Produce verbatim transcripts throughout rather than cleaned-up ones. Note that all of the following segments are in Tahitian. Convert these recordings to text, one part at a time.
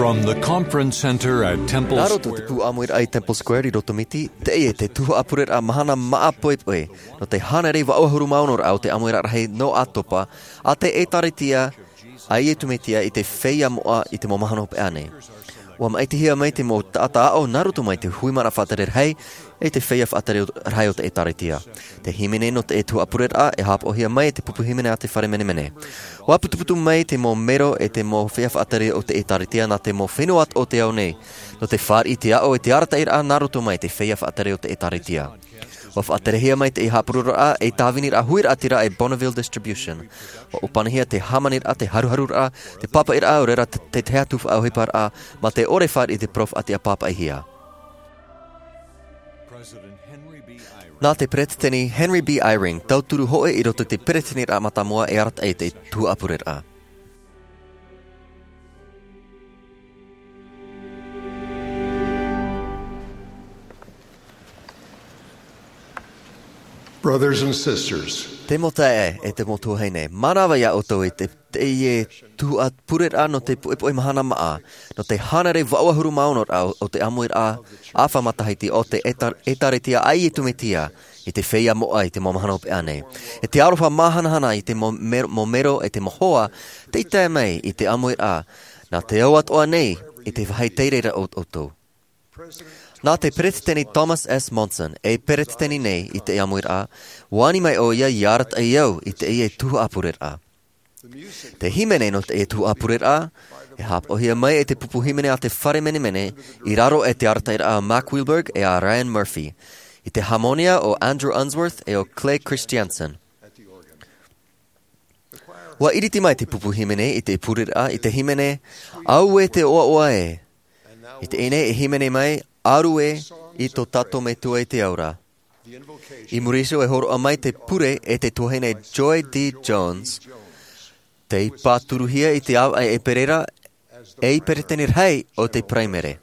From the conference center at Temple Nā roto te Square. Pū ʻāmuiraʻa i Temple Square i Rotomiti, teie te tuhaʻa pureraʻa mahana māʻa poʻipoʻi, nō te hānere vaʻu ʻahuru mā ono raʻa o te ʻāmuiraʻa rahi nō ʻĀtopa, a te ʻĒtārētia a Iesu Mesia i te feiā moʻa i te mau mahana hopeʻa nei. ʻUa maʻitihia mai te mau taʻata aʻo nā roto mai te hui maraʻa faʻatere rahi, e te feiā faʻatere rahi o te ʻĒtārētia. Te hīmene nō te tuhaʻa pureraʻa, e haʻapaʻohia mai e te pupu hīmene a te fare menemene. ʻUa putuputu mai te mau mero e te mau feiā faʻatere o te ʻĒtārētia nā te mau fenua o te ao nei, nō te fāriʻi i te aʻo e te arataʻiraʻa nā roto mai te feiā faʻatere o te ʻĒtārētia. ʻUa faʻaterehia mai te haʻapurororaʻa e tāviniraʻa huiraʻatira e Bonneville Distribution. ʻUa ʻōpanihia te hāmaniraʻa, te haruharuraʻa, te pāpaʻiraʻa, ʻo reira te, te tahi atu faʻaʻohiparaʻa, mā te ʻore fāriʻi i te parau faʻatiʻa pāpaʻihia. Nā te Peretiteni Henry B. Eyring, tauturu hōʻē i roto i te Peretiteniraʻa Mātāmua e arataʻi i te tuhaʻa pureraʻa. Brothers and sisters. Te mau taeaʻe e te mau tuahine, mānava ia ʻoutou i te, teie tuhaʻa pureraʻa nō te poʻipoʻi mahana māʻa, nō te hānere vaʻu ʻahuru mā ono raʻa o te ʻāmuiraʻa ʻāfa matahiti o te ʻEtā-, ʻĒtārētia a Iesu Mesia i te feiā moʻa i te mau mahana hopeʻa nei. E te aroha māhanahana i te mau mer-, mau mero e te mau hoa, tei tae mai i te ʻāmuiraʻa, nā te au atoʻa nei i te vāhi tei reira o, ʻoutou. Nā te Peretiteni Thomas S. Monson, e Peretiteni nei i te ʻāmuiraʻa, ʻua ani mai ʻoia ia arataʻi au i teie tuhaʻa pureraʻa. Te hīmene nō teie tuhaʻa pureraʻa, e haʻapaʻohia mai e te pupu hīmene a te fare menemene, i raro e te arataʻiraʻa a Mark Wilberg e a Ryan Murphy, i te hāmonia o Andrew Unsworth e o Clay Christiansen. ʻUa ʻiriti mai te pupu hīmene i te pureraʻa i te hīmene, Auē te ʻoaʻoa ē. I teie nei e hīmene mai, Aru ē i tō tātou Metua i te ao ra. I muri iho e hōroʻa mai te pure e te tuahine Joy D. Jones, tei pāturuhia i te ʻāvaʻe ʻEperēra, ei peretiteni rahi o te Paraimere.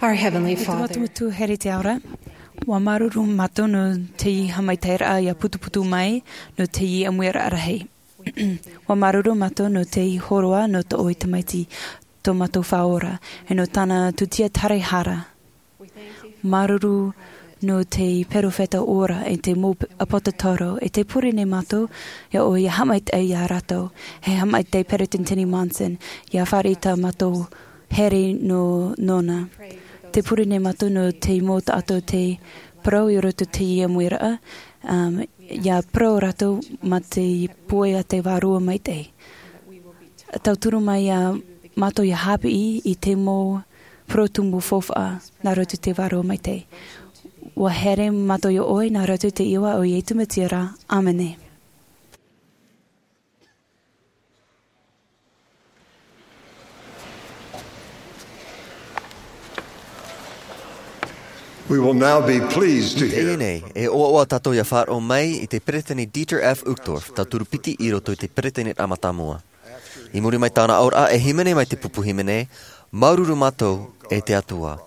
Our Heavenly Father. E te Metua Here i te ao ra, ʻua māuruuru mātou nō teie haʻamaitaʻiraʻa ʻia putuputu mai, nō teie ʻāmuiraʻa rahi. ʻUa māuruuru mātou nō teie hōroa nō tō ʻoe tamaiti, tō mātou Faʻaora, e nō tāna tūtia taraehara. Māuruuru nō te perofeta ora e te mau ʻāpōsetolo, e tē pure nei mātou iā ʻoe ʻia haʻamaitaʻi iā rātou, e haʻamaitaʻi Peresideni Monson, ʻia fāriʻi tā mātou here nō, nōna. Tē pure nei mātou nō te mau taʻata tei parau i roto i te ʻāmuiraʻa, um, ʻia parau rātou mā te pūai a te Vārua Maitaʻi. Tauturu mai iā mātou ʻia haʻapiʻi i te mau parau tumu faufaʻa nā roto i te Vārua Maitaʻi. ʻUa here mātou iā ʻoe nā roto i te iʻoa o Iesu Mesia ra. ʻĀmene. We will now be pleased to I teie hear nei, e ʻoaʻoa tātou ʻia faʻaroʻo mai i te Peresideni Dieter F. Uchtdorf, tauturu piti i roto i te Peresideniraʻa mātāmua. I muri mai tāna auraʻa e hīmene mai te pupu hīmene, Māuruuru Mātou e te Atua.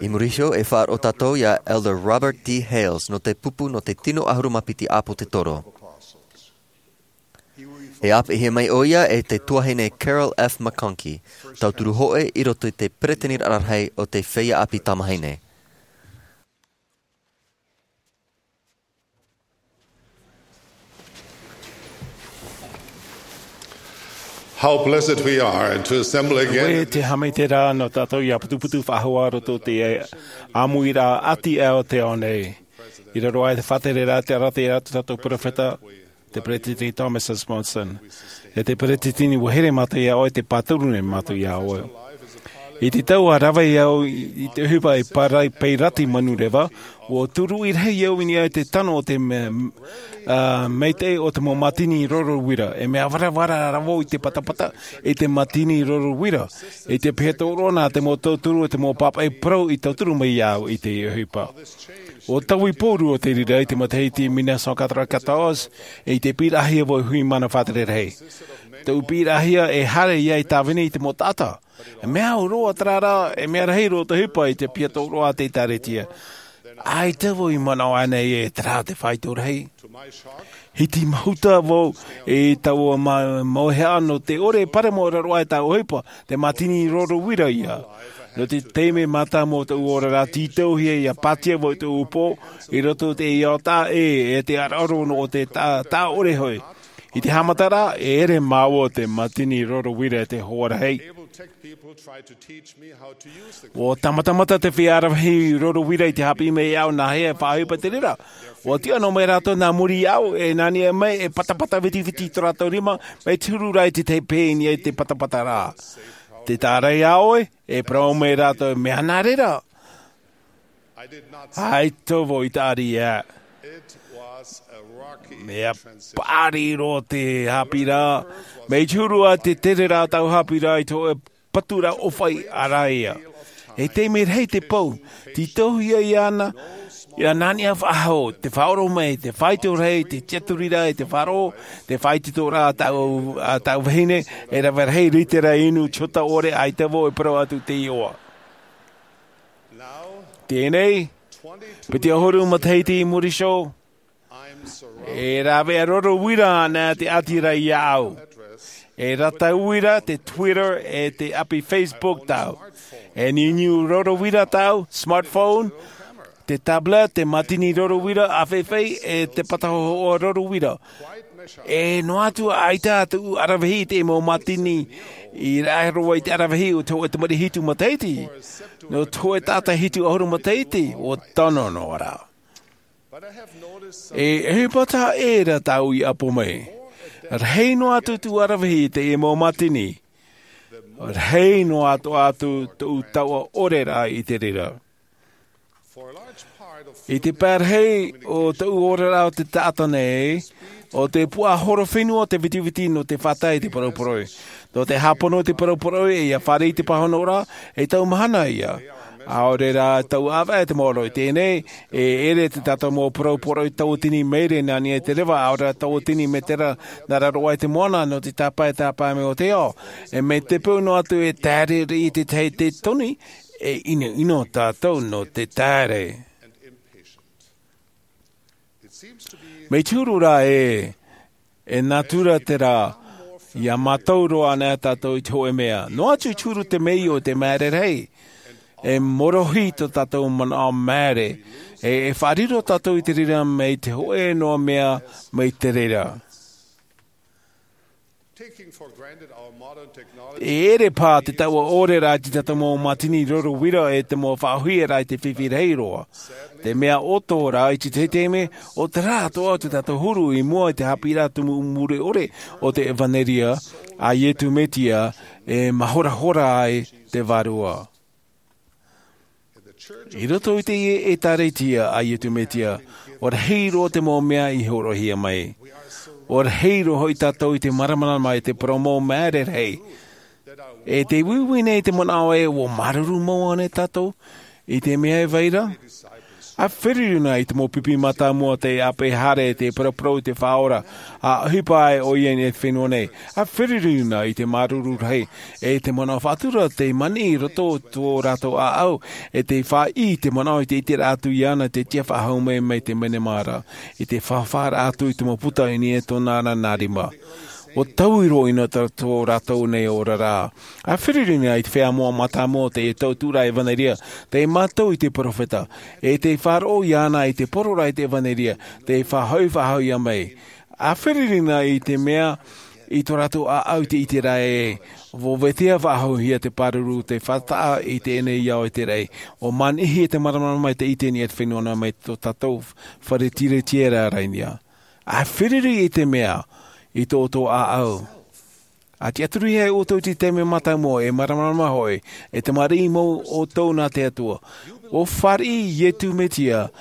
I muri iho e faʻaroʻo tātou iā Elder Robert D. Hales nō te pupu nō te tino ʻahuru mā piti ʻāpōsetolo. E ʻāpeʻehia mai ʻoia e te tuahine Carol F. McConkie, tauturu hōʻē i roto i te Peresideniraʻa Rahi o te Feiā ʻĀpī Tamāhine. How blessed we are to assemble again. ʻUa te haʻamaitaʻi ra nō tātou ʻia putuputu faʻahou ā roto i te ʻāmuiraʻa ʻati aʻe o te ao nei. I raro aʻe i te faʻatereraʻa, tē arataʻi ra tō tātou perofeta, te Peresideni Thomas S. Monson. E te Peresideni, ʻua here mātou iā ʻoe, tē pāturu nei mātou iā ʻoe. I te tau ʻa rave ai au i, i te ʻohipa i Parai-, Pairati Manureva, ʻua tūruʻi rahi au i niʻa i te tano o te me-, ā, maitaʻi o te mau mātini roro uira, e mea varavara rā vau i te patapata, i te mātini roro uira, i te piha tōroʻa nā te mau tauturu, i te mau pāpaʻi parau i tauturu mai iā au i te ʻohipa. ʻUa taui pōrua te reira i te matahiti mille neuf cent quatre-vingt-quatorze, i te piʻiraʻahia vau e hui mana faʻatere rahi. Tōʻu piʻiraʻahia e haere ia i tāvini i te mau taʻata. E mea au roa terā rā, e mea rahi roa te ʻohipa i te piha tōroʻa a te ʻĒkālesia. ʻAita vau i manaʻo ānei e terā te faito rahi. Hiti mahuta vau i taua ma-, mauhaʻa nō te ʻore e parau mau i raro aʻe i taua ʻohipa, te mātini roro uira ia. Nō te taime mātāmua o tōʻu oraraʻa, tītauhia ʻia pātia vau i tōʻu pō, i roto i te ʻiʻoa taʻa ʻē, e te ʻaraʻaro nō te ta-, taʻa ʻore hoʻi. I te haʻamataraʻa, e ʻere māua te mātini roro uira e te hoa rahi. ʻUa tāmatamata te feiā rave rahi roro uira i te haʻapiʻi mai iāʻu nāhea e faʻaʻohipa te reira. ʻUa tiʻa noa mai rātou nā muri iāʻu, e nā niʻa mai e patapata vitiviti tō rātou rima, mai te huru ra i te tahi pē i niʻa i te patapata ra. Tē taʻa ra iā ʻoe, e parau mai rātou, mea nā reira. ʻAita vau i taʻa riʻi aʻe. Mea paʻari roa te haʻapiʻiraʻa. Mai te huru a te tereraʻa tāʻu haʻapiʻiraʻa i te hōʻē paturaʻa ʻōfaʻi ʻaraʻia. E taime rahi te pou, tītauhia iāna, ʻia nā niʻa faʻahou, te faʻaroʻo mai, te faito rahi, te tiʻaturiraʻa, te faʻaroʻo, te faʻaitoitoraʻa a tāʻu, a tāʻu vahine, e rave rahi, rite rā inu, te hota ʻore, ʻaita vau e parau atu te ʻiʻoa. Teie nei, piti ʻahuru matahiti i muri iho, e rāveʻa roro uira ana te ʻati ra iāʻu. E rata uira te Twitter, e te ʻapi Facebook tāʻu. E niuniu roro uira tāʻu, smartphone, te tablet, te mātini roro uira, ʻāfaifai, e te pata hōhoʻa roro uira. E noa atu ʻaita atu ʻaravihi i te mau mātini i rave roa i te ʻaravihi o te hōʻē tamariʻi hitu matahiti. Nō te hōʻē taʻata hitu ʻahuru matahiti, ʻua tono noa rā. E, e ʻohipa taʻa ʻē ra tāʻu i ʻapo mai. Rahi noa atu tōʻu ʻaravihi i te mau mātini. Rahi noa atu atu tōʻu taoʻa ʻore ra i te reira. I te pae rahi o tōʻu oraraʻa o te taʻata nei, ʻo te puaʻahorofenua te vitiviti nō te faʻatae i te poroporoʻi. Nō te hāpono i te poroporoʻi, ʻia fāriʻi i te pāhonoraʻa, e tau mahana ia. ʻAore rā tau ʻāvaʻe te maoro i teie nei, e ʻere te tātou mau poroporoʻi tauatini maere nā niʻa i te reva, ʻaore rā tauatini mētera nā raro aʻe i te moana, nō te tāpae, tāpae mai o te ao. E mai te peu noa atu e taere riʻi i te tahi tētoni, e ʻinoʻino tātou nō te taere. Mai te huru rā e, e natura terā, Ia mātau roa ana tātou i te hoʻe mea. Noa atu i te huru te mea o te māere rahi. E morohi tō tātou manaʻo māere. E, e faʻariro tātou i te reira mai te hoʻe noa mea mai te reira. Taking for granted our modern technology. E ere pā te taua ʻore rā i te tātou mau mātini roro vira e te mau faʻahoʻi rā i te fifi rahi roa. Te mea ʻoto rā i te tahi taime, ʻo te rā atoʻa o te tātou huru i mua i te haʻapiʻiraʻa tumu mure ʻore o te ʻevanelia a Iesu Mesia e māhorahora ai te vārua. I roto i te ʻētāretia a Iesu Mesia, ʻua rahi roa te mau mea i hōroʻahia mai. ʻUa rahi roa hoʻi tātou i te māramarama i te parau mau māere rahi. E te uiui nei te manaʻo ē ʻua māuruuru mau ana tātou i te mea e vai ra. ʻA feruri na i te mau pipi mātāmua te ʻāpeʻe haere te paraparau i te Faʻaora, ʻa ʻohipa ai ʻoia i te fenua nei. ʻA feruri na i te māuruuru rahi, e te manaʻo faʻatura te maniʻi i roto tō rātou ʻāʻau, e te faʻaʻī te manaʻo i te ʻiteraʻa atu iāna te tiʻa faʻahou mai mai te menemara, i te fāfāraʻa atu i te mau puta i niʻa i tōna ra nā rima. ʻUa taui roa ʻino tā tō rātou nei oraraʻa. ʻA feruri na i te feiā moʻa mātāmua te tautuʻaraʻa ʻevanelia, te mātau i te peropheta, e te faʻaroʻo iāna i te poro ra i te ʻevanelia, te faʻahoʻi faʻahoʻi mai. ʻA feruri na i te mea i tō rātou ʻāʻau i te ʻiteraʻa ē, ʻua vetea faʻahouhia te pāruru te faʻataʻa i teie nei ao i te raʻi, ʻua maniʻihia te māramarama i te ʻite i niʻa i te fenua nā mai tō tātou fare tiretiera rainia. ʻA feruri i te mea i tō ʻoutou ʻāʻau. ʻA tiʻaturi ai ʻoutou i te taime mātāmua e māramarama hoʻi, e tamariʻi mau ʻoutou nā te Atua. ʻUa fāriʻi Iesu Mesia,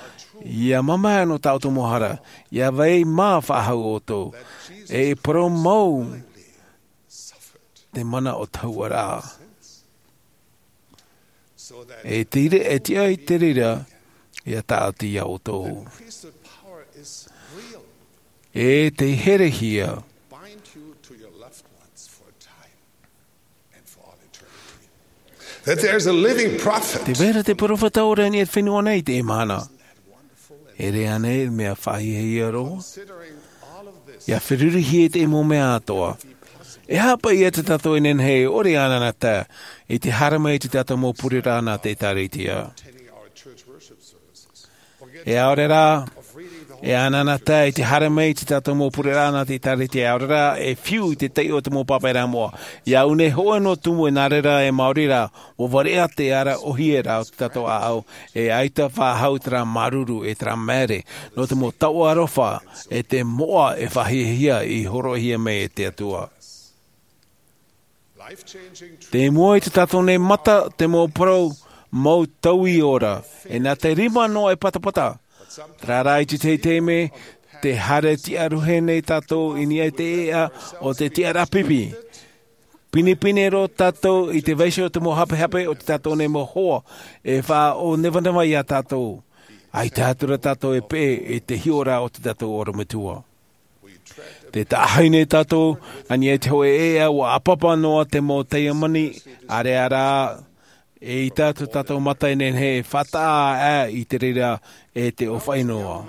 ia mamae nō tā ʻoutou mau hara, ia vai mā faʻahou ʻoutou. E parau mau te mana o te hauʻaraʻa. E te ire, e tiʻa i te reira, ia tāʻati iā ʻoutou. E te herehia. That there's a living prophet. Te vera te peropheta ʻore i niʻa i te fenua nei i teie mahana. E ʻere ānei mea faʻahiahia roa. Ia ferurihia i te mau mea atoʻa. E haʻapaʻo ia tā tātou e nehenehe e ʻore ʻānānātae i te haere mai i tā tātou mau pureraʻa nā te ʻĒtārētia. E ʻaore rā, e ʻānānātae i te haere mai i tā tātou mau pureraʻa nā te ʻĒtārētia, e ʻaore rā, e fiu i te taiʻo o te mau pāpaʻiraʻa moʻa. Ia au nei hōʻē noa tumu e nā reira e maori rā, ʻua variʻa te ara ʻōhie ra o tā tātou ʻāʻau, e ʻaita faʻahou terā māuruuru e terā māere, nō te mau taoʻa aroha, e te moʻa e faʻahiahia i hōroʻahia mai e te Atua. Te mua i tā tātou nei mata, te mau parau mau taui ora, e nā te rima noa e patapata. Terā rā i te tahi taime, te haere tiʻa roa nei tātou i niʻa i te ʻēʻa o te tiʻaraʻa pipi. Pinepine roa tātou i te vaiiho o te mau hapehape o tā tātou nei mau hoa, e faʻaʻōnevaneva iā tātou. ʻAita atu rā tātou e peʻe i te hiʻoraʻa o tā tātou ʻorometua. Tē taʻahi nei tātou, i niʻa i te hōʻē ʻēʻa ʻua ʻāpapa noa te mau taiamani, ʻaore rā, eʻita atu tā tātou mata e nehenehe e faʻataʻa aʻe i te reira e te ʻōfaʻi noa.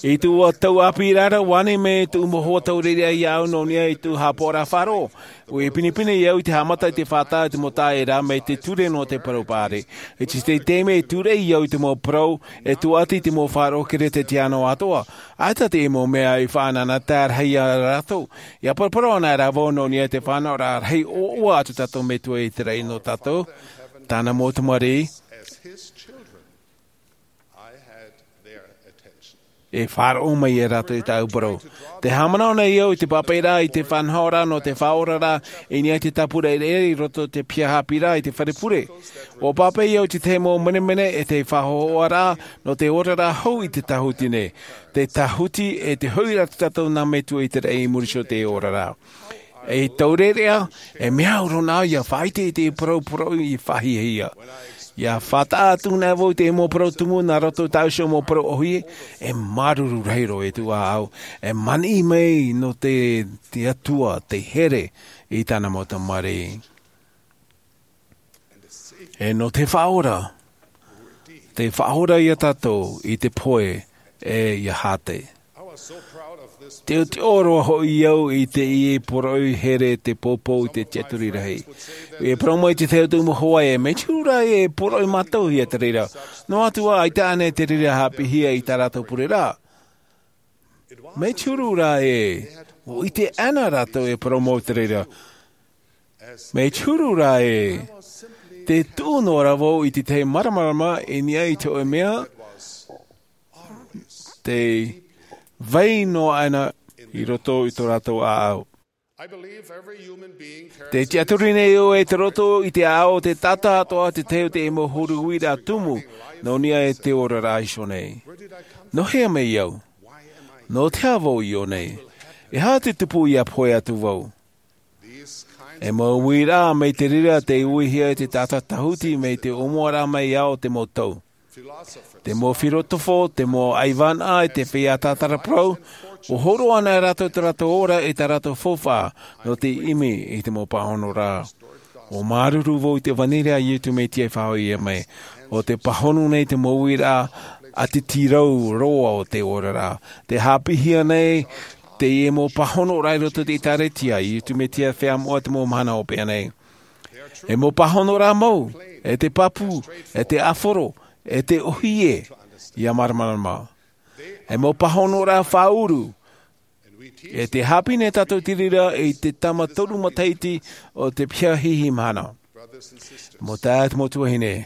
I tuʻu tau ʻāpī rā, ʻua ani mai tuʻu mau hoa taureʻareʻa iāʻu nō niʻa i tuʻu haʻapaʻoraʻa faʻaroʻo. ʻUa pinepine au i te haʻamata i te faʻataʻa i te mau taʻata mai te ture nō te parau paʻari. I te tahi taime e tūreʻi au i te mau parau, e tuati i te mau faʻaroʻo kerisetiano atoʻa. ʻAita te mau mea i faʻanahoraʻa rahi iā rātou. ʻIa paraparau ana rā vau nō niʻa i te fānaʻoraʻa rahi ʻoaʻoa a tō tātou Metua i te raʻi nō tātou, tāna mau tamariʻi. E faʻaroʻo mai ia rātou i tāʻu parau. Tē haʻamanaʻo nei au i te pāpaʻiraʻa i te faʻanahoraʻa nō te Faʻaora ra, i niʻa i te tāpura ʻereʻere i roto i te piha haʻapiʻiraʻa i te fare pure. ʻUa pāpaʻi au i te tahi mau menemene e te faʻahohoʻaraʻa nō te oraraʻa hou i te tāhuti nei. Te tāhuti e te hoʻiraʻa tā tātou nā Metua i te raʻi i muri iho i te oraraʻa. E taureʻareʻa, e mea au roa nā ʻia faʻaʻite i te parau parau i faʻahiahia. ʻIa faʻataʻa atu nei vau i te mau parau tumu nā roto i tāʻu iho mau parau ʻōhie, e māuruuru rahi roa e tuʻu ʻāʻau, e maniʻi mai nō te, te Atua, te here i tāna mau tamariʻi. E nō te Faʻaora, te Faʻaora iā tātou i te pohe e ʻia hāte. Te ʻotiʻo roa hoʻi au i teie poroʻi here te poupou i te tiaturi rahi. E parau mai te tahi atu mau hoa ē, mai te huru rā ē e poroʻi mātauhia te reira. Noa atu ā, ʻaita ānei te reira haʻapiʻihia i tā rātou pure ra? Mai te huru rā ē, ʻua ʻite ana rātou e parau mau te reira. Mai te huru rā ē, te tuʻu noa ra vau i te tahi māramarama i niʻa i te hōʻē mea, te vai noa ana i roto i tō rātou ʻāʻau. Te tiaturi nei ʻoe i roto i te ʻāʻau o te taʻata atoʻa te tahi o te mau huru uiraʻa tumu nō niʻa i te oraraʻa iho nei. Nō hea mai au? Nō te aha vau i ʻō nei? E aha te tupu ʻia pohe atu vau? E mau uiraʻa mai te reira tei uihia e te taʻata tahuti mai te ʻōmuaraʻa mai ā o te mau tau. Te mau filosofo, te mau ʻaivānaʻa, te feiā tātara parau, ʻua hōroʻa ana rātou tō rātou ora e tā rātou faufaʻa nō te ʻimi i te mau pāhonoraʻa. ʻUa māuruuru vau i te ʻevanelia a Iesu Mesia i faʻahoʻihia mai. ʻO te pāhono nei te mau uiraʻa ʻātiti roa o te oraraʻa. Tē haʻapiʻihia nei teie mau pāhonoraʻa i roto i te ʻĒkālesia a Iesu Mesia Feiā Moʻa te mau mahana hopeʻa nei. E mau pāhonoraʻa mau, e te pāpū, e te ʻāfaro, e te ʻōhie, ʻia māramarama. E mau pāhonoraʻa faʻaʻuru, e tē haʻapiʻi nei tātou i te reira i te tama toru matahiti o te piha hihi mahana. Mau taeaʻe, mau tuahine,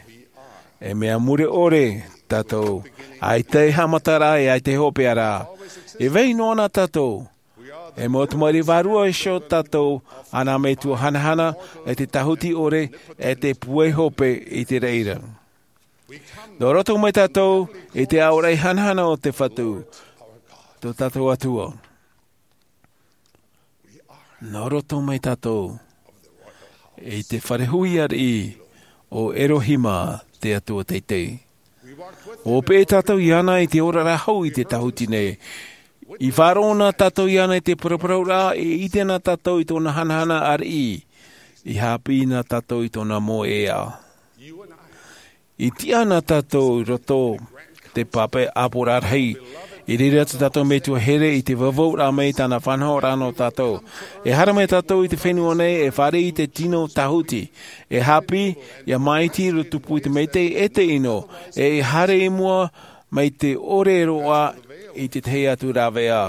e mea mure ʻore tātou, ʻaita e haʻamataraʻa, e ʻaita e hopeʻa ra. E vai noa na tātou, e mau tamariʻi vārua iho tātou a nā metua hanahana, e te tahuti ʻore, e te puai hope i te reira. Nō roto mai tātou i te aʻoraʻi hanahana o te Fatu, tō tātou Atua. Nō roto mai tātou i te fare hui ariʻi o Elohima, te Atua teitei. ʻUa peʻe tātou iāna i te oraraʻa hou i te tahuti nei. I faʻaroʻo na tātou iāna i te paraparauraʻa, e ʻite na tātou i tōna hanahana ariʻi, i haʻapiʻi na tātou i tōna moʻe ʻeʻa. I tiʻa na tātou i roto te pape ʻāpoʻoraʻa rahi. I reira tō tātou metua here i te vavauraʻa mai i tāna faʻanahoraʻa nō tātou. E haere mai tātou i te fenua nei e fāriʻi i te tino tahuti. E haʻapiʻi ʻia māʻiti i roto tupu i te maitaʻi e te ʻino, e haere i mua mai te ʻore roa i te tahi atu rāveʻa.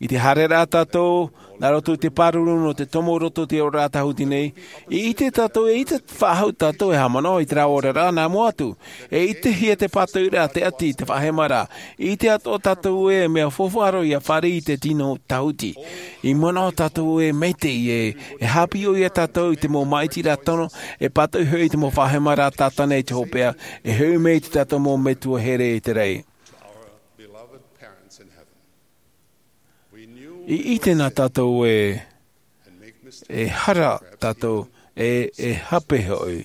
I te haereraʻa tātou nā roto i te pāruru nō te tomo roto i te oraraʻa tahuti nei, i ʻite tātou, e ʻite faʻahou tātou e haʻamanaʻo i terā oraraʻa nā mua atu. E ʻitehia te pātoʻiraʻa, te ʻati, te faʻahemaraʻa. I ʻite atoʻa tātou ē mea faufaʻa roa ʻia fāriʻi i te tino tahuti. I manaʻo tātou ē maitaʻi ē, e haʻapiʻi ʻoia ia tātou i te mau māʻitiraʻa tono, e pātoʻi hoʻi i te mau faʻahemaraʻa tātana i te hopeʻa, e hoʻi mai i tō tātou mau metua here i te raʻi. I ʻite na tātou ē, e hara tātou, e, e hape hoʻi.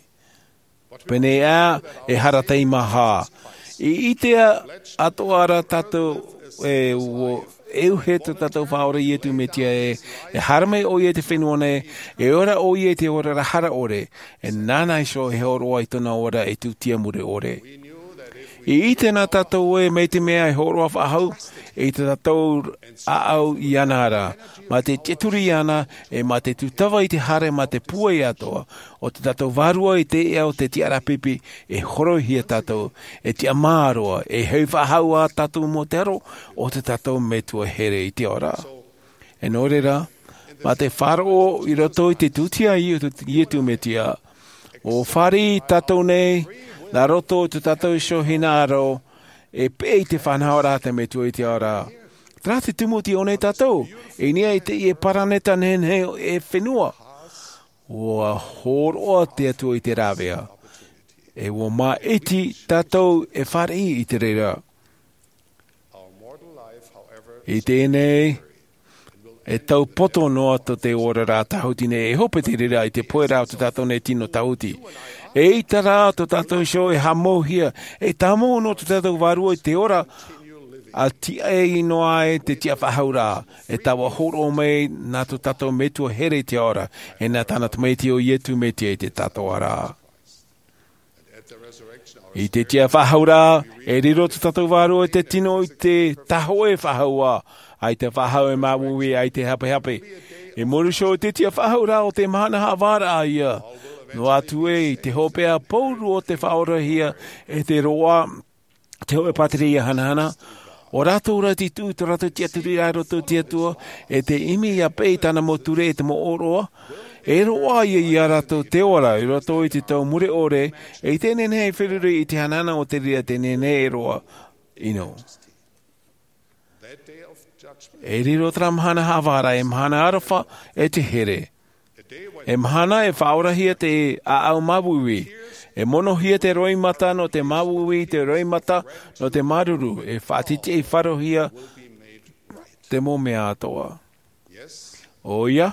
Pēneiaʻe, e hara teimaha. I ʻite atoʻa ra tātou ē, ʻua, e ʻauhe tō tātou Faʻaora Iesu Mesia ē, e haere mai ʻoia i te fenua nei, e ora ʻoia i te oraraʻa hara ʻore, e nāna iho e hōroʻa i tōna ora e tūtia mure ʻore. I ʻite na tātou ē, mai te mea e hōroʻa faʻahou i tō tātou ʻāʻau iāna ra, mā te tiʻaturi iāna, e mā te tūtava i te haere, mā te puai atoʻa o tō tātou Vārua i te ʻēʻa o te tiʻaraʻa pipi, e hōroʻahia tātou, e tiʻamā roa, e hoʻi faʻahou ā tātou mau taro o tō tātou Metua here i te ao ra. E nō reira, mā te faʻaroʻo i roto i te tūtia a Iesu, Iesu Mesia, ʻua fāriʻi tātou nei, nā roto i tō tātou iho hinaʻaro, e peʻe i te faʻanahoraʻa a te Metua i te ao ra. Terā te tumu tei ʻō nei tātou, i niʻa i teie paraneta nehenehe e fenua. ʻUa hōroʻa te Atua i te rāveʻa. E ʻua māʻiti tātou e fāriʻi i te reira. I teie nei, e tau poto noa tō te oraraʻa tahuti nei, e hope te reira i te pohe ra o tō tātou nei tino tahuti. E ʻaita rā tō tātou iho e haʻamauhia, e tāmau noa tō tātou Vārua i te ora, ʻa tiʻa noa ai te tiʻafaʻahouraʻa, e taua hōroʻa mai nā tō tātou Metua here i te ao ra, e nā tāna Tamaiti ʻo Iesu Mesia i te taʻatoʻaraʻa. I te tiʻa faʻahou rā, e riro tō tātou vārua i te tino i te tahoʻe faʻahou, ā, ʻaita faʻahou e māuiui, ʻaita hapehape. I muri iho i te tiʻa faʻahou rā o te mahana haʻavāraʻa ïa, noa atu ē i te hopeʻa pauroa o te faʻaorahia e te roa, te hōʻē pātireia hanahana, ʻo rātou rā te tuʻu i tō rātou tiʻaturi i roto i te Atua, e te ʻimi ʻia peʻe i tāna mau ture e te mau ʻōroʻa, e roaʻa ïa ia rātou te ora i roto i te tau mure ʻore, e i teie nei e feruri i te hanahana o te reira teie nei e roaʻa ʻino. E riro terā mahana haʻavāraʻa ei mahana aroha e te here. Ei mahana e faʻaorahia te ʻāʻau māuiui. E monohia te roimata nō te māuiui, te roimata nō te māuruuru. E faʻatitiʻaifaro hia te mau mea atoʻa. ʻOia,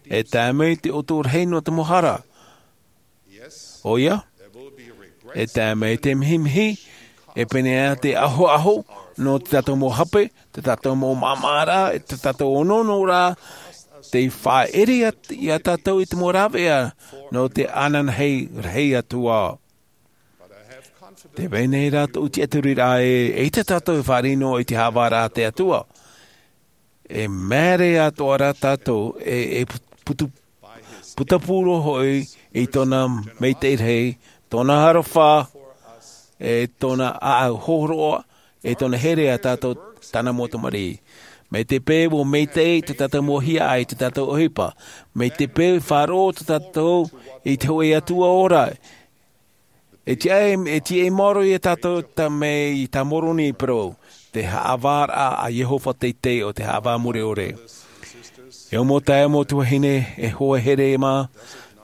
e tae mai te ʻoto rahi nō te mau hara. ʻOia, e tae mai te mihimihi, e pēneiaʻe te ahoaho nō tō tātou mau hape, tō tātou mau māmāraʻa, e tō tātou onoonoraʻa, tei faʻaʻere iā tātou i te mau rāveʻa nō te ananahi rahi atu ā. Tē vai nei rā tōʻu tiʻaturiraʻa ē, ʻeita tātou e fāriʻi noa i te haʻavāraʻa a te Atua. E māere atoʻa rā tātou e, e putu, putapū roa hoʻi i tōna maitaʻi rahi, tōna aroha, e tōna ʻāʻau hōroʻa, e tōna here iā tātou tāna mau tamariʻi. Mai te peu ʻua maitaʻi tō tātou mau hiaʻai, tō tātou ʻohipa. Mai te peu e faʻaroʻo tō tātou i te hōʻē Atua ora. E tiʻa, e tiʻa maoro iā tātou tā mai tā Moroni i parau, te haʻavāraʻa a Iehova teitei ʻo te haʻavā mure ʻore. E ʻo mau taeaʻe, mau tuahine, e hoa here mā,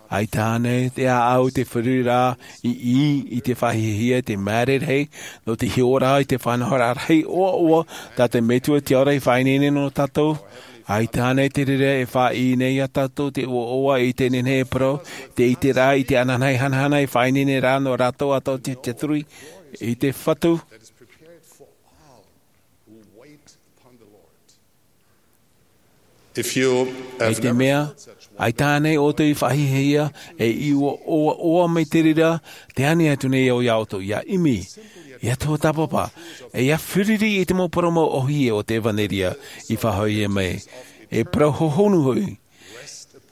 ʻaita ānei te ʻāʻau, te feruriraʻa, i, i, i te faʻahiahia, te māere rahi, nō te hiʻoraʻa i te faʻanahoraʻa rahi ʻoaʻoa, tā te Metua Te Ora i faʻaineine nō tātou, ʻaita ānei te reira e faʻaʻī nei iā tātou te ʻoaʻoa i teie nei e parau, te ʻiteraʻa i te ananahi hanahana e faʻaineine ra nō rātou atoʻa te tiʻaturi i te Fatu. If you have I te never mea, felt such ʻaita ānei ʻoutou i faʻahiahia, e i ʻoaʻoa mai te reira, tē ani atu nei au iā ʻoutou, ʻia ʻimi, ʻia tuatāpapa, e ʻia fāriʻi i te mau parau mau ʻōhie o te ʻevanelia i faʻahoʻihia mai. E parau hohonu hoʻi,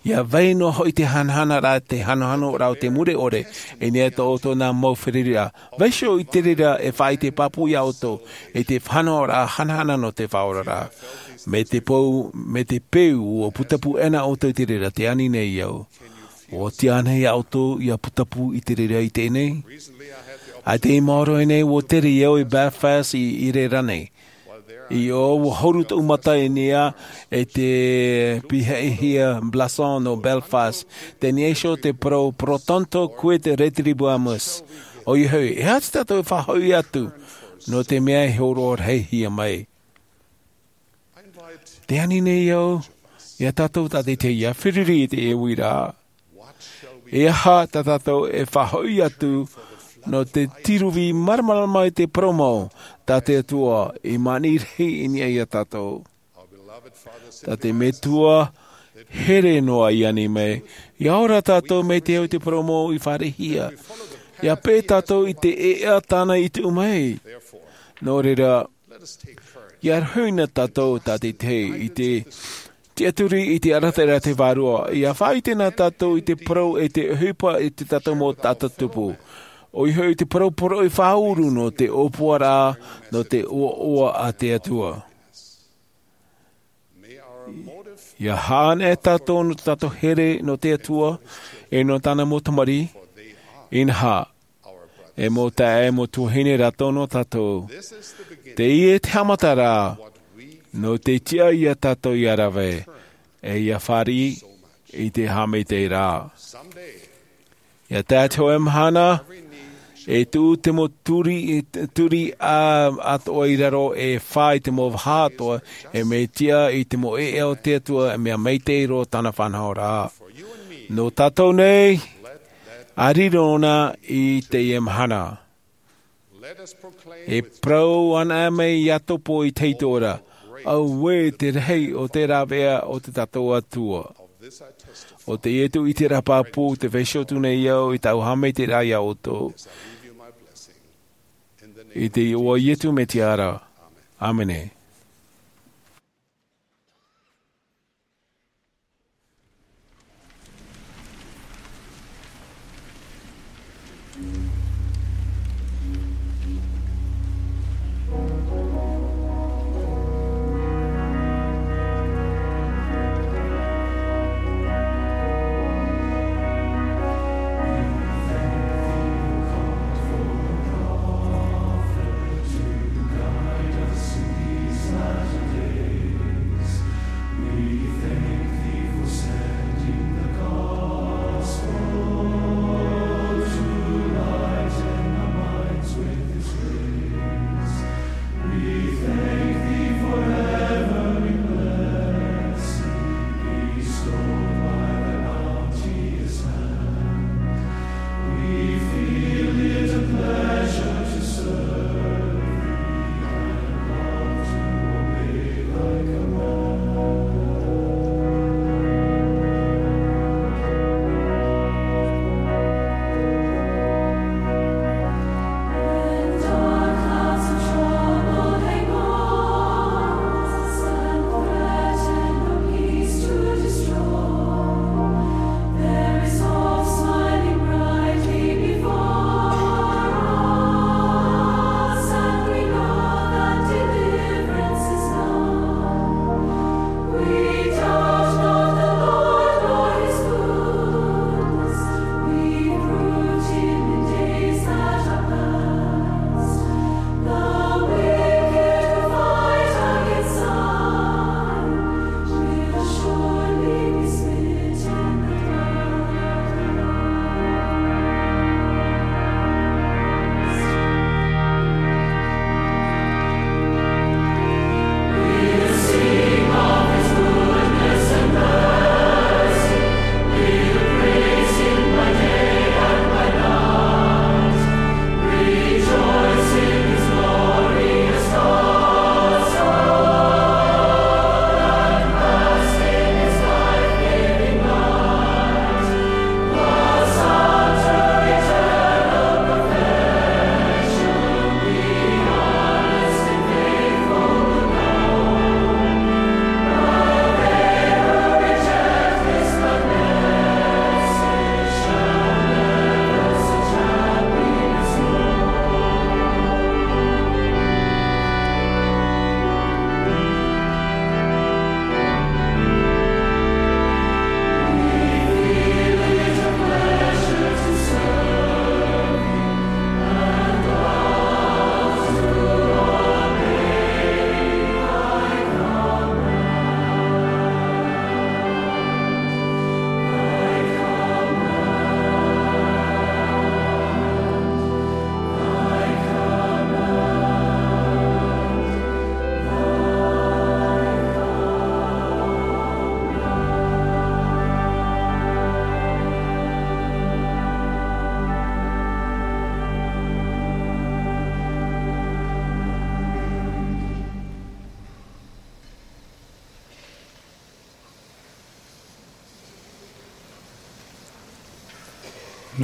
ʻia vai noa hoʻi te hanahanaraʻa, te hanohanoraʻa o te mure ʻore, i niʻa i tō ʻoutou nā mau feruriraʻa. Vaiiho i te reira e faʻaʻite pāpū iā ʻoutou, i te faʻanahoraʻa hanahana nō te faʻaoraraʻa. Mai te peu, mai te peu ʻua putapū ʻena ʻoutou i te reira, tē ani nei au. ʻUa tiʻa ānei iā ʻoutou ʻia putapū i te reira i teie nei? ʻAita i maoro nei, ʻua tere au i Belfast i, i reira nei. I ʻō, ʻua huru tōʻu mata i niʻa i te pīhaʻihia Blason nō Belfast, tē niʻa iho te parau pro tanto quid retribuamus. ʻOia hoʻi, e aha tātou e faʻahoʻi atu, nō te mea e hōroʻa rahihia mai? Tē ani nei au, iā tātou tātaʻitahi ʻia fāriʻi i te uiraʻa. E aha tā tātou e faʻahoʻi atu nō te tīruvi māramarama i te parau mau tā te Atua i māʻiti rahi i niʻa iā tātou? Tā te Metua here noa i ani mai, ʻia ora tātou mai te au i te parau mau i fāriʻihia. ʻIa peʻe tātou i te ʻēʻa tāna i tuʻu mai. Nō reira, ʻia rohi na tātou tātaʻitahi i te tiʻaturi i te arataʻiraʻa a te Vārua. ʻIa faʻaʻite na tātou i te parau e te ʻohipa i tō tātou mau taʻata tupu. ʻOia hoʻi te parau poroʻi faʻauru nō te ʻōpuaraʻa, nō te ʻoaʻoa a te Atua. ʻIa haʻaneʻe tātou nō tō tātou here nō te Atua, e nō tāna mau tamariʻi, inaha, e mau taeaʻe, mau tuahine, rātou nō tātou. Teie te haʻamataraʻa, nō te tiʻa iā tātou ʻia rave, e ʻia fāriʻi i te haʻamaitaʻiraʻa. ʻIa tae atu te hōʻē mahana, e tuʻu te mau turi, turi ʻā, atoʻa i raro, e fā i te mau vaha atoʻa, e mea tiʻa i te mau ʻēʻa o te Atua, e mea maitaʻi roa tāna faʻanahoraʻa. Nō tātou nei, ʻa riro na i teie mahana. E parau anaʻe mai ʻia topo i te hītoʻo ra, auē te rahi o te rāveʻa o tō tātou Atua. ʻO teie tōʻu ʻiteraʻa pāpū, tē vaiiho atu nei au i tāʻu haʻamaitaʻiraʻa iā ʻoutou. I te iʻoa o Iesu Mesia ra. ʻĀmene.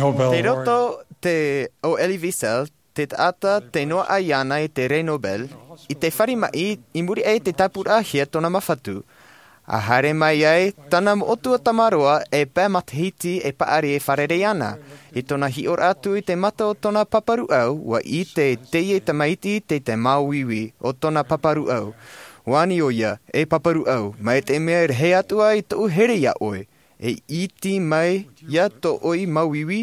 Nobel Tei roto Award. Te, o Elie Wiesel, te taʻata tei noaʻa iāna i te rē Nobel, i te fare maʻi, i muri aʻe i te tāpūraʻahia tōna māfatu. ʻA haere mai ai, tāna moʻotua tamaroa e pae matahiti e paʻari e fārerei ana. I tōna hiʻoraʻa atu i te mata o tōna pāpā rūʻau, ʻua ʻite teie tamaiti tei te māuiui o tōna pāpā rūʻau. ʻUa ani ʻoia, e pāpā rūʻau, mai te mea e rahi atu ā i tōʻu here iā ʻoe, e iti mai ia tō ʻoe māuiui?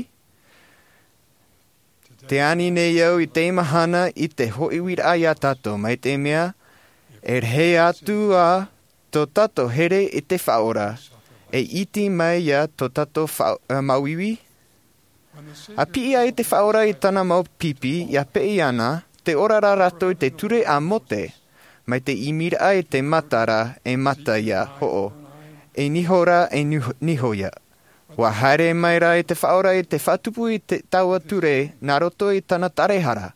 Tē ani nei au i teie mahana i te hoʻihoʻiraʻa iā tātou, mai te mea, e rahi atu ā tō tātou here i te Faʻaora, e iti mai ia tō tātou fa-, ā, māuiui? ʻA piʻi ai te Faʻaora i tāna mau pipi, ʻia peʻe iāna, tē ora ra rātou i te ture a Mose, mai te imiraʻa i te mata ra, e mata ia hoʻo, e niho ra, e niho, niho ia. ʻUa haere mai rā i te Faʻaora i te faʻatupu i te taua ture nā roto i tāna tarehara.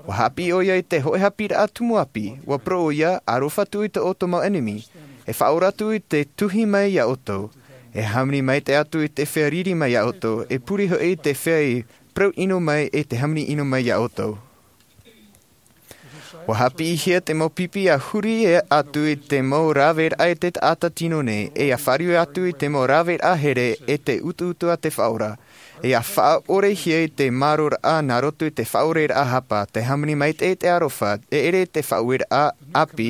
ʻUa haʻapiʻi ʻoia i te hōʻē haʻapiʻiraʻa tumu ʻāpī, ʻua parau ʻoia, ʻa aroha atu i tō ʻoutou mau ʻenemi. E faʻaora atu i te tuhi mai iā ʻoutou. E hāmani maitaʻi atu i te feiā riri mai iā ʻoutou, e pure hoʻi i te feiā parau ʻino mai, e te hāmani ʻino mai iā ʻoutou. ʻUa haʻapiʻihia te mau pipi ʻa huri atu i te mau raveraʻa e te taʻata tino nei, e ʻa fāriu atu i te mau raveraʻa here e te utuutu a te Faʻaora. E ʻa faʻaʻorehia i te māroraʻa nā roto i te faʻaʻoreraʻa hapa, te hāmani maitaʻi i te aroha, e ʻere te faʻaueraʻa ʻāpī,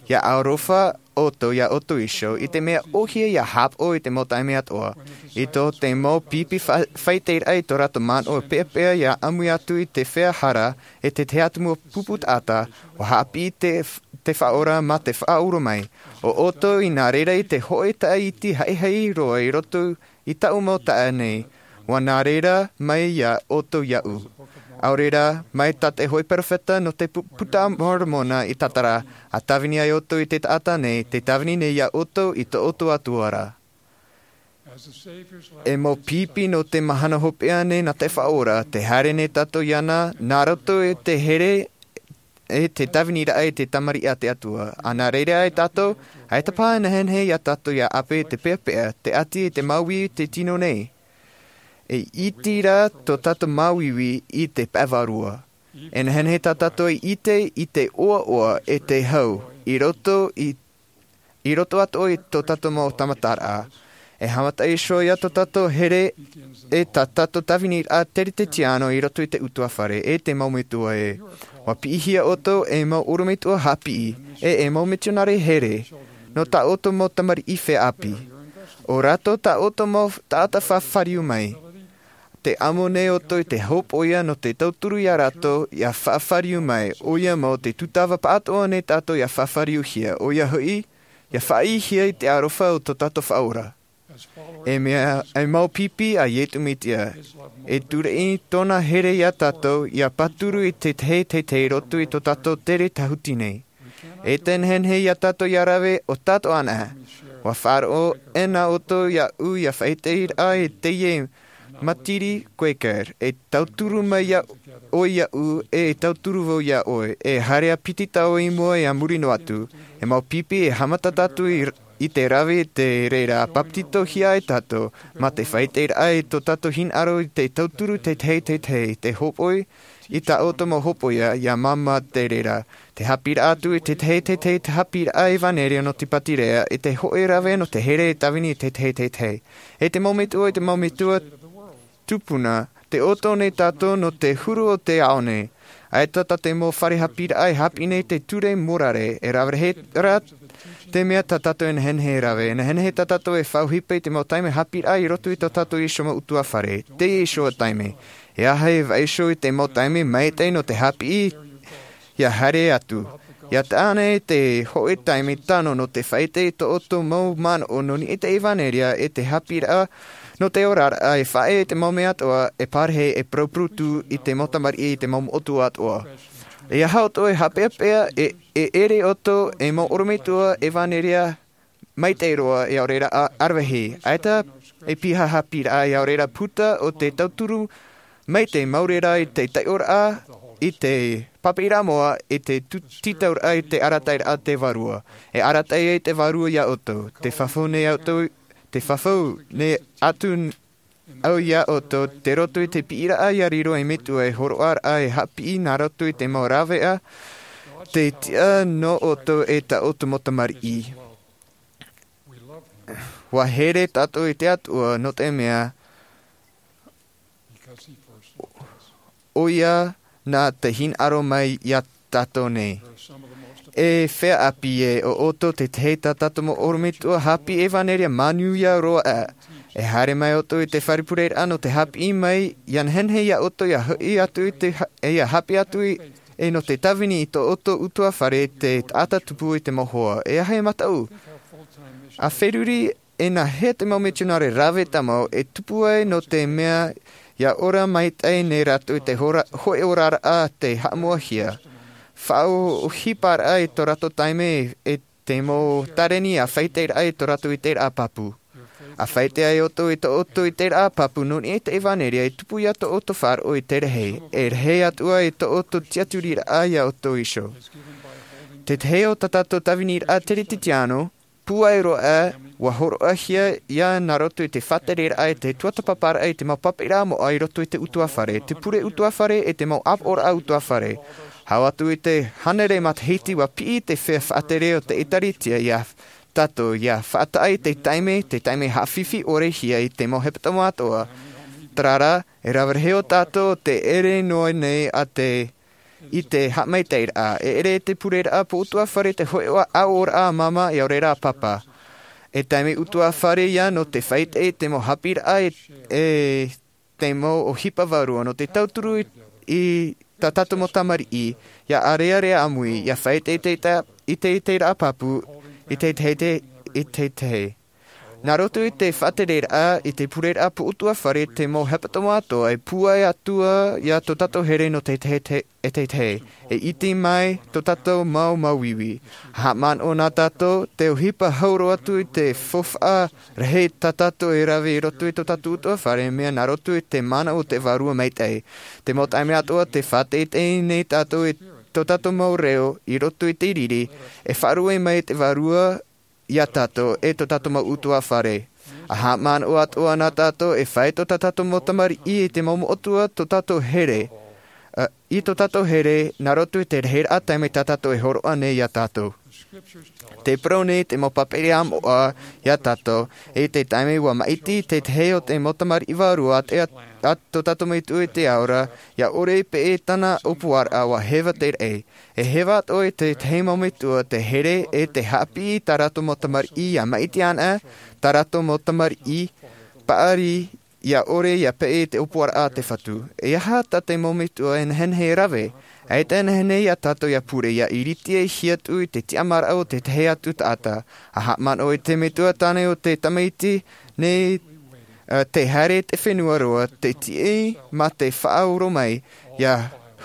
ʻia aroha ʻoutou iā ʻoutou iho, i te mea ʻohie ʻia haʻapaʻo i te mau taime atoʻa. I tō te mau pipi fa-, faʻaʻiteraʻa i tō rātou manaʻo peʻapeʻa ʻia ʻāmui atu i te feiā hara, e te tahi atu mau pupu taʻata, ʻua haʻapiʻi te, te Faʻaora mā te faʻaʻoro mai. ʻO ʻoutou i nā reira i te hōʻē taʻata iti haʻihaʻi roa i roto i tāʻu mau taʻata nei, ʻua nā reira mai iā ʻoutou iāʻu. ʻAore rā, mai tā te hōʻē peropheta nō te pu-, puta a Moromona i tātara, ʻa tāvini ai ʻoutou i te taʻata nei, tē tāvini nei iā ʻoutou i tō ʻoutou Atua ra. E mau pipi nō te mahana hopeʻa nei nā te Faʻaora, tē haere nei tātou iāna, nā roto i te here, e te tāviniraʻa i te tamariʻi a te Atua. ʻA nā reira ai tātou, ʻaita paha e nehenehe iā tātou ʻia ʻape i te peʻapeʻa, te ʻati e te māuiui i te tino nei. E iti rā tō tātou māuiui i te pae vārua. E nehenehe tā tātou e ʻite i te ʻoaʻoa e te hau, i roto i, i roto atoʻa i tō tātou mau tāmataraʻa. E haʻamata iho ā tō tātou here, e tā tātou tāviniraʻa teretetiāno i roto i te ʻutuāfare, e te mau metua ē. ʻUa piʻihia ʻoutou e mau ʻorometua haʻapiʻi, e, e mau mitionare here, nō tā ʻoutou mau tamariʻi feiā ʻāpī. ʻO rātou tā ʻoutou mau taʻata faʻafāriu mai. Tē ʻamo nei ʻoutou i te hōpoiʻa nō te tauturu iā rātou ʻia faʻafāriu mai, ʻoia mau te tūtava pāʻatoʻa nei tātou ʻia faʻafāriuhia, ʻoia hoʻi, ʻia faʻaʻitehia i te aroha o tō tātou Faʻaora. E mea, e mau pipi a Iesu Mesia, e tūreʻi tōna here iā tātou, ʻia pāturu i te tahi teitei i roto i tō tātou tere tāhuti nei. E te nehenehe iā tātou ʻia rave ʻo tātou anaʻe. ʻUa faʻaroʻo ʻē nā ʻoutou iāʻu ʻia faʻaʻiteraʻa i teie matiri Quaker, e tauturu mai iā ʻoe iāʻu, e tauturu vau iā ʻoe, e haere ā piti tau i mua e a muri noa atu, e mau pipi e haʻamata tātou i, i te rave i te reira, papetitohia ai tātou, mā te faʻaʻiteraʻa i tō tātou hinaʻaro i te tauturu teitei teitei, te hōpoi, i tā ʻoutou mau hōpoiʻa, ʻia māmā te reira. Te haʻapiʻiraʻa atu i te teitei, te haʻapiʻiraʻa ʻevanelia nō te pātireia, i te hōʻē rave nō te here e tāvini i te teitei. E te mau metua, e te mau metua tupuna, tē ʻoto nei tātou nō te huru o te ao nei. ʻAita tā te mau fare haʻapiʻiraʻa e haʻapiʻi nei te ture morare, e rave rahi rā te mea tā tātou e nehenehe e rave, e nehenehe tā tātou e faʻaʻohipa i te mau taime haʻapiʻiraʻa i roto i tō tātou iho mau ʻutuāfare, teie iho taime. E aha e vaiiho i te mau taime maitaʻi nō te haʻapiʻi ʻia haere atu. ʻIa taʻa nei te hōʻē taime tano nō te faʻaʻite i tō ʻoutou mau manaʻo nō niʻa i te ʻevanelia e te haʻapiʻiraʻa nō te oraraʻa e faʻaea i te mau mea atoʻa e pārahi e purupurutu i te mau tamariʻi i te mau motu atoʻa. E aha ʻoutou e haʻapeʻapeʻa e, e ʻere ʻoutou e mau ʻorometua ʻevanelia maitaʻi roa e ʻaore rā ʻa-, ʻaravihi. ʻAita e piha haʻapiʻiraʻa e ʻaore rā puta o te tauturu maitaʻi mau reira i te taiʻoraʻa, i te papaʻiraʻa moʻa, i te tu-, tītauraʻa i te arataʻiraʻa a te Vārua. E arataʻi ai te Vārua iā ʻoutou. Te fafau nei ʻoutou, te fafau nei atu n-, au iā ʻoutou, tei roto i te piʻiraʻa ʻia riro ei metua e hōroʻaraʻa e haʻapiʻi nā roto i te mau rāveʻa, te tiʻa nō ʻoutou e tā ʻoutou mau tamariʻi. ʻUa here tātou i te Atua nō te mea, ʻoia nā te hinaʻaro mai iā tātou nei. E feiā ʻāpī ē, ʻo ʻoutou te tahi tā tātou mau ʻorometua haʻapiʻi ʻevanelia manuia roa aʻe. E haere mai ʻoutou i te fare pureraʻa nō te haʻapiʻi mai, ʻia nehenehe iā ʻoutou ʻia hoʻi atu i te ha-, e ʻia haʻapiʻi atu i, e nō te tāvini i tō ʻoutou ʻutuāfare te taʻata tupu i te mau hoa. E aha e mataʻu? ʻA feruri e nāhea te mau mitionare rave tāmau e tupu ai nō te mea ʻia ora maitaʻi nei rātou i te hora-, hōʻē oraraʻa tei haʻamoʻahia. Faʻaʻohiparaʻa i tō rātou taime e te mau tāreni ʻa faʻaʻiteraʻa i tō rātou ʻiteraʻa pāpū. ʻA faʻaʻite ai ʻoutou i tō ʻoutou ʻiteraʻa pāpū nō niʻa i te ʻevanelia e tupu iā tō ʻoutou faʻaroʻo i te rahi, e rahi atu ai tō ʻoutou tiʻaturiraʻa iā ʻoutou iho. Te tahi o tā tātou tāviniraʻa teretetiāno, pūai roa, ʻua hōroʻahia ïa nā roto i te faʻatereraʻa e te tuatāpaparaʻa i te mau papaʻiraʻa moʻa i roto i te ʻutuāfare, te pure ʻutuāfare e te mau ʻāpoʻoraʻa ʻutuāfare. Hau atu i te hānere matahiti, ua piʻi te feiā faʻatere o te ʻĒtārētia iā tātou, ʻia faʻataʻa i te taime, te taime haʻafifi ʻore hia i te mau hepetoma atoʻa. Terā rā, e rave rahi ō tātou te ʻere noa nei a te, i te haʻamaitaʻiraʻa, e ʻere te pureraʻa pōʻutuafare te hōʻē ʻaʻoraʻa māmā, ʻia ʻore rā papa. E taime ʻutuafare ia nō te faʻaʻite i te mau haʻapiʻiraʻa e, e te mau ʻohipa vārua nō te tauturu i, i tā tātou mau tamariʻi, ʻia ʻārearea ʻāmui, ʻia faʻaʻite i te, i te, i te ʻiteraʻa pāpū, i te, te, te, i te, te. Nā roto i te faʻatereraʻa, i te pureraʻa pōʻutuafare te mau hepetoma atoʻa, e pūai atu ā iā tō tātou here nō te, te, te, e te, te, e ʻite mai tō tātou mau māuiui. Haʻamanaʻo nā tātou, te ʻohipa hau roa atu i te faufaʻa rahi tā tātou e rave i roto i tō tātou ʻutuafare, mea nā roto i te mana o te Vārua Maitaʻi. Te mau taime atoʻa, tē faʻateitei nei tātou i tō tātou mau reo i roto i te riri, e faʻaruʻe mai te Vārua iā tātou e tō tātou mau ʻutuafare. ʻA haʻamanaʻo atoʻa nā tātou, e fai tō tātou mau tamariʻi i te mau moʻotua tō tātou here, ā, i tō tātou here, nā roto i te rahiraʻa taime tā tātou e hōroʻa nei iā tātou. Tē parau nei te mau pāpere ʻāmoʻa iā tātou, i te taime ua maʻiti te tahi o te mau tamariʻi vārua a te, a, a tō tātou Metua i te ao ra, ʻia ʻore i peʻe tāna ʻōpuaraʻa, ʻua heva te raʻi. E heva atoʻa i te tahi mau metua te here e te haʻapiʻi i tā rātou mau tamariʻi ʻia maʻiti anaʻe, tā rātou mau tamariʻi paʻari ʻia ʻore ʻia peʻe i te ʻōpuaraʻa a te Fatu. E aha tā te mau metua e nehenehe e rave? ʻAita e nehenehe iā tātou ʻia pure, ʻia ʻiritia e hia atu i te tiʻamāraʻa o te tahi atu taʻata. ʻA haʻamanaʻo i te metua tāne o te tamaiti nei, ā, tē haere i te fenua roa, tē tiʻi mā te faʻaora mai, ʻia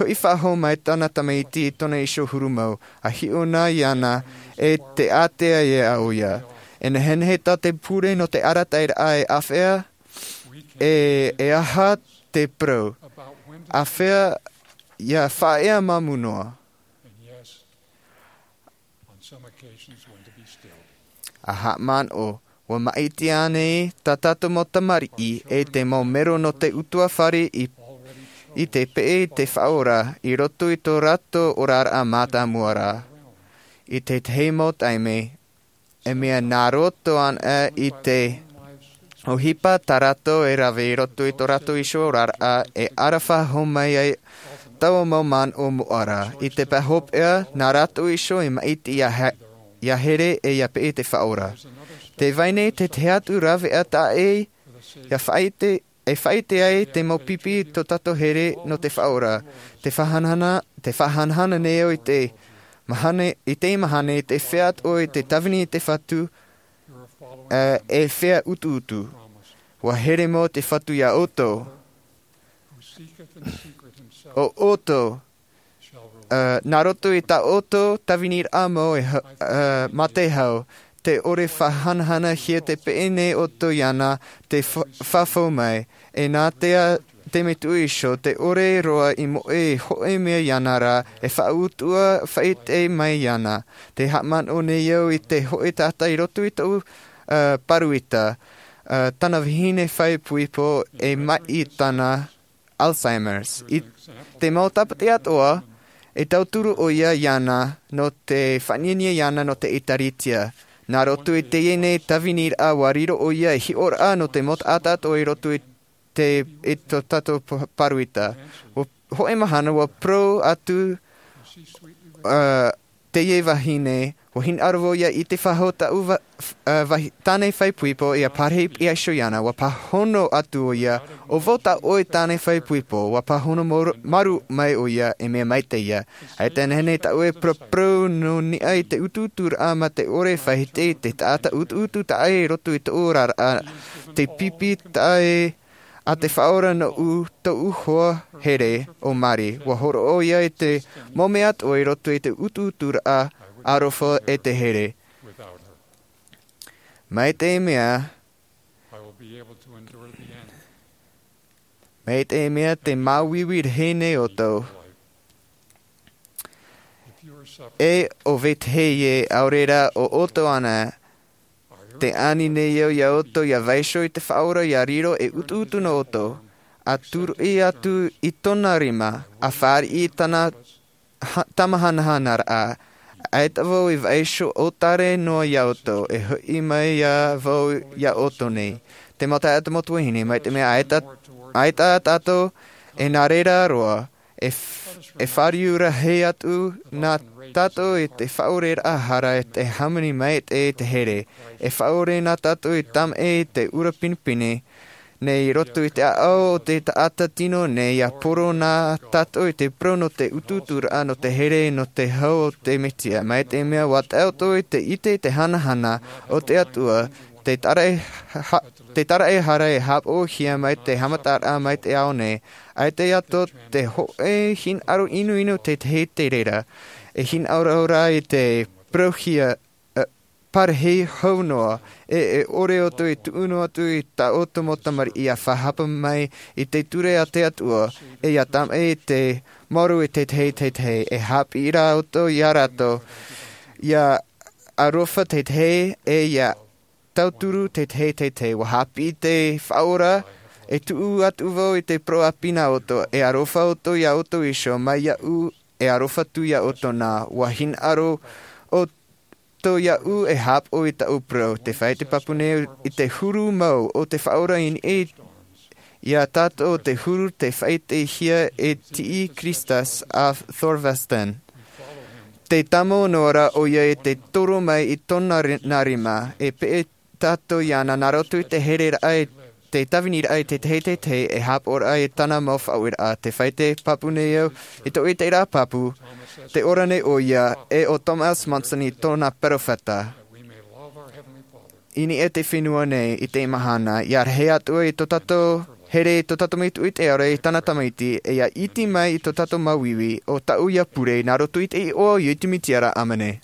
hoʻi faʻahou mai tāna tamaiti i tōna iho huru mau, ʻa hiʻo na iāna, e tē ātea ai ʻoia. E nehenehe tā te pure nō te arataʻiraʻa e āfaʻa, e, e aha te parau? ʻĀfaʻa ʻia faʻaea māmū noa. ʻA haʻamanaʻo, ʻua maʻiti ānei tā tātou mau tamariʻi e te mau mero nō te ʻutuafare i, i te peʻe i te Faʻaora i roto i tō rātou oraraʻa mātāmua ra? I te tahi mau taime, e mea nā roto anaʻe i te ʻohipa tā rātou e rave i roto i tō rātou iho oraraʻa, e ʻaraʻa faʻahou mai ai taua mau manaʻo moʻa ra. I te pae hopeʻa, nā rātou iho e maʻiti ʻia ha-, ʻia here e ʻia peʻe i te Faʻaora. Tē vai nei te tahi atu rāveʻa taʻa ʻē, ʻia faʻaʻite, e faʻaʻite ai te mau pipi i tō tātou here nō te Faʻaora. Te faʻahanahana, te faʻahanahana nei au i te mahana, i te mahana, i te feiā atoʻa i te tāvini i te Fatu, ā, e feiā utuutu. ʻUa here mau te Fatu iā ʻoutou. ʻO ʻoutou, ā, nā roto i tā ʻoutou tāviniraʻa mau e ha-, ā, mā te hau, tē ʻore faʻahanahanahia te peʻe nei ʻoutou iāna, tē fa-, fafau mai. E nā te a-, te metua iho, tē ʻore roa i moʻe i hōʻē mea iāna ra, e faʻautuʻa faʻaʻite mai iāna. Tē haʻamanaʻo nei au i te hōʻē taʻata i roto i tōʻu, ā, pāroita, ā, tāna vahine faʻaipoipo e maʻi tāna Alzheimer's. I te mau tāpati atoʻa, e tauturu ʻoia iāna nō te faʻaniania iāna nō te ʻĒtārētia. Nā roto i teie nei tāviniraʻa ʻua riro ʻoia ei hiʻoraʻa nō te mau taʻata atoʻa i roto i te, i tō tātou pa-, pāroita. ʻUa, hōʻē mahana ʻua parau atu, ā, teie vahine, ʻua hinaʻaro vau ʻia ʻite faʻahou tāʻu va-, f-, ā, vahi-, tāne faʻaipoipo ʻia pārahi pihaʻi iho iāna, ʻua pāhono atu ʻoia, ʻo vau tā ʻoe tāne faʻaipoipo, ʻua pāhono maru-, maru mai ʻoia, e mea maitaʻi ïa. ʻAita e nehenehe tāʻu e paraparau nō niʻa i te utuuturaʻa mā te ʻore e faʻaʻite i te taʻata utuutu taʻa ʻē i roto i tōʻu oraraʻa, te pipi taʻa ʻē a te Faʻaora nōʻu, tōʻu hoa here ʻo Mari. ʻUa hōroʻa ʻoia i te mau mea atoʻa i roto i te utuuturaʻa aroha e te here. Mai te mea, mai te mea tē māuiui rahi nei ʻoutou. E ʻo vetahi ē, ʻaore rā ʻo ʻoutou anaʻe, tē ani nei au iā ʻoutou ʻia vaiiho i te Faʻaora ʻia riro ei utuutu nō ʻoutou, ʻa tūruʻi atu i tōna rima, ʻa fāriʻi i tāna ha- tamahanahana raʻa. ʻAita vau i vaiiho ʻōtare noa iā ʻoutou, e hoʻi mai iā vau iā ʻoutou nei. Te mau taeaʻe, te mau tuahine, mai te mea ʻaita, ʻaita tātou, e nā reira roa, e, f- e fāriu rahi atu nā tātou i te faʻaoreraʻa hara e te hāmani maitaʻi i te here. E faʻaore nā tātou i tamaʻi i te ʻura pinepine, nei i roto i te ʻāʻau o te taʻata tino nei, ʻia poro nā tātou i te parau nō te utuuturaʻa nō te here nō te hau o te Mesia. Mai te mea ʻua tae ʻoutou i te ʻite i te hanahana o te Atua, te taraʻe ha- te taraʻehara e haʻapaʻohia mai te haʻamataraʻa mai te ao nei. ʻAita atoʻa te hōʻē hinaʻaro inoino te tahi te reira. E hinaʻaro rā i te parauhia, eh, parahi hou noa, e, e ʻore ʻoutou i tuʻu noa atu i tā ʻoutou mau tamariʻi ʻia faʻahapa mai i te ture a te Atua, e ʻia tamaʻi i te maoro i te tahi, te tahi, e haʻapiʻi rā ʻoutou iā rātou, ʻia aroha te tahi, e ʻia tauturu te tahi, te tahi, ʻua haʻapiʻi te Faʻaora, e tuʻu atu vau i te parau ʻāpī nā ʻoutou, e aroha ʻoutou iā ʻoutou iho, mai iāʻu, e aroha atu iā ʻoutou nā. ʻUa hinaʻaro ʻoutou iāʻu e haʻapaʻo i tāʻu parau. Tē fāʻite pāpū nei i te huru mau o te Faʻaora i niʻa iā tātou, te huru tei faʻaʻitehia e T. Chrysostom Thorvaldsen. Tē tāmau noa ra ʻoia i te toro mai i tōna ri- nā rima, e peʻe tātou iāna nā roto i te hereraʻa, i te tāviniraʻa i te tahi, te tahi, e haʻapaʻoraʻa i tāna mau faʻaueraʻa. Tē fāʻite pāpū nei au, i tōʻu ʻiteraʻa pāpū, tē ora nei ʻoia, e ʻo Thomas Monson i tōna perofeta. I niʻa i te fenua nei i teie mahana, ʻia rahi atu i tō tātou here, i tō tātou Metua i te ao ra, i tāna Tamaiti, e ʻia iti mai i tō tātou māuiui, ʻo tāʻu ïa pure, nā roto i te iʻoa o Iesu Mesia ra, ʻāmene.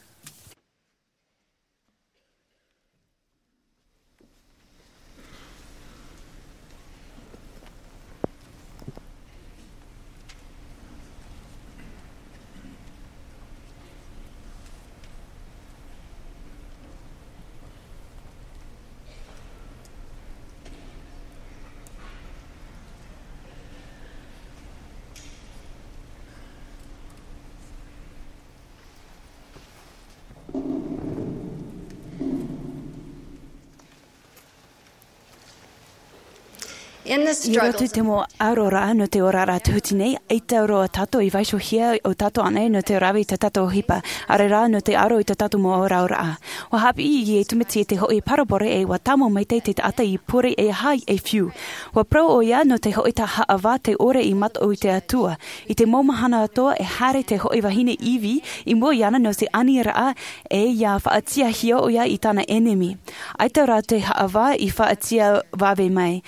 I roto i te mau ʻaroraʻa nō te oraraʻa tūtini, ʻaita roa tātou i vaiihohia ʻo tātou ānei nō te rave i tā tātou ʻohipa, ʻaore rā nō te ʻaro i tā tātou mau aroraʻa. ʻUa haʻapiʻi Iesu Mesia i te hoʻi parabole, e ʻua tāmau maitaʻi te taʻata i pure e aha e fiu. ʻUa parau ʻoia nō te hoʻi taʻata haʻavā tei ʻore i mataʻu i te Atua. I te mau mahana atoʻa e haere te hoʻi vahine Ivi i mua iāna nō te aniraʻa, e ʻia faʻatiʻahia ʻoia i tāna ʻenemi. ʻAita rā te haʻavā i faʻatiʻa vave mai.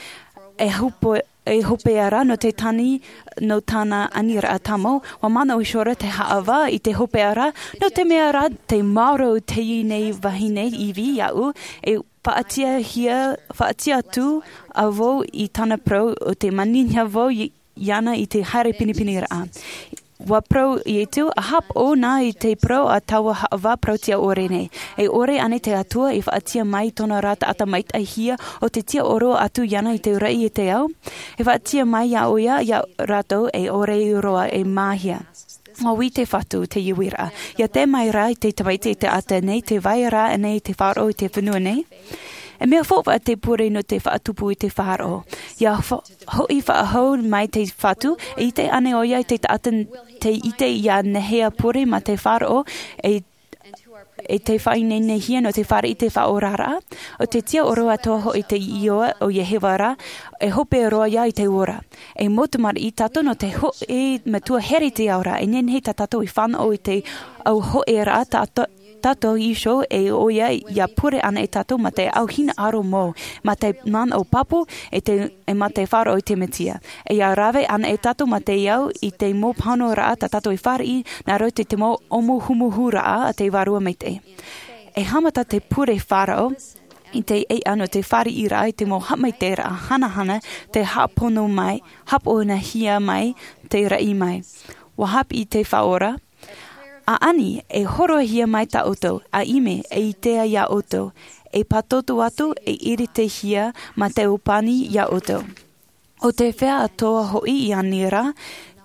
E hope, e hopeʻa rā nō te tani nō tāna aniraʻa tāmau, ʻua manaʻo iho ra te haʻavā i te hopeʻa ra, nō te mea rā tē maoro teie nei vahine Ivi iāʻu, e faʻatiʻahia, faʻatiʻa atu vau i tāna parau, ʻo tē manihia vau i, iāna i te haere pinepineraʻa. ʻUa parau Iesu, ʻa haʻapaʻo na i te parau a taua haʻavā parauʻtiʻa ʻore nei. E ʻore ānei te Atua i faʻatiʻa mai i tōna ra taʻata maitaʻihia ʻo tē tiʻaoro atu iāna i te raʻi e te ao? E faʻatiʻa mai iā ʻoia, iā rātou e ʻore roa e māhia. ʻUa ui te Fatu, teie uiraʻa. ʻIa tae mai rā te Tamaiti i te taʻata nei, tē vai ra ānei te faʻaroʻo i te fenua nei? E mea faufaʻa te pure nō te faʻatupu i te faʻaroʻo. ʻIa fa-, hoʻi faʻahou mai te Fatu, e ʻite ānei ʻoia i te taʻata tei ʻite ʻia nehenehe pure mā te faʻaroʻo, e, e tei faʻaineinehia nō te fāriʻi i te faʻaoraraʻa? ʻO te tiʻaoro atoʻa hoʻi te iʻoa o Iehova ra, e hope roa ia i te ora. E mau tamariʻi tātou nō te hōʻē Metua here i te ao ra, e nehenehe tā tātou i fānaʻo i te au hōʻēraʻa tā, tā, tātou iho, e ʻoia ʻia pure anaʻe tātou mā te au hinaʻaro mau, mā te manaʻo pāpū, e te, e mā te faʻaroʻo i te Mesia. E ʻia rave anaʻe tātou mā te au i te mau pāhonoraʻa tā tātou i fāriʻi, nā roto i te mau ʻōmuhumuhuraʻa a te Vārua Maitaʻi. E haʻamata te pure faʻaroʻo i te ʻeiʻa nō te fāriʻiraʻa i te mau haʻamaitaʻiraʻa hanahana, tē haʻapono mai, haʻaponahia mai te raʻi mai. ʻUa haʻapiʻi te Faʻaora, ʻa ani, e hōroʻahia mai tā ʻoutou, ʻa ʻimi, e ʻitea iā ʻoutou, e pātōtō atu, e ʻiritihia mā te ʻōpani iā ʻoutou. ʻO te feiā atoʻa hoʻi i ani ra,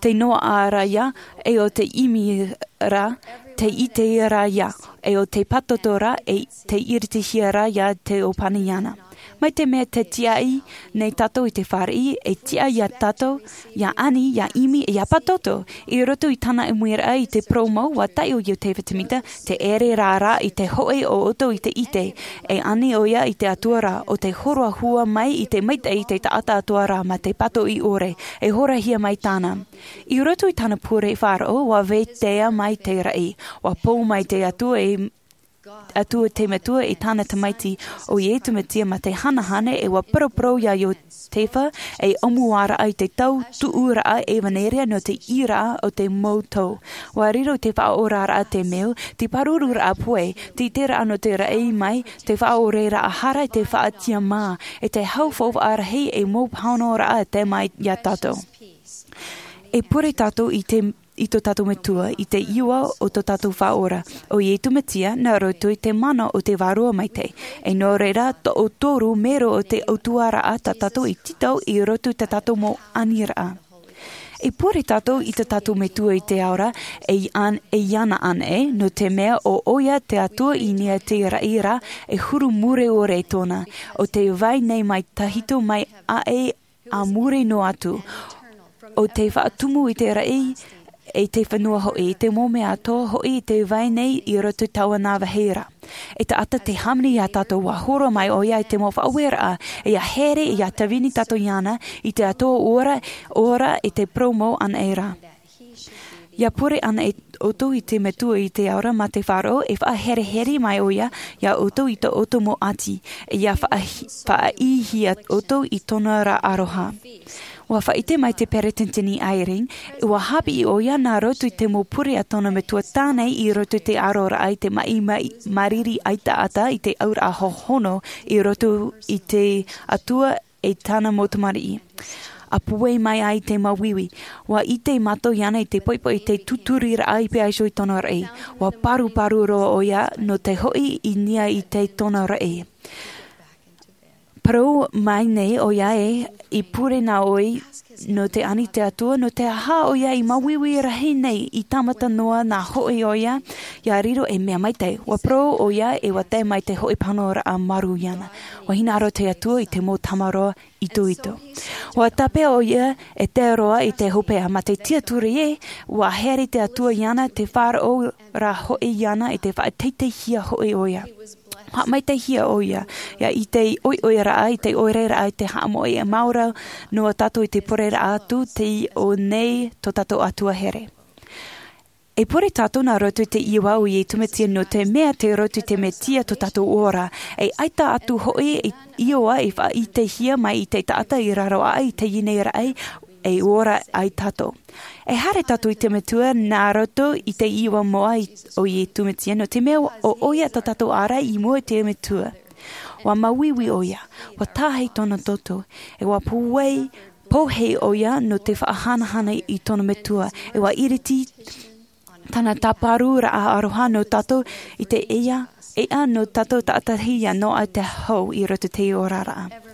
Te noaʻa ra ia, e o te ʻimi ra, te ʻite ra ia, e o te pātoto ra, e te iritihia ra ia te ʻōpani iāna. Mai te mea te tiaʻi nei tātou i te fāriʻi, e tiʻa ia tātou ia ani, ia ʻimi, ia pātoto. I roto i tāna ʻimiraʻa i te purōmu, ua taʻi ʻo iosepha semita, te ʻere rā rā i te hoʻi o ʻoutou i te ʻite. E ani ʻo ia i te atua ra, o te hōroʻa hua mai i te maitaʻi i te taʻata atua ra ma te pātoʻi ʻore, e horahia mai tāna. I roto i tāna pure faʻaroʻo, ua vetahi mai te raʻi, ua pō mai te atua e atua te metua i tāna tamaiti, ʻo iesu mesia ma te hanahana, e ua paraparau ia iosepha, e ʻōmuaraʻa i te tau tuʻuraʻa ʻevaneria nō te ʻīraʻa o te mau tau. Ua riro te faʻaoraraʻa te mea, te pārururaʻa pue, te ʻiteraʻa nō te raʻi mai, te faʻaoreraʻa hara, te faʻatiʻamā, e te hau faufaʻa rahi, e mau pāhonoraʻa te mai ia tātou. E pure tātou i te i tō tātou metua, i te iʻoa o tō tātou faʻaora, ʻo iesu mesia, nā roto i te mana o te vārua maitaʻi, e nō reira toʻotoru mero o te ʻautuaraʻa tā tātou i tītau i roto i tā tātou mau aniraʻa. E pure tātou i tō tātou metua i te ao ra, e i an e iāna anaʻe, nō te mea ʻo ʻoia te atua i niʻa i te raʻi ra, e huru mure ʻore tōna, ʻo te vai nei mai tahito mai aʻe a muri noa atu. ʻO te faʻatumu i te raʻi, e te fenua hoʻi, i te mau mea atoʻa hoʻi i te vai nei i roto i taua nā vāhi ra. E taʻata te hāmani ia tātou, ua hōroʻa mai ʻoia i te mau faʻaueraʻa, e ia here, ia tāvini tātou iāna, i te atua ora, ora i te purōmu anaʻe ra. Ia pure anaʻe ʻoutou i te metua i te ao ra ma te faʻaroʻo, e faʻaherehere mai ʻoia, ia ʻoutou i tō ʻoutou mau ʻati, e ia faʻahi-, faʻaʻīhia ʻoutou i tōna ra aroha. Ua faʻaʻite mai te peresideni Eyring, ua haʻapiʻi ʻoia nā roto i te mau pure a tōna metua tāne i roto i te aroraʻa i te maʻi, maʻi, māriri ʻaitaʻata i te auraʻa hohonu i roto i te atua e tāna mau tamariʻi. A pue mai ai te māuiui. Ua ʻite mātou iāna i te poipoi i te tūturiraʻa i pēʻaiso i tōna raʻi. Ua paruparu roa ʻoia nō te hoʻi i niʻa i te tōna raʻi. Parau mai nei ʻoia e, i pure nā ʻoe nō te ani te atua, nō te aha ʻoia i māuiui rahi nei, i tāmata noa nā hoʻi ʻoia, ia riro e mea maitaʻi. Ua parau ʻoia e ua tae mai te hoʻi pāhonoraʻa marū iāna. Ua hinaʻaro te atua i te mau tamaroa itoito. Ua tāpeʻa ʻoia e tae roa i te hopeʻa ma te tiaturi ē, ua here te atua iāna te faʻaroʻo ra hoʻi iāna i te faʻateiteihia hoʻi ʻoia. Haʻamaitaihia ʻoia, ia i te ʻoiʻoiraʻa, i te ʻoireraʻa, i te haʻamoʻe e maoro noa tātou i te pureraʻa atu, tei ʻō nei tō tātou atua here. E pure tātou nā roto i te iʻoa o iesu mesia nō te mea tei roto i te mesia tō tātou ora. E ʻaita atu hoʻi e iʻoa e faʻaʻitehia mai i te taʻata i raro aʻe i teie nei raʻi, e ora ai tātou. E haere tātou i te metua nā roto i te iʻoa moʻa i, o iesu mesia nō te mea ʻo ʻoia tō tātou ara i mua i te metua. Ua māuiui ʻoia, ua tahi tōna toto, e ua pūai, pōhē ʻoia nō te faʻahanahana i tōna metua, e ua iriti tāna tāparuraʻa aroha nō tātou i te ea, ea nō tātou taʻatahi ia noaʻa te hau i roto i te oraraʻa.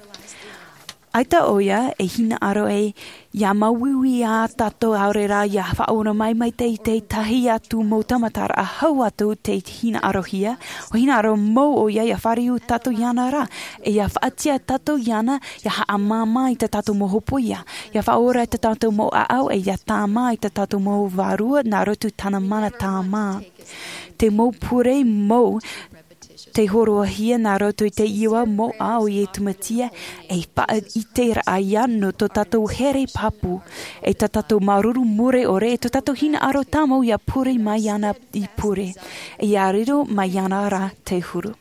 ʻAita ʻoia e hinaʻaro e ia māuiui ia tātou ʻaore rā ia faʻaora mai mai te, i te tahi atu mau tāmataraʻa hau atu te hinaʻarohia, ua hinaʻaro mau ʻoia ia fāriu tātou iāna rā, e ia faʻatiʻa tātou iāna, ia haʻamāmā i tā tātou mau hōpoiʻa, ia faʻaora i tā tātou mau ʻāʻau, e ia tāmā i tā tātou mau vārua nā roto i tāna mana tāmā. Te mau pure mau, tei hōroʻahia nā roto i te iʻoa moʻa o iesu mesia, e faʻaʻiteraʻa ia nō tō tātou here pāpū, e tā tātou māuruuru mure ʻore, e tō tātou hinaʻaro tāmau ia pure mai iāna i pure, e ia riro mai iāna rā te huru.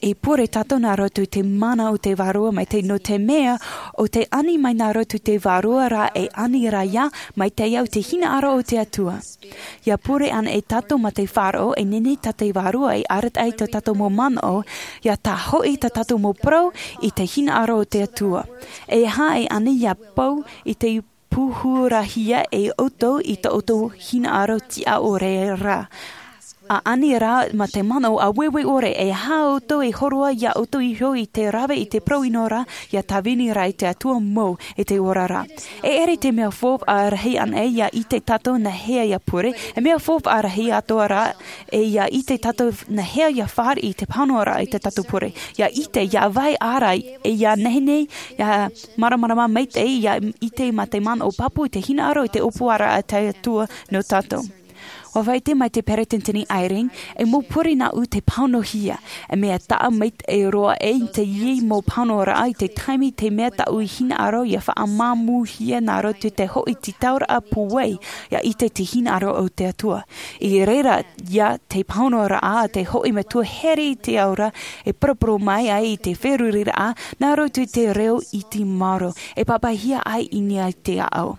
E pure tātou nā roto i te mana o te vārua maitaʻi nō te mea, ʻo te ani mai nā roto i te vārua rā e ani ra ia, maitaʻi au te hinaʻaro o te atua. Ia pure anaʻe tātou ma te faʻaroʻo e nehenehe tā te vārua e arataʻi i tā tātou mau manaʻo, ia tae hoʻi tā tātou mau parau i te hinaʻaro o te atua. E aha e ani ia pau i te pūhurahia e ʻoutou i tō ʻoutou hinaʻaro tiʻa ʻore rā. ʻa ani rā mā te manaʻo ʻāueue ʻore, e aha ʻoutou e hōroʻa iā ʻoutou iho i te rave i te parau ʻino ra, ʻia tāvini rā i te Atua mau i te ora ra. E ʻere te mea faufaʻa rahi anaʻe ʻia ʻite tātou nā hea ʻia pure, e mea faufaʻa rahi atoʻa rā, e ʻia ʻite tātou nā hea ʻia fāriʻi i te pāhonoraʻa i tā tātou pure. ʻIa ʻite, ʻia vai ʻārai, e ʻia nehenehe, ʻia māramarama maitaʻi, ʻia ʻite mā te manaʻo pāpū i te hinaʻaro i te ʻōpuaraʻa a te Atua nō tātou. ʻUa faʻaʻite mai te Peresideni Eyring, e mau pure nāʻu te pāhonohia, e mea taʻa maitaʻi roa ʻē i teie mau pāhonoraʻa i te taime te mea tāʻu i hinaʻaro ʻia faʻamāmūhia nā roto i te hoʻi tītauraʻa pūai, ʻia ʻite te hinaʻaro o te Atua. I reira ia te pāhonoraʻa a te hoʻi metua here i te ao ra, e poroporo mai ai i te feruriraʻa, nā roto i te reo ʻiti maoro, e pāpaʻihia ai i niʻa i te ʻāʻau.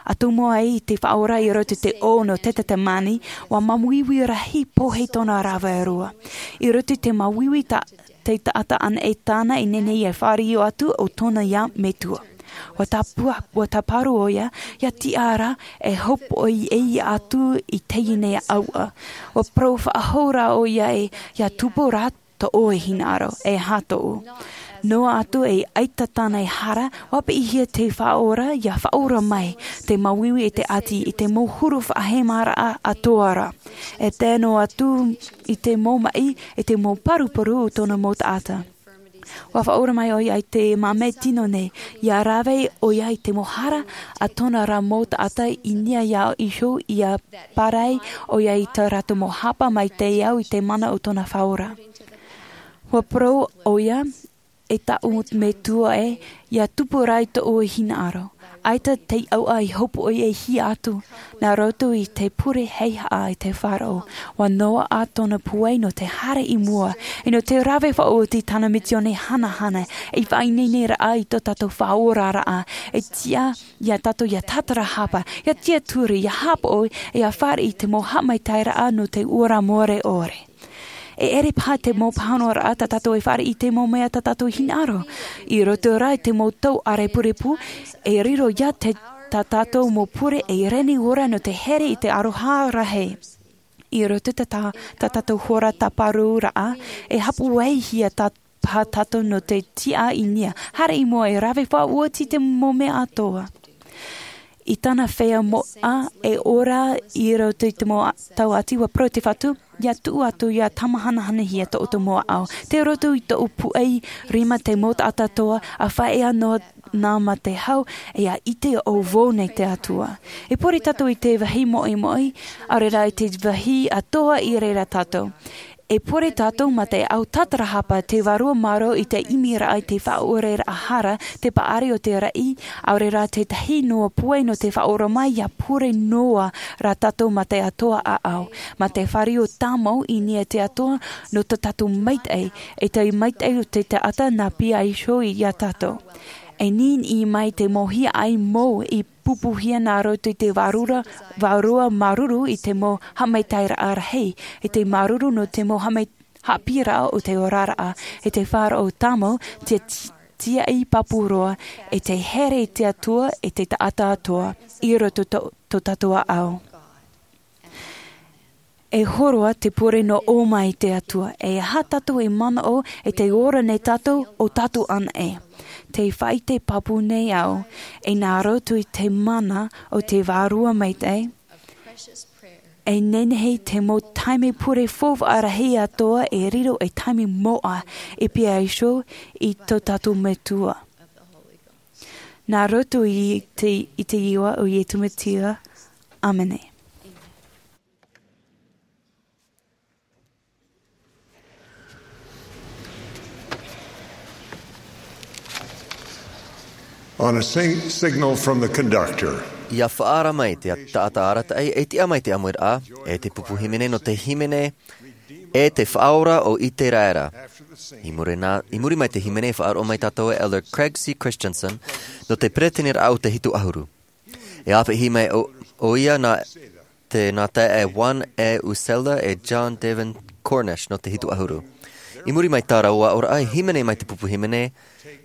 ʻA tumu ai te Faʻaora i roto i te ʻō nō Tetetemani, ʻua māuiui rahi pohe tōna rave roa. I roto i te māuiui tā, te taʻata anaʻe tāna i nehenehe e fāriʻi atu ʻo tōna ia metua. ʻUa tāpua, ʻua tāparu ʻoia, ʻia tiʻa ra, e hopoiʻi atu i teie nei ʻāʻau. ʻUa parau faʻahou rā ʻoia ē, ʻia tupu rā tō ʻoe hinaʻaro, e aha tōʻu. Noa atu e ʻaita tāna e hara, ʻua piʻihia te Faʻaora, ʻia faʻaora mai, te māuiui e te ʻati, i te mau huru faʻahemaraʻa atoʻa ra. E tae noa atu i te mau maʻi, i te mau paruparu o tōna mau taʻata. ʻUa faʻaora mai ʻoia i te māmē tino nei, ʻia rave ʻoia i te mau hara a tōna ra mau taʻata i niʻa iho ʻia pārahi ʻoia i tā rātou mau hapa mai te ao i te mana o tōna Faʻaora. ʻUa parau ʻoia, e tāʻu metua ē, ʻia tupu rā i tōʻu hinaʻaro. ʻAita te ʻāʻau i hopoiʻi atu, nā roto i te pure heihaʻa i te Faʻaora. ʻUa noaʻa tōna pūai nō te haere i mua, e nō te rave faʻaoti tāna misiōni hanahana, e faʻaineineraʻa i tō tātou faʻaoraraʻa, e tiʻa iā tātou ʻia tātarahapa, ʻia tiʻaturi, ʻia haʻapaʻo, e ʻia fāriʻi i te mau haʻamaitaʻiraʻa nō te ora mure ʻore. E ʻere paha te mau pāhonoraʻa tā tātou e fāriʻi i te mau mea tā tātou hinaʻaro. I roto rā i te mau tau ʻārepurepu, e riro ia te, tā tātou mau pure e reni ora nō te here i te aroha rahi. I roto i tā, tā tātou hora tāparuraʻa, e haʻapaʻohia tā, paha tātou nō te tiʻa i niʻa. Haere i mua e rave faʻaoti te mau mea atoʻa. I tāna feiā moʻa e ora i roto i te mau tau ʻati, ʻua parau te Fatu, ʻia tuʻu atu ʻia tāmāhanahanahia tō ʻoutou mau ʻāʻau. Tei roto i tōʻu pūai rima te mau taʻata atoʻa, ʻa faʻaea noa nā mā te hau, e ʻia ʻite ʻo vau nei te Atua. E pure tātou i te vāhi moʻemoʻe, ʻaore rā i te vāhi atoʻa i reira tātou. E pure tātou mā te ʻāʻau tātarahapa te Vārua Maoro i te ʻimiraʻa i te faʻaʻoreraʻa hara, te paʻari o te raʻi, ʻaore rā tētahi noa pūai nō te faʻaora mai ʻia pure noa rā tātou mā te atoʻa ʻāʻau. Mā te fāriʻi tāmau i niʻa i te Atua nō tā tātou maitaʻi, e te maitaʻi o te taʻata nā pīhaʻi iho iā tātou. E niniʻi mai te mau hiaʻai mau i pupuhia nā roto i te vārua, vārua māuruuru i te mau haʻamaitaʻiraʻa rahi, i te māuruuru nō te mau haʻamai-, haʻapiʻiraʻa o te oraraʻa, i te faʻaroʻo tāmau, te ti-, tiaʻi pāpū roa, i te here i te Atua, i te taʻata atoʻa, i roto tō, tō tātou ʻāʻau. E hōroʻa te pure nō ʻō mai te Atua, e aha tātou e manaʻo, e tē ora nei tātou, ʻo tātou anaʻe. Tē faʻaʻite pāpū nei au, e nā roto i te mana o te Vārua Maitaʻi, e nehenehe te mau taime pure faufaʻa rahi atoʻa e riro ei taime moʻa, e pīhaʻi iho i tō tātou Metua. Nā roto i te, i te iʻoa o Iesu Mesia. ʻĀmene. On a sing-, signal from the conductor. ʻIa faʻaara mai te taʻata arataʻi, e tiʻa mai te ʻāmuiraʻa, e te pupu hīmene nō te hīmene, e te Faʻaora o ʻĪteraʻera. I muri nā, i muri mai te hīmene, e faʻaroʻo mai tātou e Elder Craig C. Christensen, nō te peretiteniraʻa o te Hitu ʻAhuru. E āpeʻahi mai ʻo, ʻoia nā te, nā taeaʻe Juan E. Uccello e John David Cornish nō te Hitu ʻAhuru. I muri mai tā rāua aʻoraʻa, e hīmene mai te pupu hīmene,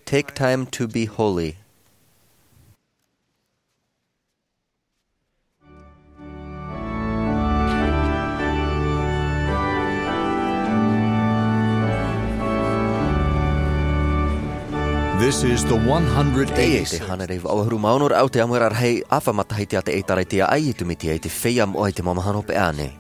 Take Time to Be Holy. This is the one hundred eighty. Teie te hānere vaʻu ʻahuru mā ono raʻau te ʻāmuiraʻa rahi ʻāfa matahiti a te ʻĒtārētia ʻAi Iesu Mesia i te feiā moʻa i te mau mahana hopeʻa nei.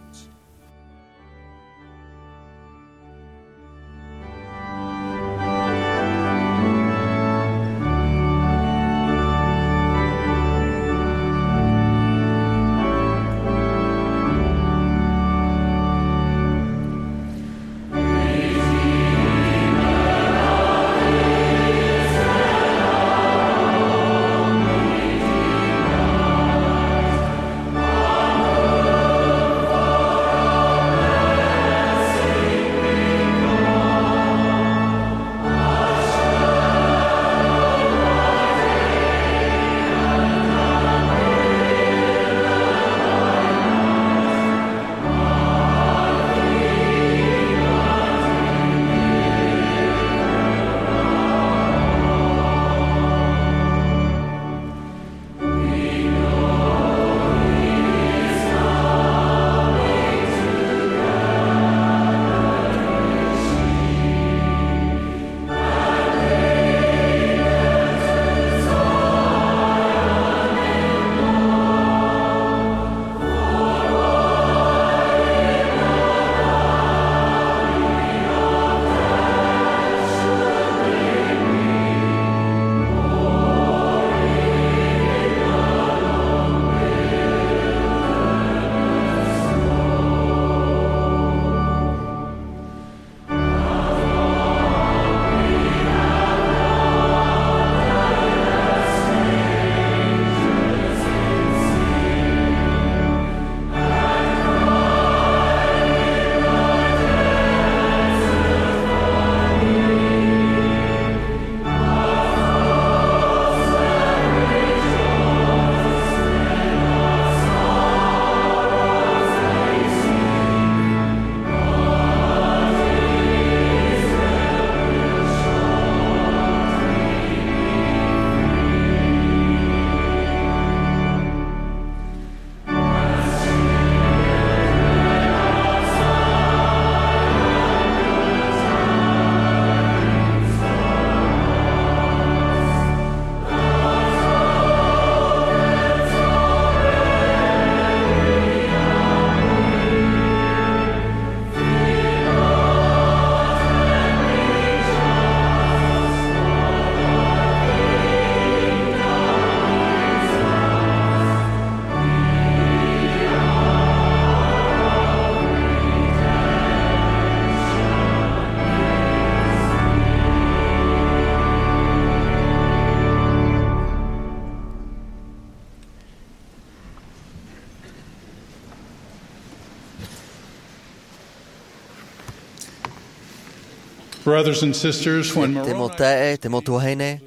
Brothers and sisters, when Te mau Moroni taeaʻe, te mau tuahine,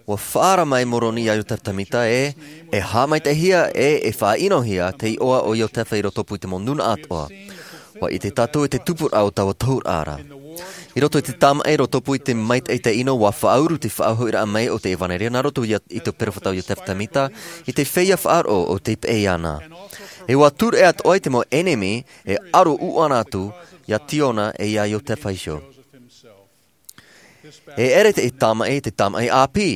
ʻua faʻaara mai Moroni iā Iotefa Tēmita ē, e haʻamaitaʻihia ē, e faʻaʻinohia te iʻoa o Iotefa i rotopū i te mau nūnaʻa atoʻa. ʻUa ʻite tātou i te tupuraʻa o taua tohuraʻa ra. I roto i te tāmaʻi rotopū i te maitaʻi taʻeʻino, ʻua faʻauru te faʻahoʻiraʻa mai o te ʻevanelia nā roto iā, i te perofeta o Iotefa Tēmita, i te feiā faʻaroʻo o tei peʻe iāna. E ʻua tūreʻa atoʻa i te mau ʻenemi, e ʻaro ʻuʻana atu iā Siona e iā Iotefa iho. E ʻere te tāmaʻi, te tāmaʻi ʻāpī.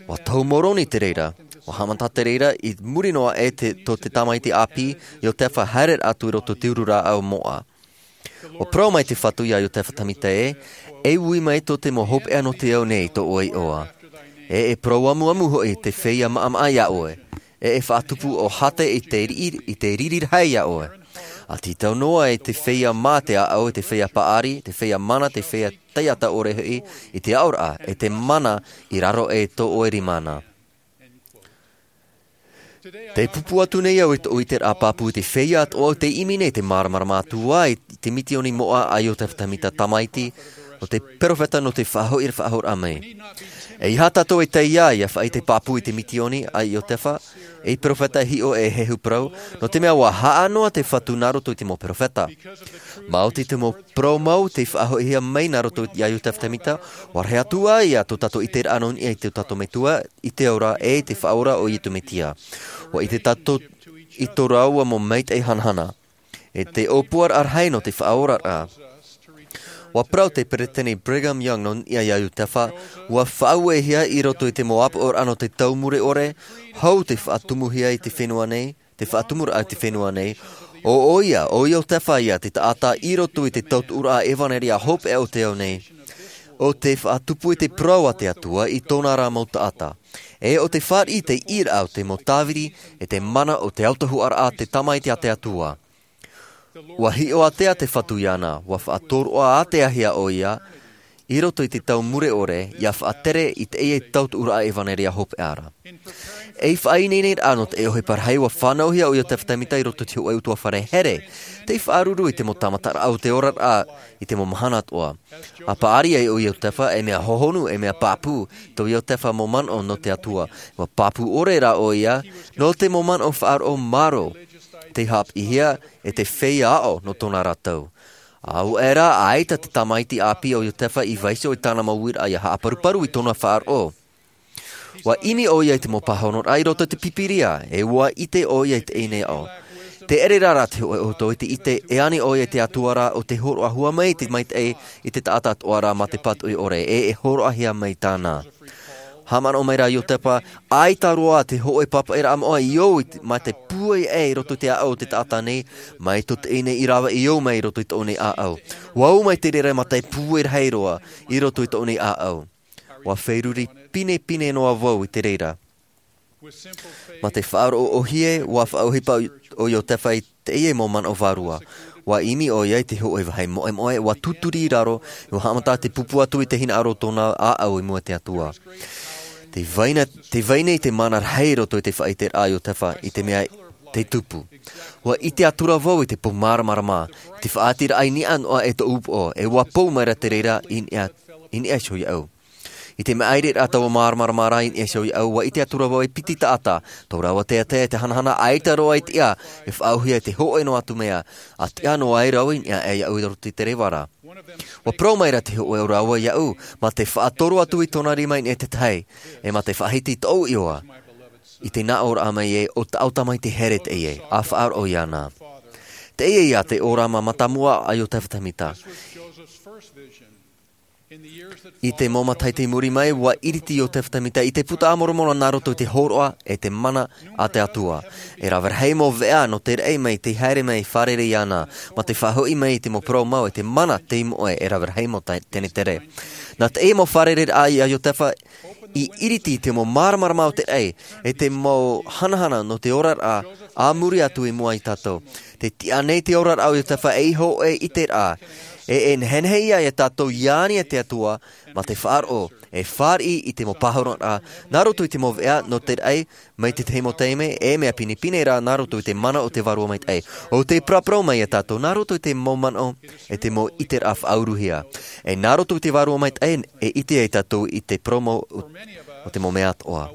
ʻUa tohu Moroni te reira. ʻUa haʻamata te reira i muri noa aʻe te, tō te tamaiti ʻāpī, Iotefa, haere atu i roto i te uru rāʻau o Moʻa. ʻUa parau mai te Fatu iā Iotefa Tēmita ē, e ui mai tō te mau hopeʻa nō te ao nei i tō ʻoe iʻoa. E, e parau amuamu hoʻi te feiā maʻamaʻa iā ʻoe. E, e faʻatupu ʻo Hate i te riri, i te riri rahi iā ʻoe. ʻA tītau noa i te feiā mā te ʻāʻau, i te feiā paʻari, te feiā mana, te feiā taiʻata ʻore hoʻi, i te aʻoraʻa, e te mana i raro aʻe i tō ʻoe rima na. Tē pupu atu nei au i tōʻu ʻiteraʻa pāpū i te feiā atoʻa ʻo tei ʻimi nei te māramarama atu ā i te mitioni moʻa a Iotefa Tēmita tamaiti, nō te perofeta nō te faʻahoʻi, faʻahoʻiraʻa mai. ʻEiaha tātou e taiā ʻia faʻaʻite pāpū i te mitioni a Iotefa, ei perofeta e hiʻo e hehu parau, nō te mea ʻua haʻa noa te Fatu nā roto i te mau perofeta. Maoti te mau parau mau tei faʻahoʻihia mai nā roto iā Iotefa Tēmita, ʻua rahi atu ā ia tō tātou ʻiteraʻa nō niʻa i tō tātou Metua, i te ora, e i te Faʻaora o Iesu Mesia. ʻUa ʻite tātou i tō rāua mau maitaʻi hanahana. E te ʻōpuaraʻa rahi nō te faʻaoraraʻa. Ua parau te peresideni Brigham Young nō niʻa iā Iosepha, ua faʻauehia i roto i te mau ʻāpoʻoraʻa nō te tau mure ʻore, hou te faʻatumuhia i te fenua nei, te faʻatumuraʻa i te fenua nei, ʻo ʻoia, ʻo Iosepha ia te taʻata i roto i te tautuʻuraʻa ʻevanelia hopeʻa o te ao nei, ʻo tē faʻatupu i te parau a te Atua i tōna ra mau taʻata. E ʻo tē fāriʻi i te ʻīraʻa o te mau tāviri, e te mana o te autahuʻaraʻa te tamaiti a te Atua. Ua hiʻo ātea te Fatu iāna, ua faʻatoroʻa āteahia ʻoia, i roto i te tau mure ʻore, ʻia faʻatere i teie tautuʻuraʻa ʻevanelia hopeʻa ra. Ei faʻaineineraʻa nō te ʻohipa rahi ua fānauhia ʻo Iosepha Semita i roto i te hōʻē ʻutuāfare here, tei faʻaruru i te mau tāmataraʻa o te oraraʻa i te mau mahana atoʻa. ʻA paʻari ai ʻo Iosepha, e mea hohonu, e mea pāpū, tō Iosepha mau manaʻo nō te Atua. Ua pāpū ʻore rā ʻoia, nō te mau manaʻo faʻaroʻo marō, tei haʻapiʻihia, e te feiā aʻo nō tōna ra tau. ʻAuē rā, ʻaita te tamaiti ʻāpī o Iosepha i vaiiho i tāna mau uiraʻa ʻia haʻaparuparu i tōna faʻaroʻo. Ua ʻimi ʻoia i te mau pāhonoraʻa i roto i te Pīpīria, e ua ʻite ʻoia i teie nei aʻo. Tē ʻere ra rā te hōʻē ʻoutou i te ʻite, e ani ʻoia i te Atua ra ʻo tē hōroʻa hua mai i te maitaʻi i te taʻata atoʻa ra mā te pātoʻi ʻore, e e hōroʻahia mai tāna. Haʻamanaʻo mai rā Iosepha, ʻaita roa te hōʻē pāpaʻiraʻa moʻa i ō i te, mā te pūai aʻe i roto i te ʻāʻau o te taʻata nei, mai tō teie nei i rave i ō mai i roto i tōʻu nei ʻāʻau. Ua ō mai te reira mā te pūai rahi roa i roto i tōʻu nei ʻāʻau. Ua feruri pinepine noa vau i te reira. Mā te faʻaroʻo ʻōhie, ua faʻaʻohipa ʻo Iosepha i teie mau manaʻo vārua. Ua ʻimi ʻoia i te hōʻē vāhi moʻemoʻe, ua tūturi i raro, ua haʻamata te pupu atu i te hinaʻaro o tōna ʻāʻau i mua i te Atua. Tē vai na, tē vai nei te mana rahi i roto i te faʻaʻiteraʻa a Iosepha i te mea tei tupu. Ua ʻite atura vau i te pou māramarama, i te faʻaʻiteraʻa i niʻa noa e tōʻu upoʻo, e ua pou mai ra te reira i niʻa, i niʻa iho iāʻu. I te maʻiriraʻa taua māramarama ra i niʻa iho iāʻu, ua ʻite atura vau e piti taʻata, tō rāua teatea e te hanahana ʻaita roa i tiʻa, e faʻaauhia i te hōʻē noa atu mea, ʻa tiʻa noa ai rāua i niʻa iāʻu i roto i te reva ra. Ua parau mai ra te hōʻē o rāua iāʻu, mā te faʻatoro atu i tōna rima i niʻa i te tahi, e mā te faʻahiti i tōʻu iʻoa. I te nā ʻōraʻa mai ē, ʻo tāʻu tamaiti here teie, ʻa faʻaroʻo iāna. Teie ia te ʻōrama mātāmua a Iosepha Semita. I te mau matahiti i muri mai, ua iriti Iosepha Semita i te Buka a Moromona nā roto i te hōroʻa e te mana a te Atua. E rave rahi mau veʻa nō te raʻi mai tei haere mai fārerei iāna, mā te faʻahoʻi mai i te mau parau mau e te mana tei moʻe e rave rahi mau ta-, tenetere. Nā teie mau fārereiraʻa a Iosepha i iriti i te mau māramarama o te raʻi, e te mau hanahana nō te oraraʻa, a muri atu i mua ia tātou. Tē tiʻa nei te oraraʻa o Iosepha ei hōʻē ʻiteraʻa, e, e nehenehe ia ia tātou i ani e te Atua, mā te faʻaroʻo, e fāriʻi i te mau pāhonoraʻa, nā roto i te mau veʻa nō te raʻi, mai te tahi mau taime, e mea pinepine rā nā roto i te mana o te Vārua Maitaʻi. ʻO tē paraparau mai ia tātou, nā roto i te mau manaʻo, e te mau ʻiteraʻa faʻauruhia. E nā roto i te Vārua Maitaʻi, e ʻite ai tātou i te parau mau o, o te mau mea atoʻa.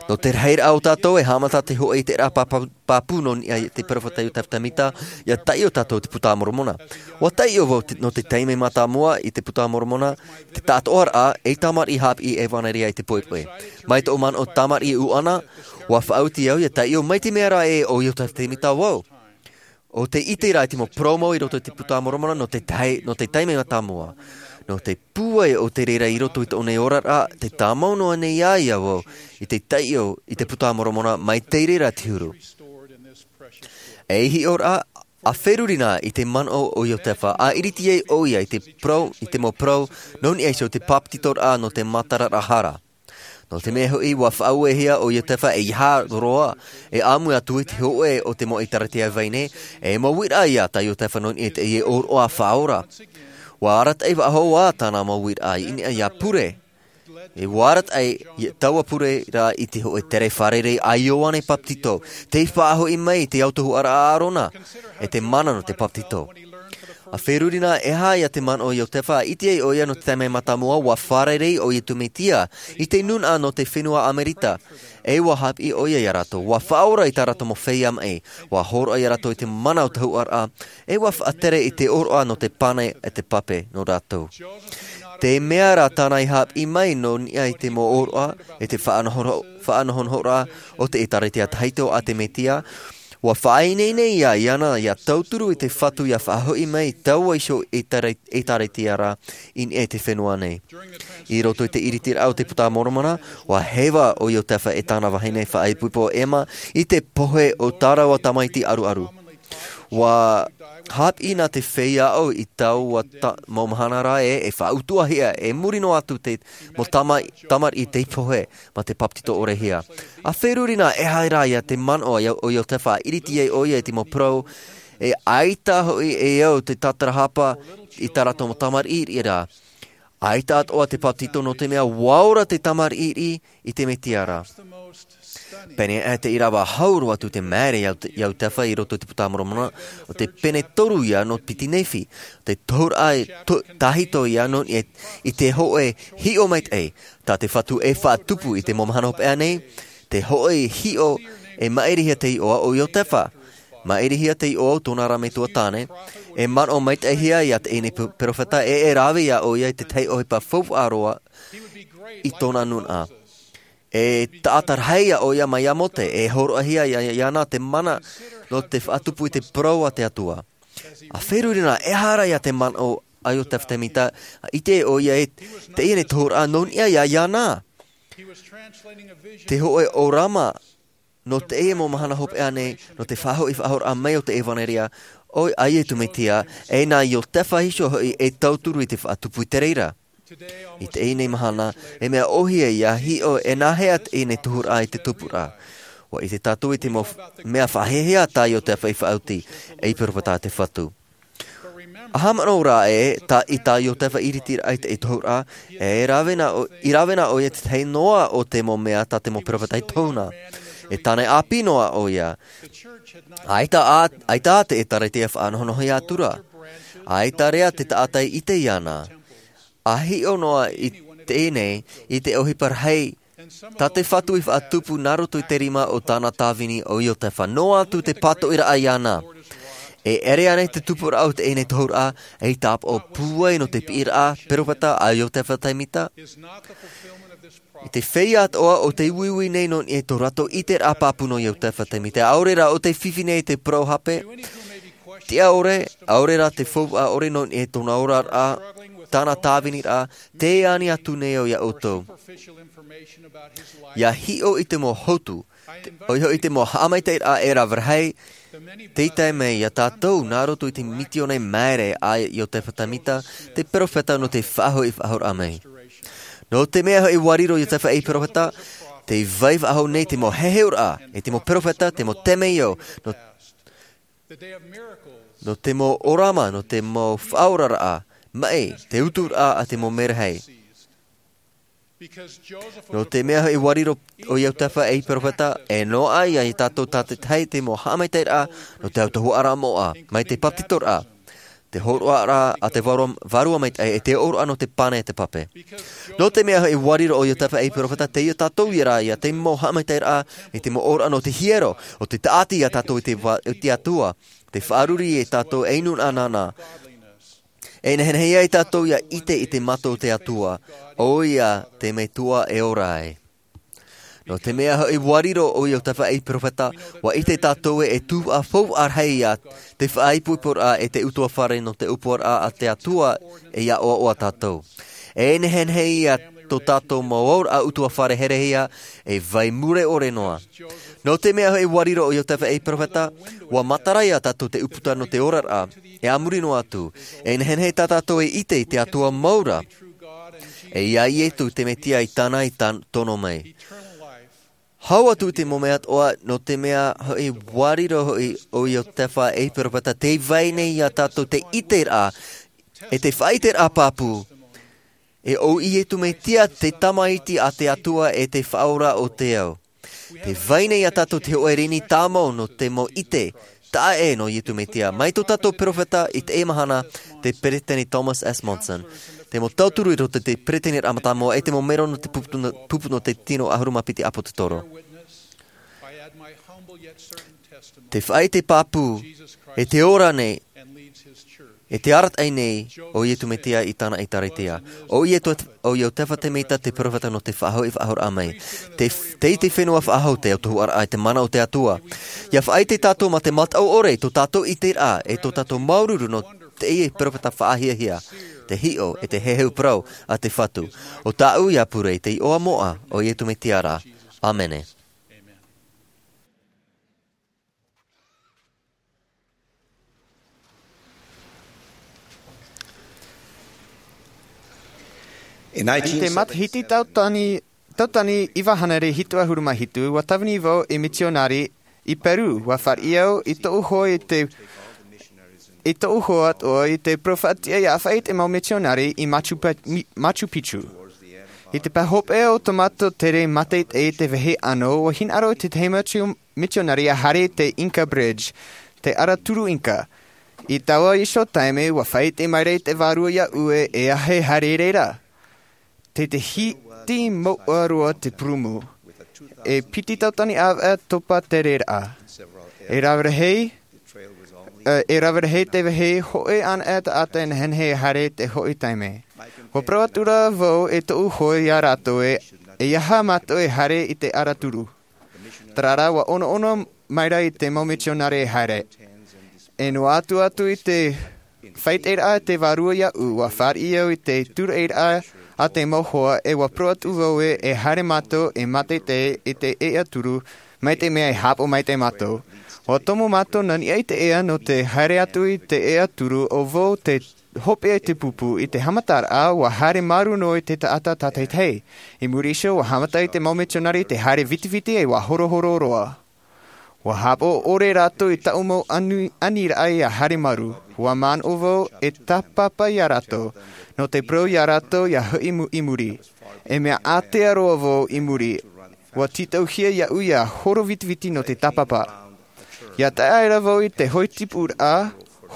Nō te rahiraʻa o tātou, e haʻamata te hōʻē ʻiteraʻa pāpū, pāpū nō niʻa i te peropheta Iosepha Semita, ʻia taiʻo tātou te Buka a Moromona. ʻUa taiʻo vau te, nō te taime mātāmua i te Buka a Moromona, te taʻatoʻaraʻa, ei tamariʻi haʻapiʻi ʻevanelia i te poʻipoʻi. Mai tōʻu manaʻo tamariʻi ʻuʻana, ʻua faʻaoti au ʻia taiʻo mai te mea ra ē ʻo Iosepha Semita vau. ʻO tē ʻite ra i te mau parau mau i roto i te Buka a Moromona nō te tahi, nō te taime mātāmua. Nō te pūai o te reira i roto i tōʻu nei oraraʻa, tē tāmau noa nei ā ia vau i te taiʻo i te Buka a Moromona mai te reira te huru. Ei hiʻoraʻa, ʻa feruri na i te manaʻo o Iosepha, ʻa iriti ai ʻoia i te parau, i te mau parau, nō niʻa iho i te bāpetizoraʻa nō te matara ra hara. Nō te mea hoʻi, ʻua faʻauehia ʻo Iosepha ei hā roa, e ʻāmui atu i te hōʻē o te mau ʻēkālesia vahine, e mau uiraʻa ia tā Iosepha nō niʻa i teie ʻōroʻa faʻaora. ʻUa arataʻi faʻahou ā tāna mau uiraʻa i niʻa ʻia pure. E ʻua arataʻi ia taua pure ra i te hōʻē tere fārerei a Ioane Bāpetizo, tei faʻahoʻi mai i te autahuʻaraʻa a ʻĀrona, e te mana nō te bāpetizo. ʻA feruri na, e aha ia te manaʻo o Iosepha, ʻa ʻite ai ʻoia nō te taime mātāmua, ʻua fārerei ʻo Iesu Mesia, i te nūnaʻa nō te fenua Amerika, e ʻua haʻapiʻi ʻoia ia rātou, ʻua faʻaora i tā rātou mau feiā maʻi, ʻua hōroʻa ia rātou i te mana o te autahuʻaraʻa, e ʻua faʻatere i te ʻōroʻa nō te pane e te pape nō rātou. Te mea rā tāna i haʻapiʻi mai nō niʻa i te mau ʻōroʻa, e te faʻanoho-, faʻanohonohoraʻa o te ʻĒkālesia Tahito a te Mesia, Ua faʻaineine ia iāna ia tauturu i te Fatu ia faʻahoʻi mai taua iho i tara i tara i te ara i niʻa i te fenua nei. I roto i te ʻiritiraʻa o te Puta Moromona, ua heva ʻo Iotefa e tāna vahine faʻaipoipo ʻo Emma i te pohe o tā rāua tamaiti ʻaruʻaru. Ua hāpiʻi nā te feiā aʻo i taua mau mahana rā e e faʻautuʻahia e muri noa atu te mau tamariʻi i te pohe mā te papetito ʻore hia. A feruri nā e haere ia te manaʻo o Iotefa a ʻiriti ai ʻo ia i te mau parau e ʻaita hoʻi e au te tātarahapa i tā rātou mau tamariʻi rā. ʻAita atoʻa te papetito nō te mea ua ora te tamariʻi i te Mesia rā. Pēnei aʻe te ʻīrava hau roa atu te maere ia Iotefa i roto i te Puta Moromona, o te pene toru ia nō piti Nephi, te tohuraʻa tahito ia nō niʻa i te hoʻe hiʻo maitaʻi tā te Fatu e faʻatupu i te mau mahana hopeʻa nei. Te hoʻe hiʻo e maʻirihia te iʻoa o Iotefa. Maʻirihia te iʻoa o tōna ra metua tāne. E manaʻo maitaʻihia ia teie nei perofeta e e rave ia ʻo ia i te tahi ʻohipa faufaʻa roa i tōna nūnaʻa. E taʻata rahi ia ʻo ia mai iā Mose e hōroʻahia iāna te mana nō te faʻatupu i te parau a te Atua. A feruri nā e haere ia te manaʻo a Iotefa Temita, a ʻite ʻo ia i teie nei tohuraʻa nō niʻa iā iāna. Te hoʻe ʻōrama nō teie mau mahana hopeʻa nei nō te faʻahoʻi faʻahou raʻa mai o te ʻevanelia a Iesu Mesia, e nā Iotefa iho hoʻi e tauturu i te faʻatupu i te reira. I teie nei mahana e mea ʻōhie ia hiʻo e nāhea teie nei tohuraʻa i te tupuraʻa. Ua ʻite tātou i te mau mea faʻahiahia tā Iotefa i faʻaoti ei perofeta a te Fatu. A haʻamanaʻo rā e tā i tā Iotefa ʻiritiraʻa i te tohuraʻa, e rave nā ʻo ia i te tahi noa o te mau mea tā te mau perofeta i tohu nā. E tāne ʻāpī noa ʻo ia. ʻAita ʻā te ʻētārētia faʻanohonoho ia atu rā. ʻAita rā te taʻata i ʻite iāna. A hiʻo noa i teie nei i te ʻohipa rahi tā te Fatu i faʻatupu nā roto i te rima o tāna tāvini o Iotefa noa atu te pātoʻiraʻa iāna. E ʻere ana i te tupuraʻa o teie nei tohuraʻa ei tāpaʻo pūai nō te piʻiraʻa perofeta a Iotefa Temita. I te feiā atoʻa o te uiui nei nō niʻa i tō rātou ʻiteraʻa pāpū nō Iotefa Temita ʻaore rā o te fifi nei i te parau hape. Tiʻa ʻore ʻaore rā te faufaʻa ʻore nō niʻa i tōna oraraʻa, tāna tāviniraʻa, te ani atu nei ʻo ia ʻoutou. Ia hiʻo i te mau hotu ʻoia hoʻi te mau haʻamaitaʻiraʻa e rave rahi tei tae mai iā tātou nā roto i te misiōna maere a Iotefa Temita, te perofeta nō te faʻahoʻi faʻahou raʻa mai. Nō te mea hoʻi ua riro Iotefa ei perofeta, tē vai faʻahou nei te mau heheuraʻa e te mau perofeta, te mau temeio nō te mau ʻōrama, nō te mau faʻaoraraʻa maʻi, te uturaʻa a te mau merahi. Nō te mea hoʻi ua riro ʻo Iotefa ei perofeta, e noaʻa ia tātou tātaʻitahi te mau haʻamaitaʻiraʻa nō te autahuʻaraʻa moʻa mai te papetitoraʻa, te hōroʻaraʻa a te vārua maitaʻi e te ʻōroʻa nō te pane e te pape. Nō te mea hoʻi ua riro ʻo Iotefa ei perofeta, tei ia tātou ia rā ia te mau haʻamaitaʻiraʻa i te mau ʻōroʻa nō te hiero o te taʻati iā tātou i te Atua, te faʻaruru iā tātou ei nūnaʻa nāna. E nehenehe ia tātou ia ʻite i te mata o te Atua, ʻo ia te Metua e ora ai. Nō te mea hoʻi ua riro ʻo Iotefa ei perofeta, ua ʻite tātou e tuhaʻa faufaʻa rahi ia te faʻaipoiporaʻa e te utuafare nō te ʻōpuaraʻa a te Atua e ia ʻoaʻoa tātou. E nehenehe ia tō tātou mau auraʻa utuafare herehia e vai mure ʻore noa. Nō te mea hoʻi ua riro ʻo Iotefa ei perofeta, ua matara ia tātou te ʻūputa nō te oraraʻa e a muri noa atu. E nehenehe tā tātou e ʻite i te Atua mau ra, e ia Iesu te Mesia i tāna i tono mai. Hau atu i te mau mea atoʻa, nō te mea hoʻi ua riro hoʻi ʻo Iotefa ei perofeta, tē vai nei iā tātou te ʻiteraʻa e te faʻaʻiteraʻa pāpū, e ʻo Iesu Mesia te Tamaiti a te Atua e te Faʻaora o te ao. Tē vai nei iā tātou te hoʻe rini tāmau nō te mau ʻite taʻa ʻē nō Iesu Mesia, mai tō tātou perofeta i teie mahana, te Peresideni Thomas S. Monson, te mau tauturu i roto i te Peresideniraʻa Mātāmua e te mau mero nō te pupu nō te tino ʻahuru mā piti ʻĀpotetoro. Te faʻaʻite pāpū e te ora nei E te arataʻi nei o Iesu Mesia i tāna ʻĒtārētia. ʻO ia te, ʻo ia ʻo Iosefa Semita te peropheta nō te faʻahoʻi faʻahouraʻa mai. Te, te, te fenua faʻahou te autahuʻaraʻa i te mana o te Atua. ʻIa faʻaʻite tātou mā te mataʻu ʻore, tō tātou ʻiteraʻa, e tō tātou māuruuru nō teie peropheta faʻahiahia, te hiʻo, e te heheu parau a te Fatu. ʻO tāʻu ia pure i te iʻoa moʻa o Iesu Mesia ra. ʻĀmene. I te matahiti tautani, tautani iva hānere hitu ʻahuru mā hitu, ʻua tāvini vau ei mitionare i Peru. ʻUa fāriʻi au i tōʻu hoa i te, i tōʻu hoa atoʻa i te peropheta ʻia faʻaʻite mau mitionare i Machu Pe-, Mi-, Machu Picchu. I te pae hopeʻa o tō mātou tere mātaʻitaʻi i te vāhi ʻānō, ʻua hinaʻaro te tahi mau mitionare ʻia haere i te Inca Bridge, te araturu Inca. I taua iho taime, ʻua faʻaʻite mai ra i te vārua iāʻu ē, e aha e haere i reira. Te, te hiti mouʻa roa te purumu. E piti tautani ʻāvaʻe topa tereraʻa. E rave rahi, e, e rave rahi te vāhi, hōʻē anaʻe taʻata e nehenehe e haere i te hoʻi taime. ʻUa parau atu ra vau e tōʻu hoa iā rātou ē, e aha mātou e haere i te araturu. Terā rā, ʻua ʻonaʻona mai ra i te mau mitionare e haere. E noa atu atu i te faʻaʻiteraʻa a te vārua iāʻu, ʻua fāriʻi au i te tūraʻiraʻa a te mau hoa, e ʻua parau atu vau ē, e haere mātou e mātaʻitaʻi i te araturu, mai te mea e haʻapaʻo maitaʻi mātou. ʻUa tomo mātou nā niʻa i te ea nō te haere atu i te araturu, ʻo vau te hopeʻa i te pupu. I te haʻamataraʻa, ʻua haere māuruuru noa te taʻata tātaʻitahi. I muri iho, ʻua haʻamata i te mau mitionare i te haere vitiviti, e ʻua horohoro roa. ʻUa haʻapaʻo ʻore rātou i tāʻu mau ani-, aniraʻa ʻia haere māuruuru. ʻUa manaʻo vau e tāpapa iā rātou, nō te parau iā rātou ʻia hoʻi mu-, i muri. E mea ātea roa vau i muri, ʻua tītauhia iāʻu ʻia horo vitiviti nō te tāpapa. ʻIa tae aʻera vau i te hoʻi tipuraʻa,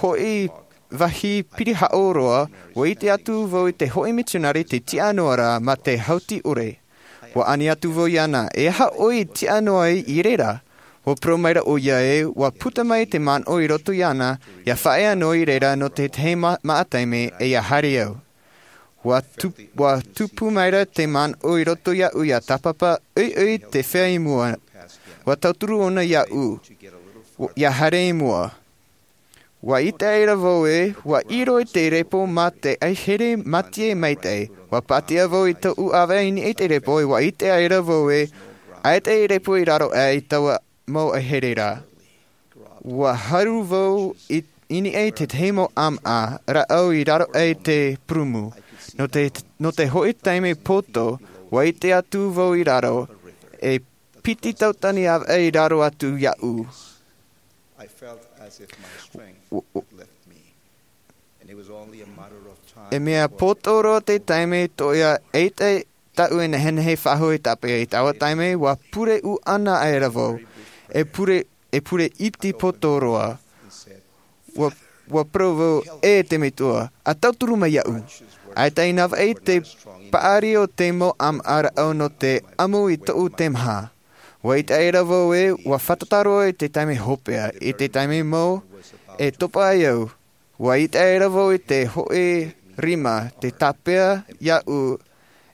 hoʻi vāhi pirihaʻo roa, ʻua ʻite atu vau i te hoʻi mitionare tē tiʻa noa ra mā te hauti ʻore. ʻUa ani atu vau iāna, e aha ʻoe i tiʻa noa ai i reira? ʻUa parau mai ra ʻoia ē, ʻua puta mai te manaʻo i roto iāna, ʻia faʻaea noa i reira nō te tahi ma-, maʻa taime, e ʻia haere au. ʻUa tu-, ʻua tupu mai ra te manaʻo i roto iāʻu ʻia tāpapa, ʻoiʻoi te feiā i mua. ʻUa tauturu ʻōna iāʻu, ʻo, ʻia haere i mua. ʻUa ʻite aʻera vau ē, ʻua ʻiro i te repo mā te ʻaihere mātie maitaʻi. ʻUa pātia vau i tōʻu ʻāvaʻe i niʻa i te repo, ʻua ʻite aʻera vau ē, ʻaita e repo i raro aʻe i taua mau ʻaihere ra. ʻUa haru vau i, i niʻa i te tahi mau ʻāmaʻa rāʻau i raro aʻe i te purumu. Nō te, nō te hoʻi taime poto, ʻua ʻite atu vau i raro, e piti tautani ʻāvaʻe i raro atu iāʻu. I felt as if my strength had left me. And it was only a matter of time. E mea poto roa te taime, ʻaita tāʻu e nehenehe faʻahou e tāpeʻa. I taua taime, ʻua pure ʻuʻana aʻera vau. E pure, e pure iti poto roa. ʻUa, ʻua parau vau, e te Metua, ʻa tauturu mai iāʻu. ʻAita i nā vaʻi te paʻari o te mau ʻāmaʻa rāʻau nō te ʻamu i tōʻu teimaha. ʻUa ʻite aʻera vau ē, ʻua fātata roa i te taime hopeʻa, i te taime mau, e topa ai au. ʻUa ʻite aʻera vau i te hoʻi rima, te tāpeʻa iāʻu,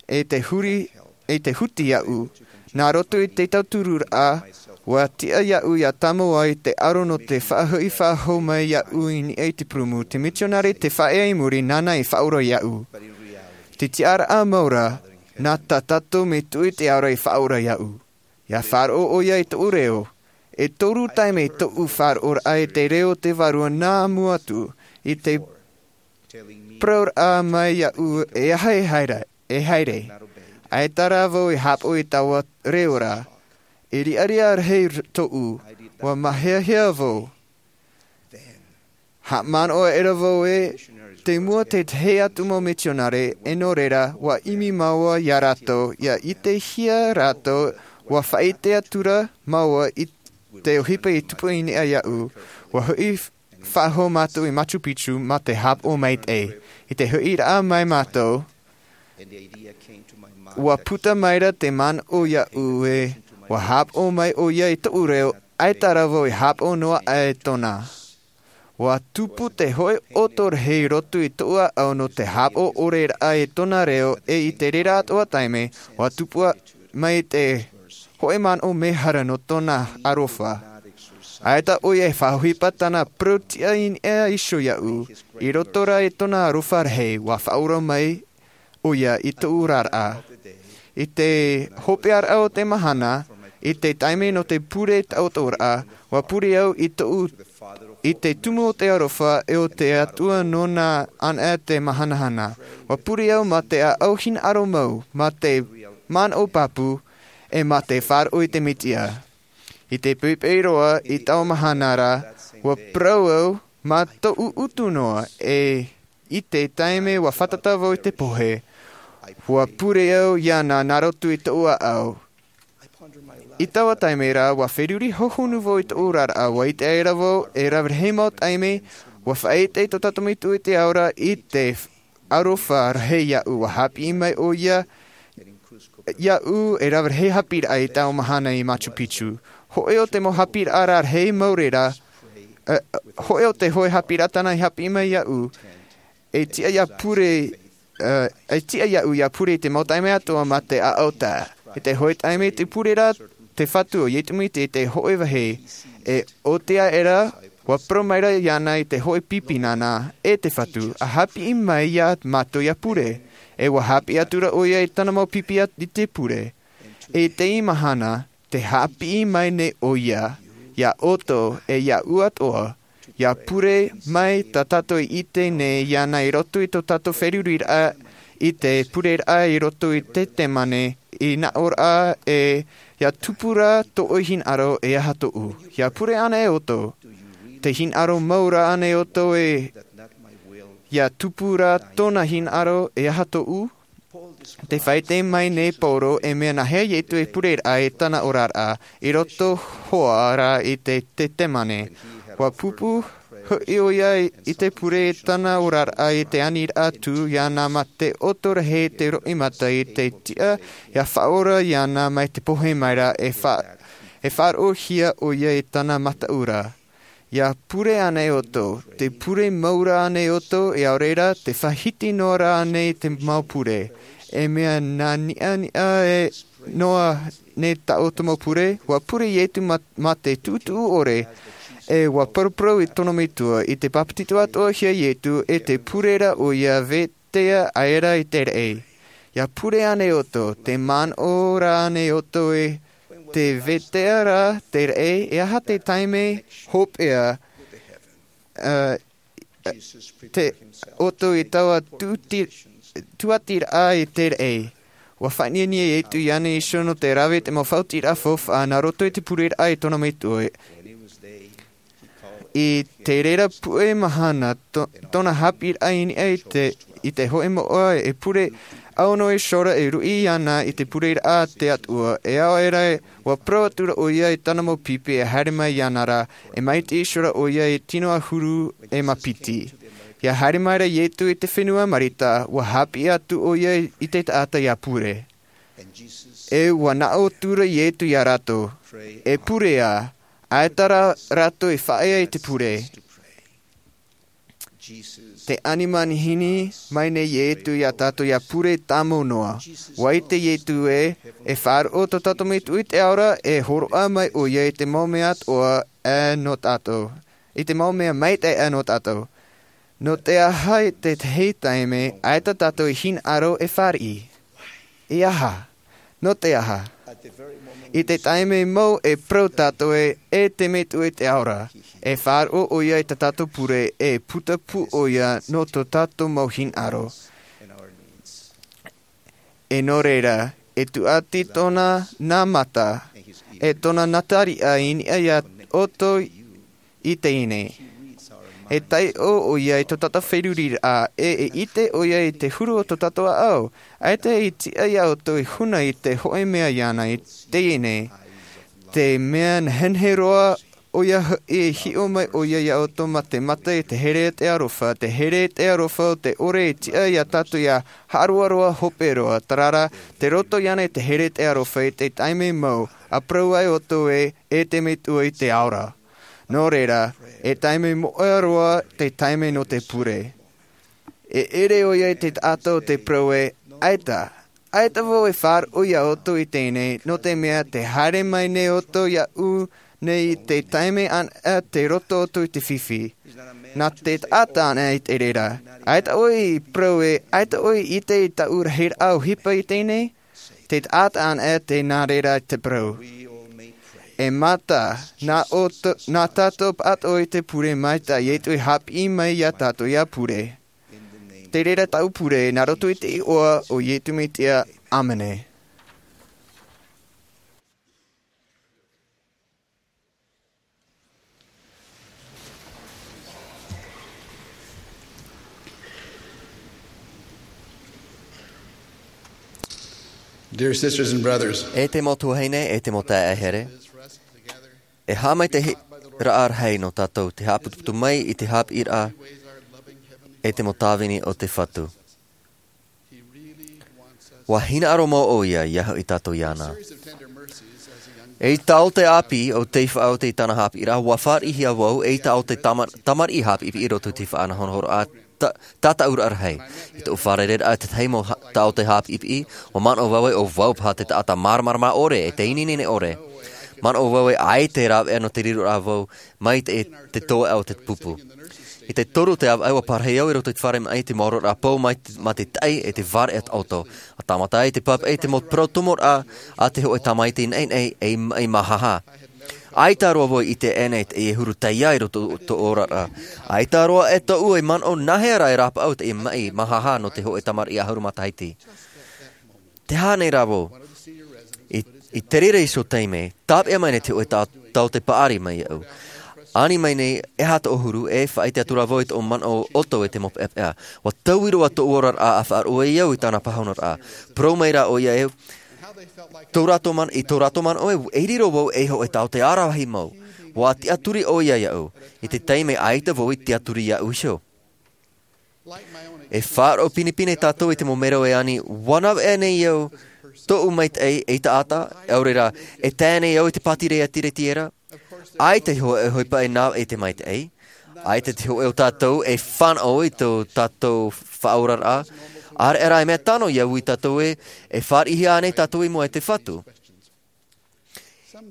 e te huri, e te huti iāʻu. Nā roto i te tautururaʻa, ʻua tiʻa iāʻu ʻia tāmau i te aro nō te faʻahoʻi faʻahou mai iāʻu i niʻa i te purumu, te mitionare tē faʻaea i muri, nāna i faʻaora iāʻu. Te tiʻaraʻa mau rā, nā tā tātou metua i te aro i faʻaora iāʻu. ʻIa faʻaroʻo ʻoia i tōʻu reo. E toru taime tōʻu faʻaroʻoraʻa i te reo o te Vārua nā mua atu i te parauraʻa mai iāʻu e aha e haere, e haere. ʻAita rā vau i haʻapaʻo i taua reo ra. E riʻariʻa rahi tōʻu, ʻua māhiahia vau. Haʻamanaʻo aʻera vau ē, te mua te tahi atu mau mitionare, e nō reira, ʻua ʻimi māua iā rātou, ʻia ʻitehia rātou, ʻua faʻaʻite atu ra māua i te ʻohipa i tupu i niʻa iāʻu, ʻua hoʻi faʻahou mātou i Machu Picchu mā te haʻapaʻo maitaʻi. I te hoʻiraʻa mai mātou, ʻua puta mai ra te manaʻo iāʻu ē, ʻua haʻapaʻo mai ʻoia i tōʻu reo, ʻaita rā vau i haʻapaʻo noa aʻe tōna. Ua tupu te hōʻē ʻoto rahi i roto i tōʻu ʻāʻau nō te haʻapaʻo ʻore raʻa i tōna reo, ʻe i te reira atoʻa taime, ua tupu mai te hōʻē manaʻo mehara nō tōna aroha. ʻAita ʻoia e faʻaʻohipa tāna parau tiʻa i niʻa iho iāʻu, i roto rā i tōna aroha rahi, ua faʻaora mai ʻoia i tōʻu oraraʻa. I te hopeʻaraʻa o te mahana, i te taime nō te pure taʻotoraʻa, ua pure au i tōʻu, i te tumu o te aroha ʻe o te Atua nōna anaʻe te mahanahana. Ua pure au mā te ʻāʻau hinaʻaro mau, mā te manaʻo pāpū, ʻe mā te faʻaroʻo i te Mesia. I te poʻipoʻi roa i taua mahana ra, ua parau au mā tōʻu utu noa, ʻe i te taime ua fātata vau i te pohe, ua pure au iāna nā roto i tōʻu ʻāʻau. I taua taime ra, ua feruri hōhonu vau i tōʻu oraraʻa, ua ʻite aʻera vau e rave rahi mau taime, ua faʻaʻite tō tātou Metua i te ao ra i te aroha rahi iāʻu. Ua haʻapiʻi mai ʻoia iāʻu e rave rahi haʻapiʻiraʻa i taua mahana i Machu Picchu. Hōʻē o te mau haʻapiʻiraʻa rarahi mau reira, ē, hōʻē o te hōʻē haʻapiʻiraʻa tāna i haʻapiʻi mai iāʻu, e tiʻa ia pure, ē, e tiʻa iāʻu ia pure i te mau taime atoʻa mā te ʻāʻau taʻa. I te hōʻē taime i te pure ra te Fatu o Iesu Mesia i te hōʻē vāhi, ʻe ʻo te aʻera, ua parau maira iāna i te hōʻē pipi nāna, e te Fatu, ʻa haʻapiʻi mai iā mātou ia pure. ʻE ua haʻapiʻi atu ra ʻoia i tāna mau pipi i te pure. ʻE i teie mahana, tē haʻapiʻi mai nei ʻoia, iā ʻoutou ʻe iāʻu atoʻa, ia pure mai tā tātou i ʻite nei iāna i roto i tō tātou feruriraʻa i te pureraʻa i roto i Ietesemane, i nā ʻō ra ē, ia tupu rā tō ʻoe hinaʻaro e aha tōʻu. Ia pure ānei ʻoutou, tē hinaʻaro mau ra ānei ʻoutou ē, ia tupu rā tōna hinaʻaro e aha tōʻu? Tē faʻaʻite mai nei Paulo e mea nāhea Iesu e pureraʻa i tāna oraraʻa, i roto hoʻi rā i Ietesemane. Ua pupu hoʻi ʻoia i te pure i tāna oraraʻa i te aniraʻa tū iāna mā te ʻoto rahi te roimata i te tiʻa ia faʻaora iāna mai te pohe mai ra e fa-, e faʻaroʻohia ʻoia i tāna mataʻu ra. Ia pure ānei ʻoutou, tē pure mau ra ānei ʻoutou, ʻaore rā, tē faʻahiti noa ra ānei te mau pure. E mea nā niʻaniʻa e noa nei tā ʻoutou mau pure, ua pure Iesu mā, mā te tuʻutuʻu ʻore, ʻe ua paraparau i tōna Metua, i te bāpetizo atoʻahia Iesu, ʻe tē pure ra ʻoia vetaʻa aʻera i te raʻi. Ia pure ānei ʻoutou, tē manaʻo ra ānei ʻoutou ē, tē vetaʻa ra te raʻi, e aha te taime hopeʻa, ā, te ʻoutou i taua tūti-, tūʻatiraʻa i te raʻi. Ua faʻaʻiteʻite Iesu iāna iho nō te rave i te mau faʻaotiraʻa faufaʻa nā roto i te pureraʻa i tōna Metua. I te reira puʻe mahana, tō-, tōna haʻapiʻiraʻa i niʻa i te, i te hōʻē moʻa e pure, ʻaore noa iho ra e ruʻi iāna i te pureraʻa a te Atua, ʻaore rā, ua parau atu ra ʻoia i tāna mau pipi e haere mai iāna ra, e maitaʻi iho ra ʻoia i te tino ʻahuru e mā piti. Ia haere mai ra Iesu i te fenua Mareta, ua haʻapiʻi atu ʻoia i te taʻata ia pure. ʻE ua nā ʻō atu ra Iesu iā rātou, e pure ā, ʻaita rā rātou e faʻaea i te pure. Tē ani manihini mai nei Iesu iā tātou ia pure tāmau noa. Ua ʻite Iesu ē, e faʻaroʻo tō tātou Metua i te ao ra, e hōroʻa mai ʻoia i te mau mea atoʻa nō tātou. I te mau mea maitaʻi nō tātou. Nō te aha i te tahi taime, ʻaita tātou i hinaʻaro e fāriʻi? E aha? Nō te aha? I te taime mau e parau tātou ē, e te Metua i te ao ra, e faʻaroʻo ʻoia i tā tātou pure, e putapū ʻoia nō tō tātou mau hinaʻaro. E nō reira, e tūʻati tōna nā mata, e tōna nā tariʻa i niʻa iā ʻoutou i teie nei. E taiʻo ʻoia i tō tātou feruriraʻa, ʻe e ʻite ʻoia i te huru o tō tātou ʻāʻau. ʻAita e tiʻa iā ʻoutou e huna i te hōʻē mea iāna i teie nei. Te mea nehenehe roa ʻoia hoʻi e hiʻo mai ʻoia iā ʻoutou mā te mata i te here a te aroha, te here a te aroha o te ʻore e tiʻa iā tātou ia haʻaroaroa hope roa, terā rā, tē roto iāna i te here a te aroha i te taime mau, ʻa parau ai ʻoutou ē, e te Metua i te ao ra. Nō reira, e taime moʻa roa te taime nō te pure. E ʻere ʻoia i te taʻata o te parau ē, ʻaita, ʻaita vau e faʻaroʻo iā ʻoutou i teie nei, nō te mea tē haere mai nei ʻoutou iāʻu nei i te taime anaʻe tei roto atu i te fifi. Nā te taʻata anaʻe i te reira. ʻAita ʻoe i parau ē, ʻaita ʻoe i ʻite i tāʻu rahiraʻa ʻohipa i teie nei? Te taʻata anaʻe tē nā reira te parau. E mata, nā ʻoutou, nā tātou pāʻatoʻa i te pure mai tā Iesu i haʻapiʻi mai iā tātou ia pure. Te reira tāʻu pure, nā roto i te iʻoa o Iesu Mesia, ʻāmene. Dear sisters and brothers, E te mau tuahine, e te mau taeaʻe here, e haʻamaitaʻiraʻa rahi nō tātou te haʻaputuputu mai i te haʻapiʻiraʻa e te mau tāvini o te Fatu. ʻUa hinaʻaro mau ʻoia ia hoʻi tātou iāna. Ei taote ʻāpī ʻo tei faʻaoti i tāna haʻapiʻiraʻa, ʻua fāriʻihia vau ei taote tama-, tamariʻi haʻapiʻipiʻi i roto i te faʻanahonahoraʻa ta-, tātaʻuraʻa rahi. I tōʻu fārereiraʻa i te tahi mau ha-, taote haʻapiʻipiʻi, ʻua manaʻo vau ē ʻo vau paha te taʻata māramarama ʻore, e te ineine ʻore. Manaʻo vau ē ʻaita e rāveʻa nō te riroraʻa vau, mai te, te tōʻaʻa o te pupu. I te toru o te ʻāvaʻe ʻua parahi au i roto i te fare maʻi i te maororaʻa pou mai te, mā te taʻi e te vāreʻa taʻoto. ʻA tāmata ai te pāpaʻi i te mau parau tomoraʻa a te hōʻē tamaiti naʻinaʻi ei maʻi māhāhā. ʻAita roa vau i ʻite ʻē nei teie huru taiā i roto i tōʻu oraraʻa. ʻAita roa ʻē tōʻu e manaʻo nā hea rā e rāpaʻau teie maʻi māhāhā nō te hōʻē tamariʻi ʻahuru matahiti. Tē aha nei rā vau? I, i te reira iho taime, tāpeʻa mai nei te hōʻē ta-, taote paʻari mai iāʻu. Ani mai nei, e aha tōʻu huru, e faʻaʻite atu rā vau i tōʻu manaʻo ʻoto e te mau peʻapeʻa. ʻUa taui roa tōʻu oraraʻa ʻa faʻaroʻo ai au i tāna pāhonoraʻa. Parau mai rā ʻoia ē, tō rātou man-, i tō rātou manaʻo ē, e riro vau ei hōʻē taote ʻaravihi mau. ʻUa tiʻaturi ʻoia iāʻu. I te taime ʻaita vau i tiʻaturi iāʻu iho. E faʻaroʻo pinepine tātou i te mau mero e ani, ʻua nāveʻa nei au tōʻu maitaʻi ei taʻata, ʻaore rā, e tae nei au i te pātireia tiretiera. ʻAita e hōʻē ʻohipa e nāveʻa i te maitaʻi. ʻAita te hōʻē o tātou e fānaʻo i tō tātou faʻaoraraʻa. ʻAreʻa rā e mea tano ia ui tātou ē, e fāriʻihia ānei tātou i mua i te Fatu.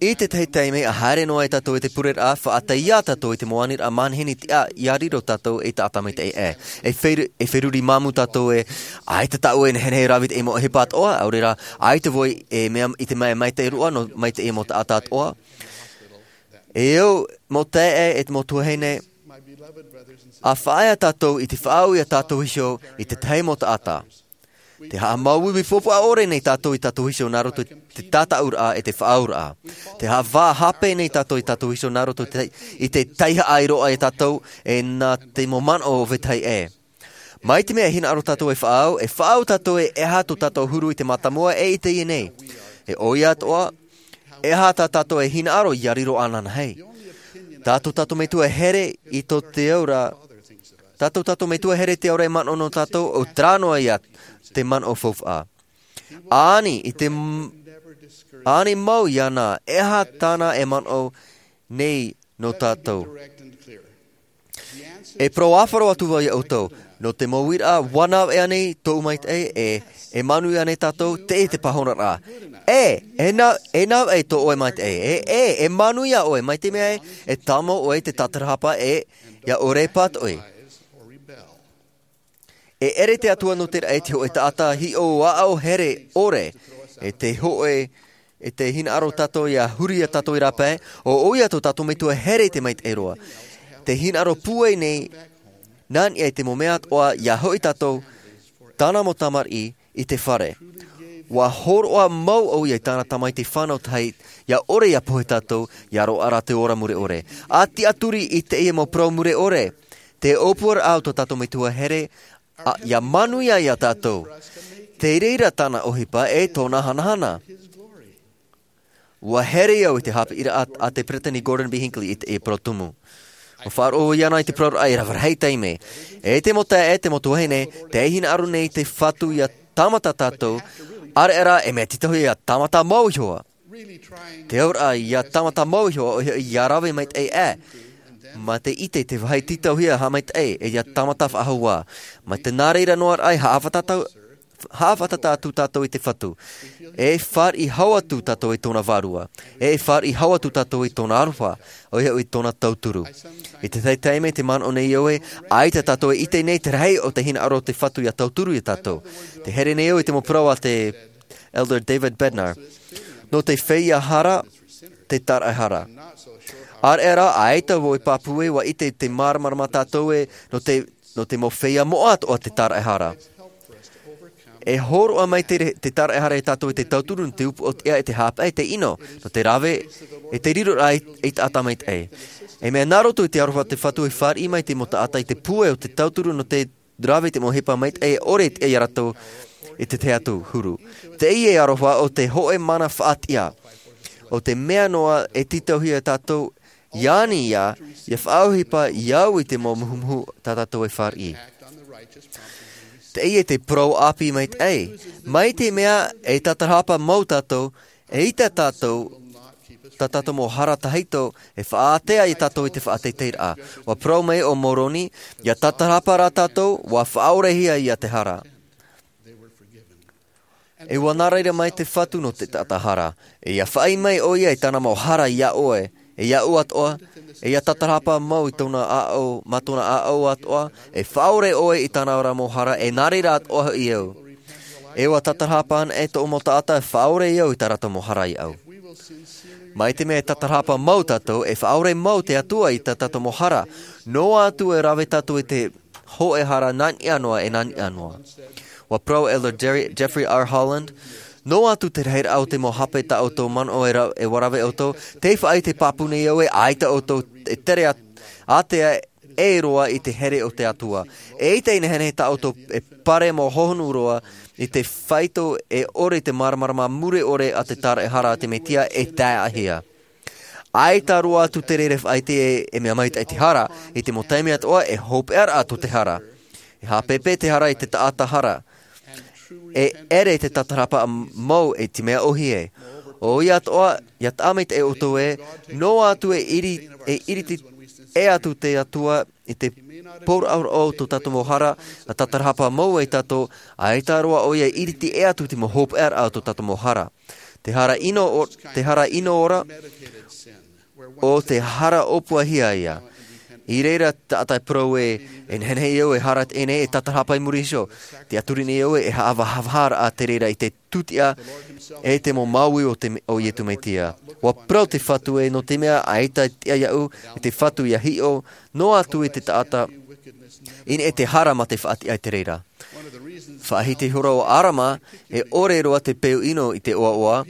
I te tahi taime, ʻa haere noa ai tātou i te pureraʻa, faʻatae ia tātou i te mau aniraʻa manihini tiʻa ia riro tātou ei taʻata maitaʻi ʻē. E fer-, e feruri māmū tātou ē, ʻaita tāʻu e nehenehe e rave i te mau ʻohipa atoʻa, ʻaore rā, ʻaita vau e mea i te mea e maitaʻi roa nō, mai te mau taʻata atoʻa. E au, mau taeaʻe, e te mau tuahine, ʻa faʻaea tātou i te faʻaau ia tātou iho i te tahi mau taʻata. Tē haʻamāuiui faufaʻa ʻore nei tātou i tātou iho nā roto i te tātaʻuraʻa e te faʻaauraʻa. Tē haʻavā hape nei tātou i tātou iho nā roto i te, i te taihaʻa i roaʻa ia tātou e nā te mau manaʻo o vetahi ʻē. Mai te mea e hinaʻaro tātou e faʻaau, e faʻaau tātou e aha tō tātou huru i te mātāmua e i teie nei. E ʻoia atoʻa, e aha tā tātou e hinaʻaro ia riro ananahi. Tā tō tātou Metua here i tō te aura, tā tō tātou Metua here i te aura e manaʻo nō tātou, ʻo terā noa ia te manaʻo faufaʻa. ʻA ani i te m-, ʻa ani mau iāna, e aha tāna e manaʻo nei nō tātou. E parau ʻāfaro atu vau ia ʻoutou, nō te mau uiraʻa, ʻua nāveʻa nei tōʻu maitaʻi, e, e manuia nei tātou, teie te pāhonoraʻa. E, e nā, e nāveʻa tō ʻoe maitaʻi, e, e, e manuia ʻoe, mai te mea ē, e tāmau ʻoe i te tātarahapa, e, ia ʻore e pātoʻi. E ʻere te Atua nō te raʻi i te hōʻē taʻata hiʻo aʻo here ʻore, e te hōʻē, e te hinaʻaro tātou ia huri ia tātou i rāpae, ʻo ʻoia tō tātou Metua here i te maitaʻi roa. Te hinaʻaro pūai nei, nā niʻa i te mau mea atoʻa, ia hoʻi tātou, tāna mau tamariʻi, i te fare. ʻUa hōroʻa mau ʻoia i tāna Tamaiti fānau tahi, ia ʻore ia pohe tātou, ia roaʻa rā te ora mure ʻore. ʻA tiʻaturi i teie mau parau mure ʻore. Te ʻōpuaraʻa o tō tātou Metua here, ʻa, ia manuia ia tātou. Te reira tāna ʻohipa e tōna hanahana. ʻUa here au i te haʻapiʻiraʻa a te Peresideni Gordon B. Hinckley i te, i te parau tumu. ʻUa faʻaroʻo iāna i te parauraʻa e rave rahi taime. E te mau taeaʻe, e te mau tuahine, tē hinaʻaro nei te Fatu ia tāmata tātou, ʻareʻa rā, e mea tītauhia ia tāmata mau iho ā. Te auraʻa ia tāmata mau iho ā, ʻoia hoʻi ia rave maitaʻi ā. Mā te ʻite te vāhi tītauhia haʻamaitaʻi e ia tāmata faʻahou ā. Mā te nā reira noa raʻa e haʻafātata atu tātou i te Fatu. E fāriʻi hau atu tātou i tōna vārua. E fāriʻi hau atu tātou i tōna aroha, ʻoia hoʻi tōna tauturu. I te tahi taime te manaʻo nei au ē, ʻaita tātou e ʻite nei te rahi o te hinaʻaro o te Fatu ia tauturu ia tātou. Te here nei au i te mau parau a te Elder David Bednar. Nō te feiā hara, te tāraʻehara. ʻĀreʻa rā, ʻaita vau e pāpū ē, ʻua ʻite te māramarama tātou ē, nō te, nō te mau feiā moʻa atoʻa te tāraʻehara. E hōroʻa mai te, te tāraʻehara ia tātou i te tauturu nō te upoʻotiʻa e te haʻapaʻo, te ʻino, nō te rave, e te riro rā i, i taʻata maitaʻi. E mea nā roto i te aroha o te Fatu e fāriʻi mai te mau taʻata i te pūai o te tauturu nō te rave i te mau ʻohipa maitaʻi e ʻore e tiʻa ia rātou i te tahi atu huru. Teie aroha ʻo te hōʻē mana faʻatiʻa. ʻO te mea noa e tītauhia ia tātou, i ani ia, ia faʻaʻohipa i au i te mau muhumuhu tā tātou e fāriʻi. Teie te parau ʻāpī maitaʻi. Mai te mea e tātarahapa mau tātou, e ʻaita tātou, tā tātou mau hara tahito, e faʻaātea ia tātou i te faʻateiteiraʻa. ʻUa parau mai ʻo Moroni, ia tātarahapa rā tātou, ʻua faʻaʻorehia ia te hara. E ʻua nā reira mai te Fatu nō te taʻata hara. E ia faʻaʻī mai ʻoia i tāna mau hara ia ʻoe, e ia ʻoe atoʻa, e ia tātarahapa mau i tōna ʻāʻau, mā tōna ʻāʻau atoʻa, e faʻaʻore ʻoe i tāna rā mau hara, e nā reira atoʻa hoʻi au. E ʻua tātarahapa ana e tōʻu mau taʻata, e faʻaʻore au i tā rātou mau hara iaʻu. Mai te mea e tātarahapa mau tātou, e faʻaʻore mau te Atua i tā tātou mau hara, noa atu e rave tātou i te hōʻē hara nā niʻa noa, e nā niʻa noa. ʻUa parau Elder Jerry, Jeffrey R. Holland, noa atu te rahiraʻa o te mau hape tā ʻoutou manaʻo e ra-, e ʻua rave ʻoutou, tē faʻaʻite pāpū nei au ē ʻaita ʻoutou e tere ā-, ātea e roa i te here o te Atua. E ʻaita e nehenehe tā ʻoutou e pare mau hohonu roa i te faito e ʻore i te māramarama mure ʻore a te tāraʻehara a te Mesia e taeaʻehia. ʻAita roa atu te reira e faʻaʻite e, e mea maitaʻi te hara, i te mau taime atoʻa e hopeʻa rā atu te hara. E haʻapeʻepeʻe te hara i te taʻata hara. E ʻere te tātarahapa mau i te mea ʻōhie. ʻOia atoʻa, ia taʻa maitaʻi ʻoutou ē, noa atu e ʻiri-, e ʻiriti ʻē atu te Atua i te pōraʻoraʻo o tō tātou mau hara, ʻa tātarahapa mau ai tātou, ʻaita roa ʻoia e ʻiriti ʻē atu te mau hopeʻaraʻa o tō tātou mau hara. Te hara ʻino o-, te hara ʻino ora, ʻo te hara ʻōpuahia ia. I reira taʻata e parau ē, e nehenehe au e hara teie nei, e tātarahapa i muri iho. Tē ʻaturi nei au e haʻavāhavāharaʻa te reira i te tūtiʻa, e te mau māuiui o te me-, o Iesu Mesia. ʻUa parau te Fatu ē, nō te mea ʻaita e tiʻa iāʻu, e te Fatu ia hiʻo, noa atu i te taʻata, i niʻa i te hara mā te faʻatiʻa i te reira. Faʻahiti ihora ʻo ʻĀrama, e ʻore roa te peu ʻino i te ʻoaʻoa,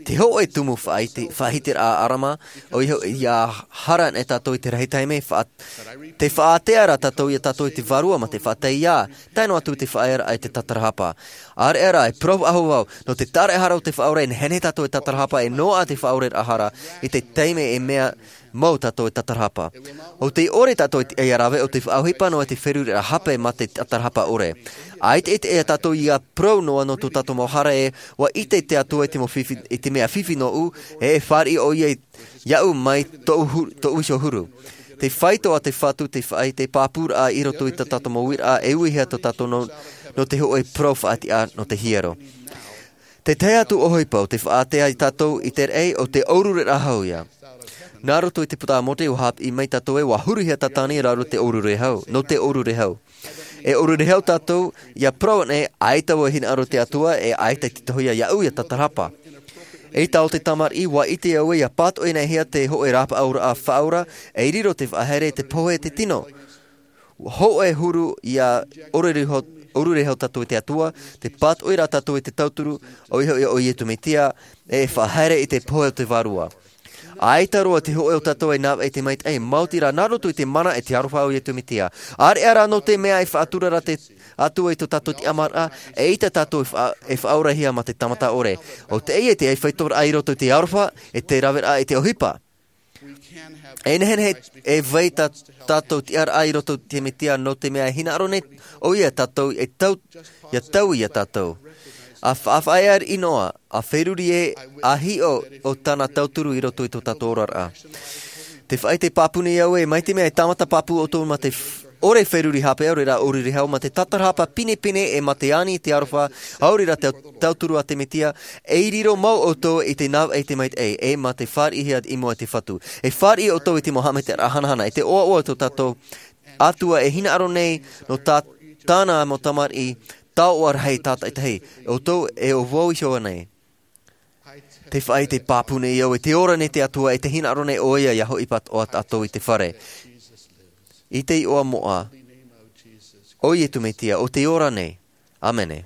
te hōʻē tumu faʻahiti, faʻahitiraʻa a ʻĀrama, ʻoia hoʻi, ia hara nei tātou i te rahi taime, faʻa-, tē faʻaātea ra tātou ia tātou i te Vārua mā te faʻaʻite, tae noa atu te faʻaearaʻa i te tātarahapa. ʻĀreʻa rā, e parau faʻahou vau, nō te tāraʻehara o te Faʻaora, e nehenehe tātou e tātarahapa, e noaʻa te faʻaoreraʻa hara, i te taime e mea mau tātou e tātarahapa. ʻO tē ʻore tātou e tiʻa ia rave, ʻo te faʻaʻohipa noa te feruriraʻa hape mā te tātarahapa ʻore. ʻAita e tiʻa ia tātou ia parau noa nō tō tātou mau hara ē, ʻua ʻite te Atua i te mau fifi, i te mea fifi nōʻu, e fāriʻi ʻoia i, iāʻu mai tōʻu hu-, tōʻu iho huru. Te faito a te Fatu, te faʻaʻite pāpūraʻa i roto i tā tātou mau uiraʻa, e uihia tō tātou nō, nō te hōʻē parau faʻatiʻa nō te hiero. Te tahi atu ʻohipa ʻo te faʻaātea ia tātou i te raʻi, ʻo te ʻōrureraʻa hau ia. Nā roto i te puta a Mōse ʻua haʻapiʻi mai tātou ē, ʻua huruhia Satani i raro te ʻōrureraʻa hau, nō te ʻōrureraʻa hau. E ʻōrureraʻa hau tātou, ia parau nei, ʻaita vau e hinaʻaro i te Atua, e ʻaita e tītauhia iāʻu ia tātarahapa. Eʻita ʻo te tamariʻi, ʻua ʻite au ē, ia pātoʻi nei hia te hōʻē rāpaʻauraʻa faʻaora, e riro te faʻahaere i te pohe o te tino. Hōʻē huru ia ʻōrureraʻa hau, ʻōrureraʻa hau tātou i te Atua, te pātoʻi rā tātou i te tauturu, ʻoia hoʻi ʻo Iesu Mesia, e faʻahaere i te pohe o te Vārua. ʻAita roa te hōʻē o tātou e navaʻi i te maitaʻi, maoti rā nā roto i te mana e te aroha o Iesu Mesia. ʻĀreʻa rā nō te mea e faʻatura ra te Atua i tō tātou tiʻamāraʻa, eʻita tātou e fa-, e faʻaorahia mā te tāmata ʻore. ʻO teie te faitoraʻa i roto i te aroha, e te raveraʻa, e te ʻohipa. E nehenehe e vai tā tātou tiʻaraʻa i roto i te Mesia nō te mea e hinaʻaro nei ʻoia ia tātou e tau, ia tau ia tātou. ʻA fa-, ʻa faʻaea noa, ʻa feruri ē, ʻa hiʻo ʻo tāna tauturu i roto i tō tātou oraraʻa. Te faʻaʻite pāpū nei au ē, mai te mea e tāmata pāpū ʻoutou mā te f-, ʻore feruri hape, ʻaore rā ʻōriri hau, mā te tātarahapa pinepine ʻe mā te ani i te aroha, ʻaore rā te tauturu a te Mesia, e riro mau ʻoutou i te navaʻi i te maitaʻi, ʻe mā te fāriʻihia i mua i te Fatu. E fāriʻi ʻoutou i te mau haʻamaitaʻiraʻa hanahana, i te ʻoaʻoa o tō tātou Atua e hinaʻaro nei, nō tā, tāna mau tamariʻi, taoʻa rahi tātaʻitahi, ʻoutou e ʻo vau iho nei. Te faʻaʻite pāpū nei au ē, te ora nei te Atua, ʻe te hinaʻaro nei ʻoia ia hoʻi pātoʻa tātou i te fare. I te iʻoa moʻa o Iesu Mesia, ʻo te ora nei. ʻĀmene.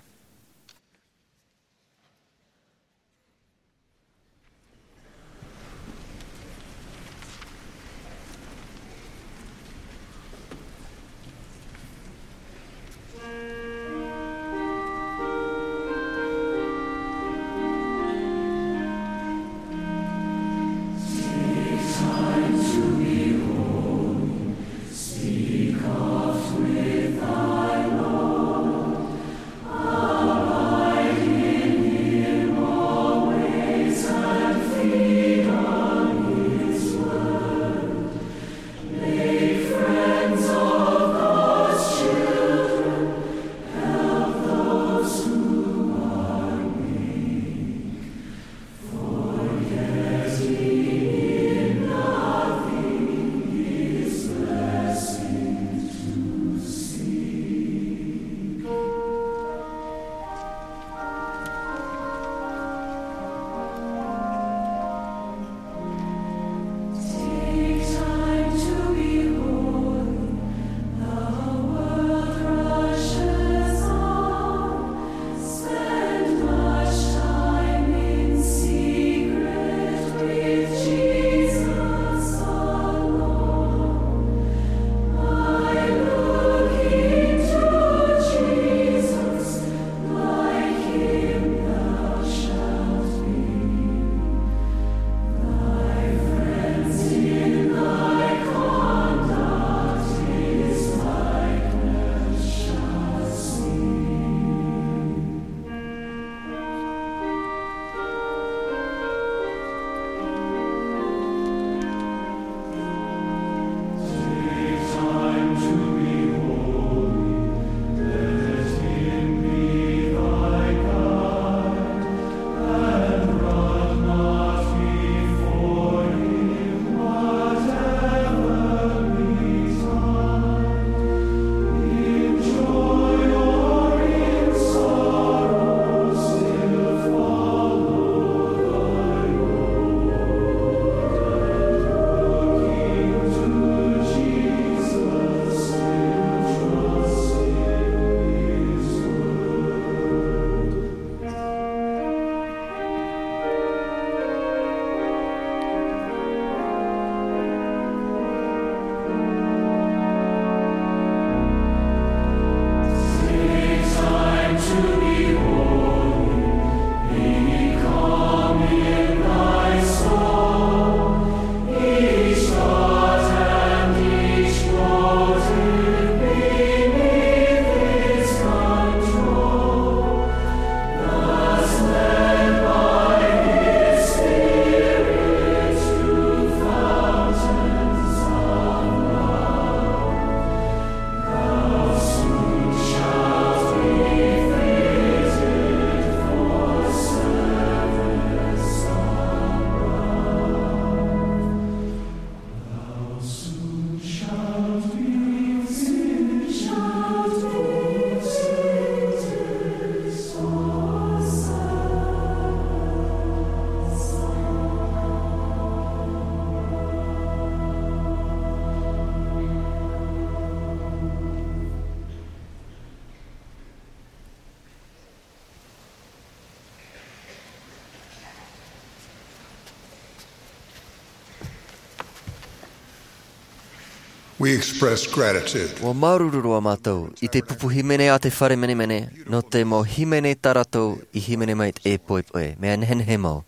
We express gratitude. ʻUa māuruuru roa mātou i te pupu hīmene a te fare menemene, nō te mau hīmene tā rātou i hīmene mai i te poipoi, mea nehenehe mau.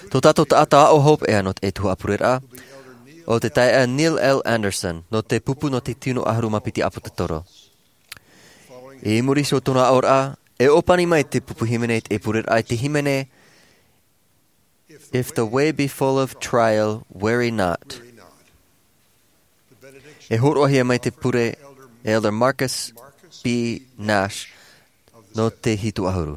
Tō tātou taʻata aʻo hopeʻa nō te tuhaʻa pureraʻa, ʻo te taeaʻe Neil L. Andersen, nō te pupu nō te tino ʻahuru mā piti ʻāpōsetolo. I muri iho i tōna aʻoraʻa, e ʻōpani mai te pupu hīmene i te pureraʻa i te hīmene, If the way be full of trial, weary not. E hōroʻahia mai te pure e Elder Marcus B. Nash nō te hitu ʻahuru.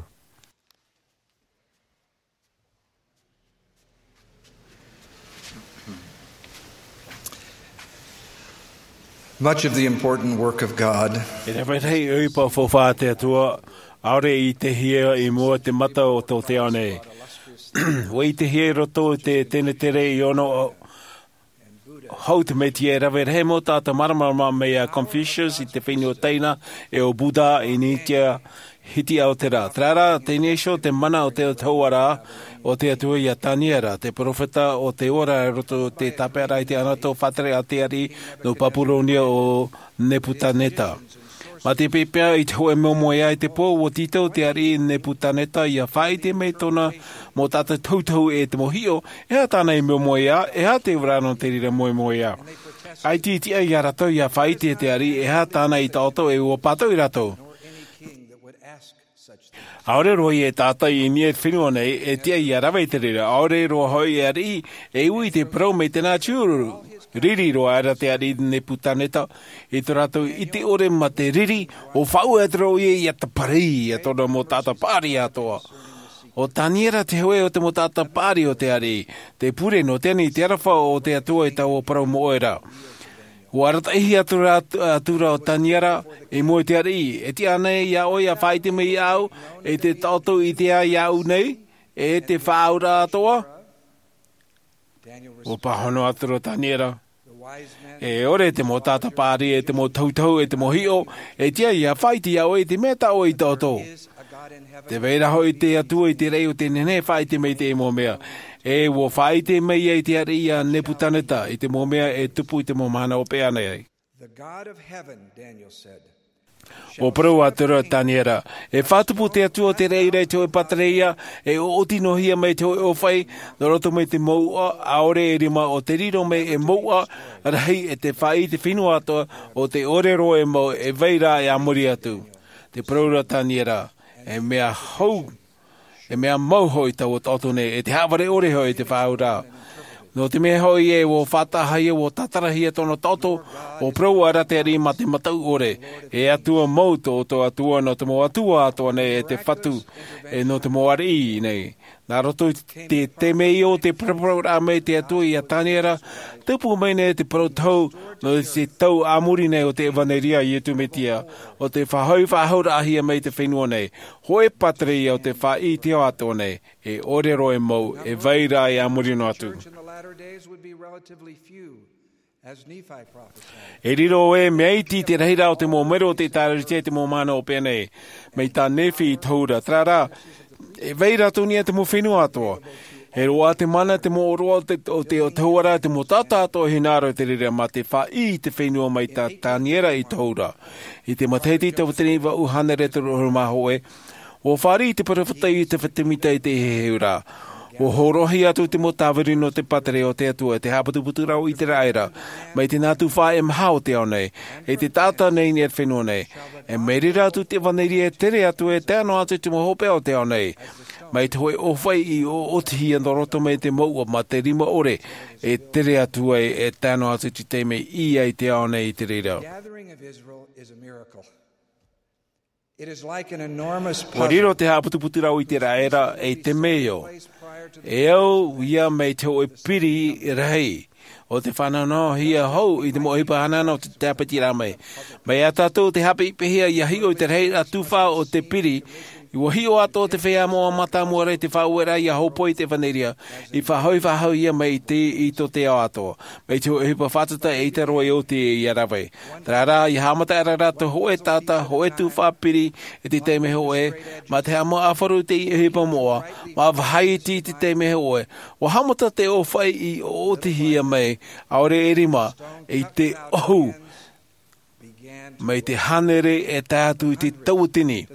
Much of the important work of God E rave rahi ʻohipa faufaʻa a te Atua, ʻaore i te hia i mua te mata o tō te ao nei. ʻUa i te hia i roto i te tenetere i ono hau te Mesia, e rave rahi mau taʻata māramarama mai iā Confucius i te fenua Taina, e ʻo Buddha i Nītia, hiti ao te rā. Terā rā, teie nei iho te mana o te tauara o te Atua iā Taniera, te peropheta o te ora i roto i te tāpeʻaraʻa i te anato faʻatere a te ariʻi nō Papuronia ʻo Nepukaneta. Mā te pēpēa i te hōʻē moemoeā i te pō, ʻua tītau te ariʻi Nepukaneta ʻia faʻaʻite mai tōna mau taʻata tohutohu e te mau hiʻo, e aha tāna i moemoeā, e aha te ora nō te reira moemoeā. ʻAita i tiʻa iā rātou ʻia faʻaʻite te ariʻi e aha tāna i taʻoto, e ʻua pātoʻi rātou. ʻAore roa ia e taʻata i niʻa i te fenua nei e tiʻa ʻia rave i te reira, ʻaore roa hoʻi e ariʻi e ui i te parau mai tēnā tiuru. Riri roa aʻera te ariʻi Nepukaneta i tō rātou ʻite ʻore mā te riri, ʻua faʻaue atu ra ʻoia ʻia tāpiri iā tōna mau taʻata paʻari atoʻa. ʻO Taniera te hōʻē o te mau taʻata paʻari o te ariʻi, te pure nō te ani i te aroha o te Atua i taua parau moʻe ra. ʻUa arataʻihia atu ra, atu ra ʻo Taniera i mua i te ariʻi, e tiʻa ānei iā ʻoe ʻia faʻaʻite mai iāʻu, e te taʻoto i te ao iāʻu nei, e te faʻaauraʻa atoʻa? ʻUa pāhono atu ra ʻo Taniera, e ʻore te mau taʻata paʻari, e te mau tohutohu, e te mau hiʻo, e tiʻa ʻia faʻaʻite iā ʻoe i te mea tā ʻoe i taʻoto. Tē vai ra hoʻi te Atua i te raʻi ʻo tē nehenehe e faʻaʻite mai i te mau mea. E ʻua faʻaʻite mai ia i te ariʻi iā Nepukaneta i te mau mea e tupu i te mau mahana hopeʻa nei. The God of heaven, Daniel said, ʻUa parau atu ra ʻo Taniera, e faʻatupu te Atua o te reira i te hōʻē pātireia, e ʻoʻoti noa hia mai te hōʻē ʻōfaʻi, nō roto mai te mouʻa, ʻaore e rima ʻo te riro mai e mouʻa rahi e te faʻaʻī i te fenua atoʻa, ʻo tē ʻore roa e mau e vai ra e a muri atu. Te parau ra ʻo Taniera, e mea hou, e mea mau hoʻi taua taʻoto nei, e te haʻavare ʻore hoʻi i te faʻaauraʻa. Nō te mea hoʻi ē ʻua faʻataʻahia, ʻua tātarahia tōna taʻoto, ʻua parau aʻera te ariʻi mā te mataʻu ʻore, e Atua mau tō ʻoutou Atua, nō te mau atua atoʻa nei, e te Fatu, e nō te mau ariʻi nei. Nā roto i te taime ïa o te paraparauraʻa mai te Atua iā Taniera, tupu mai nei te parau tohu, nō te tau a muri nei o te ʻevaneria a Iesu Mesia, ʻo tē faʻahoʻi faʻahou-raʻa-hia mai i te fenua nei, hōʻē pātireia o te faʻaʻī i te ao atoʻa nei, e ʻore roa e mau, e vai ra e a muri noa atu. Church in the latter days would be relatively few, as Nephi prophesied. E riro ē mea iti te rahiraʻa o te mau mero o te ʻĒtārētia i te mau mahana hopeʻa nei, mai tā Nephi i tohu ra, terā rā, e vai ra atoʻa i niʻa i te mau fenua atoʻa. E roaʻa te mana, te mau ʻōroʻa o te, o te, o te tauara, te mau taʻata atoʻa e hinaʻaro i te reira mā te faʻaʻī i te fenua mai tā Taniera i tohu ra. I te matahiti tauatini vaʻu hānere toru ʻahuru mā hōʻē, ʻua fāriʻi te peropheta Iosepha Semita i te heheu ra. ʻUa hōroʻahia atu te mau tāviri nō te pātireia o te Atua, te haʻaputuputuraʻa o ʻĪteraʻera, mai te nā tuhaʻa e maha o te ao nei, e te taʻata nei i niʻa i te fenua nei. E mai reira atu te ʻevaneria e tere atu, e tae noa atu i te mau hopeʻa o te ao nei. Mai te hōʻē ʻōfaʻi i ʻoʻotihia nō roto mai te mouʻa mā te rima ʻore, e tere atu ai, e tae noa atu i te taime i ʻī ai te ao nei i te reira. Gathering of Israel is a miracle. It is like an enormous puzzle. ʻUa riro te haʻaputuputuraʻa o ʻĪteraʻera ei temeio. E au ia mai te hōʻē piri rahi, ʻo tē fānauhia hou i te mau ʻohipa hanahana o te tāpetiraʻa mai. Mai iā tātou te haʻapiʻipiʻihia ʻia hiʻo i te rahiraʻa tufa o te piri, ʻua hiʻo atoʻa te feiā moʻa mātāmua ra i te faʻaueraʻa ʻia hōpoi i te ʻevaneria, i faʻahoʻi faʻahou ia mai i te, i tō te ao atoʻa. Mai te hōʻē ʻohipa fātata e ʻaita roa e oti ʻia rave. Terā rā, ʻia haʻamata aʻera rātou hōʻē taʻata, hōʻē tufa piri, i te taime hōʻē, mā te haʻamāuruuru i te ʻohipa moʻa, mā vāhi iti i te taime hōʻē. ʻUa haʻamata te ʻōfaʻi i ʻoʻotihia mai, ʻaore e rima, i te ʻohu. Mai te hānere e tae atu i te tauatini,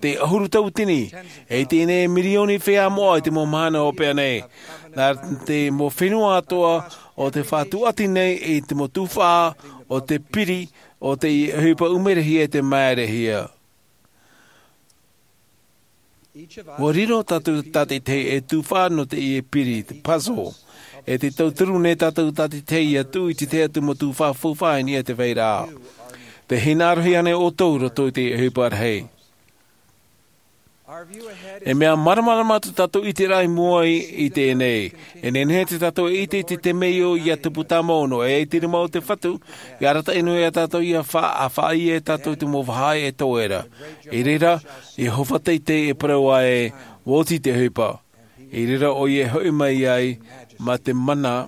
te ʻahuru tauatini, e teie nei mirioni feiā moʻa i te mau mahana hopeʻa nei. Nā te mau fenua atoʻa ʻo tē faʻatuati nei i te mau tufa o te piri, ʻo te ʻohipa ʻumerehia e te māerehia. ʻUa riro tātou tātaʻitahi ei tufa nō teie piri, te puzzle. E te tauturu nei tātou tātaʻitahi ia tuʻu i te tahi atu mau tuhaʻa faufaʻa i niʻa i te vai ra. Te hinaʻaro hia nei ʻoutou i roto i te ʻohipa rahi. E mea māramarama tō tātou ʻiteraʻa i mua i teie nei. E nehenehe tō tātou e ʻite i te temeio ia tupu tāmau noa e te rima o te fatu, ia arataʻi noa ia tātou ia faʻaʻite tātou i te mau vāhi e toe ra. I reira, i hōhonu teitei e parau ai, ua oti te ʻohipa. I reira ʻoia e hoʻi mai ai mā te mana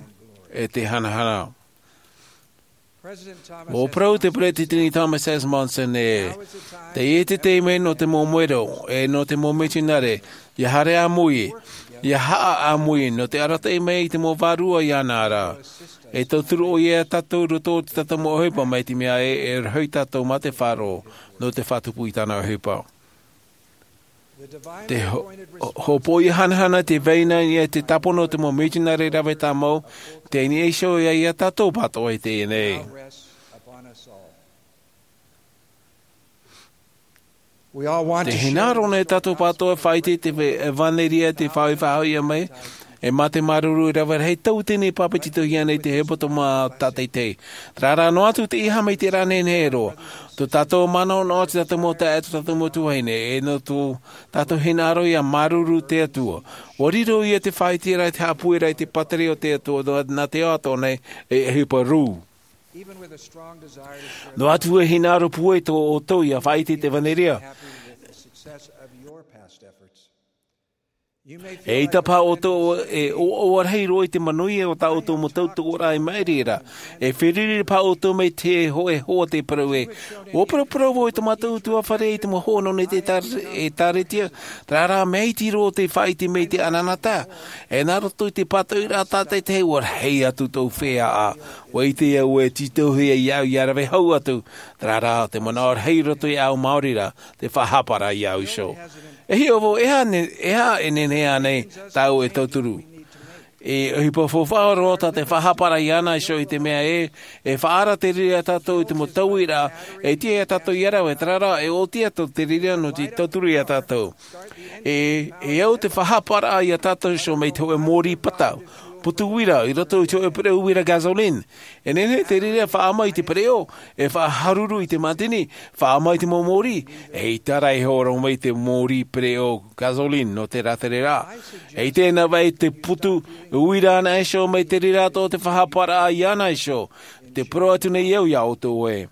e te hanahana. Ua parau te peresideni thomas s monson e, teie te taime nō te mau mero e nō te mau mitionare, ia haere ʻāmui, ia haʻa ʻāmui nō te arataʻi mai i te mau vārua iāna ra. E tauturu ʻoia ia tātou i roto i te tātou mau ʻohipa mai te mea e e rahi tātou mā te faʻaroʻo nō te faʻatupu i tāna ʻohipa. Te hōpoiʻa hanahana te vai nei i te tāpono o te mau mitionare rave tāmau, tei niʻa iho ia tātou pātoʻa i teie nei. Te hinaʻaro nei tātou pātoʻa e faʻaʻite i te ʻevanelia te faʻaʻite faʻahoʻi mai, e mā te māuruuru rave rahi tau tēnei pāpetitohia nei te hepetoma tātaʻitahi. Terā rā noa atu te ʻīhaʻa mai te rā nei nei roa. Tō tātou manaʻo noa te tātou mau taeaʻe tō tātou mau tuahine e nō tō tātou hinaʻaro ia māuruuru te atua. Ua riro ia te faʻaʻite ra i te haʻapueraʻa i te pātireia o te atua nā te ao atoʻa nei, e ʻohipa rū. Noa atu e hinaʻaro pūai tō ʻoutou ia faʻaʻite i te ʻevanelia. E ʻaita paha ʻoutou e ʻoaʻoa rahi roa i te manuia o tā ʻoutou mau tautoʻoraʻa i maʻiri ra. E feruri paha ʻoutou mai te hōʻē hoa te parau e, ua paraparau vau i tō mātou utuafare i te mau hoa nō nei te ʻēkālesia. Terā rā mea iti roa te faʻaʻite mai i te ʻanaʻanatae. E nā roto i te pātoʻiraʻa tātaʻitahi ua rahi atu tōʻu feiā. Ua ʻite au e tītauhia iāʻu ia rave hau atu. Terā rā te manaʻo rahi roto iāʻu maori ra, te faʻahapa ra iāʻu iho. E hiʻo vau e aha e nehenehe ānei tāʻu e tauturu? E ʻohipa faufaʻa roa tā te faʻahapa ra iāna iho i te mea e e faʻaara te reira ia tātou i te mau tauiraʻa e tiʻa ia tātou ia rave. Terā rā e ʻoti atu te reira nō te tauturu ia tātou. E e au te faʻahapa ra ia tātou iho mai te hōʻē mōrī pata, putu uira i roto i te hōʻē pereʻo uira gasoline. E nehenehe te reira e faʻaʻama i te pereʻo, e faʻaharuru i te mātini, faʻaʻama i te mau mōrī. E ʻaita rā e horo mai te mōrī pereʻo gasoline nō te rātere ra. E ʻite na vai te putu uira ana iho mai te reira atoʻa te faʻahapa ra iāna iho. Te parau atu nei au ia ʻoutou e,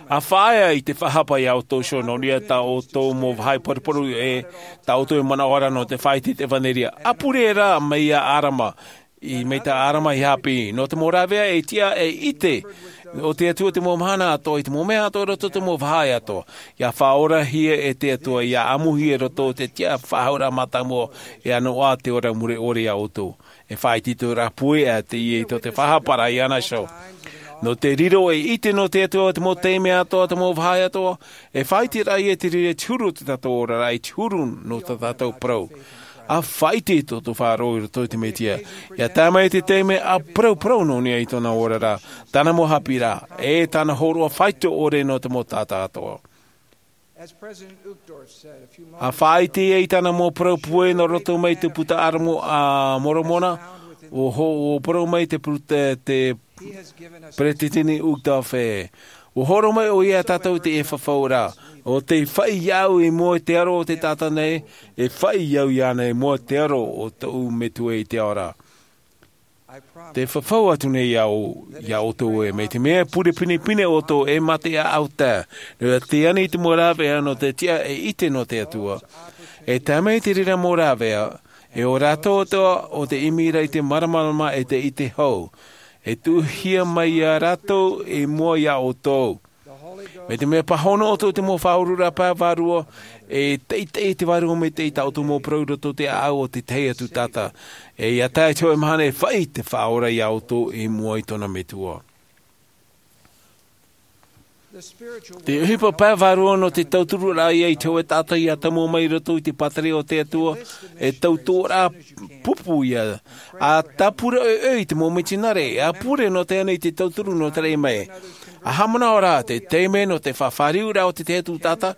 a faʻaea i te faʻahapa ia ʻoutou iho nō niʻa tā ʻoutou mau vāhi paruparu e tā ʻoutou e manaʻo ra nō te faʻaʻite i te ʻevanelia. A pure rā mai ia ʻarama, i mai tā ʻarama i haʻapiʻi nō te mau rāveʻa e tiʻa e ʻite o te atua te mau mahana atoʻa i te mau mea atoʻa i roto i te mau vāhi atoʻa. Ia faʻaorahia e te atua ia ʻamuhia i roto i te tiʻa faʻahauraʻa mātāmua e ʻanoʻa te ora mure ʻore ia ʻoutou. E faʻaʻite i tō rā pūai ʻa teie i tō te faʻahapa ra iāna iho. Nō te riro e ʻite nō te atua te mau taime atoʻa te mau vāhi atoʻa, e faʻaʻite rā ia te reira i te huru o tō tātou oraraʻa i te huru nō tō tātou parau. A faʻaʻite i tō tō faʻaroʻo i roto i te mesia, ia tae mai te taime a parauparau nō niʻa i tōna oraraʻa, tāna mau haʻapiʻiraʻa e tāna hōroʻa faito ʻore nō te mau taʻata atoʻa. A faʻaʻite ia i tāna mau parau pūai nō roto mai te puta ʻāramu a moromona, ua hō ua parau mai te puta te peresideni uchtdorf e, ua hōroʻa mai ʻoia ia tātou i te ʻefafauraʻa, o te faʻi iāʻu i mua i te aro o te taʻata nei, e faʻi au iāna i mua i te aro o tōʻu metua i te ao ra. Te fafau atu nei au ia ʻoutou e mai te mea pure pinepine ʻoutou e mā te ʻaʻau tae, nō te ani i te mau rāveʻa nō te tiʻa e ʻite nō te atua. E tae mai te reira mau rāveʻa, e ō rātou atoʻa o te ʻimi ra i te māramarama e te ʻite hou, e tuʻuhia mai ia rātou i mua ia ʻoutou. Mai te mea pāhono ʻoutou i te mau faʻaururaʻa pae vārua, e teitei te vārua mai te i tā ʻoutou mau parau i roto i te ʻaʻau o te tahi atu taʻata. E ia tae i te hōʻē mahana e faʻi te faʻaora ia ʻoutou i mua i tōna metua. Te ʻohipa pae vārua nō te tauturu raʻa ia i te hōʻē taʻata ia tamu mai i roto i te pātireia o te atua, e tauturu raʻa pupu ia. A tāpura ʻoiʻoi i te mau mitionare a pure nō te ana i te tauturu nō te raʻi mai. ʻA haʻamanaʻo rā te taime nō te fāriuraʻa o te tahi atu taʻata,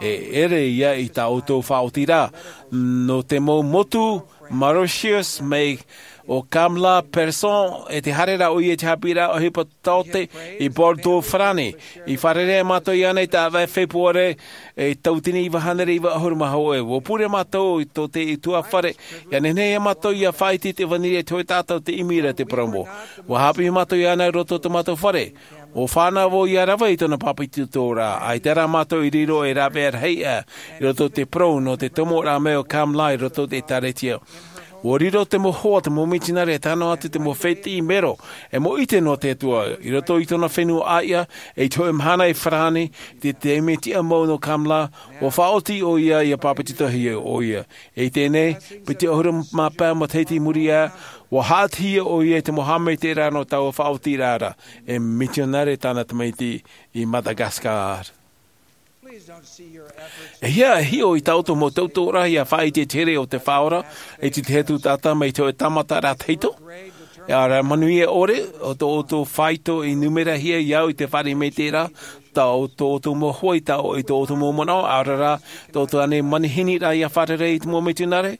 e ʻere ia i tā ʻoutou faʻaotiraʻa nō te mau motu Mauritius mai o Kamla Persson, e te haere rā ʻoia i te haʻapiʻiraʻa ʻohipa taote i Bordeaux, Farāni. I fārerei mātou iāna i te ʻāvaʻe Fepuare, e tauatini iva hānere iva ʻahuru mā hōʻē. ʻUa pure mātou i tō te ʻutuāfare, ʻia nehenehe ia mātou ʻia faʻaʻite i te ʻevanelia i te hōʻē taʻata ʻo tē ʻimi ra i te parau mau. ʻUa haʻapiʻi mātou iāna i roto i tō mātou fare. ʻUa fānaʻo vau ʻia rave i tōna pāpetitoraʻa, ʻaita rā mātou i riro ei rāveʻa rahi aʻe i roto i te parau nō te tomoraʻa mai o Kamla i roto i te ʻĒkālesia. ʻUa riro te mau hoa, te mau mitionare, e tae noa atu te mau fētiʻi mero, e mau ʻite nō te Atua, i roto i tōna fenua ʻāiʻa, e i te hōʻē mahana i Farāni, i te taime tiʻa mau nō Kamla, ʻua faʻaoti ʻoia ʻia pāpetitohia ʻoia. E i teie nei, piti ʻahuru mā pae matahiti i muri aʻe, ʻua haʻatihia ʻoia i te mau haʻamaitaʻiraʻa nō taua faʻaotiraʻa ra, e mitionare tāna tamaiti i Madagascar. E hia e hiʻo i tā ʻoutou mau tautoʻoraʻa ʻia faʻaʻite i te here o te Faʻaora, i te tahi atu taʻata mai te hōʻē tāmataraʻa tahito? E ʻaore rā manuia ʻore, ʻo tō ʻoutou faito i numerahia i au i te fare maitaʻi ra, tā ʻo tō ʻoutou mau hoa i tā ʻo, i tō ʻoutou mau manaʻo, ʻaore rā, tō ʻoutou ānei manihini ra ʻia fārerei i te mau mitionare?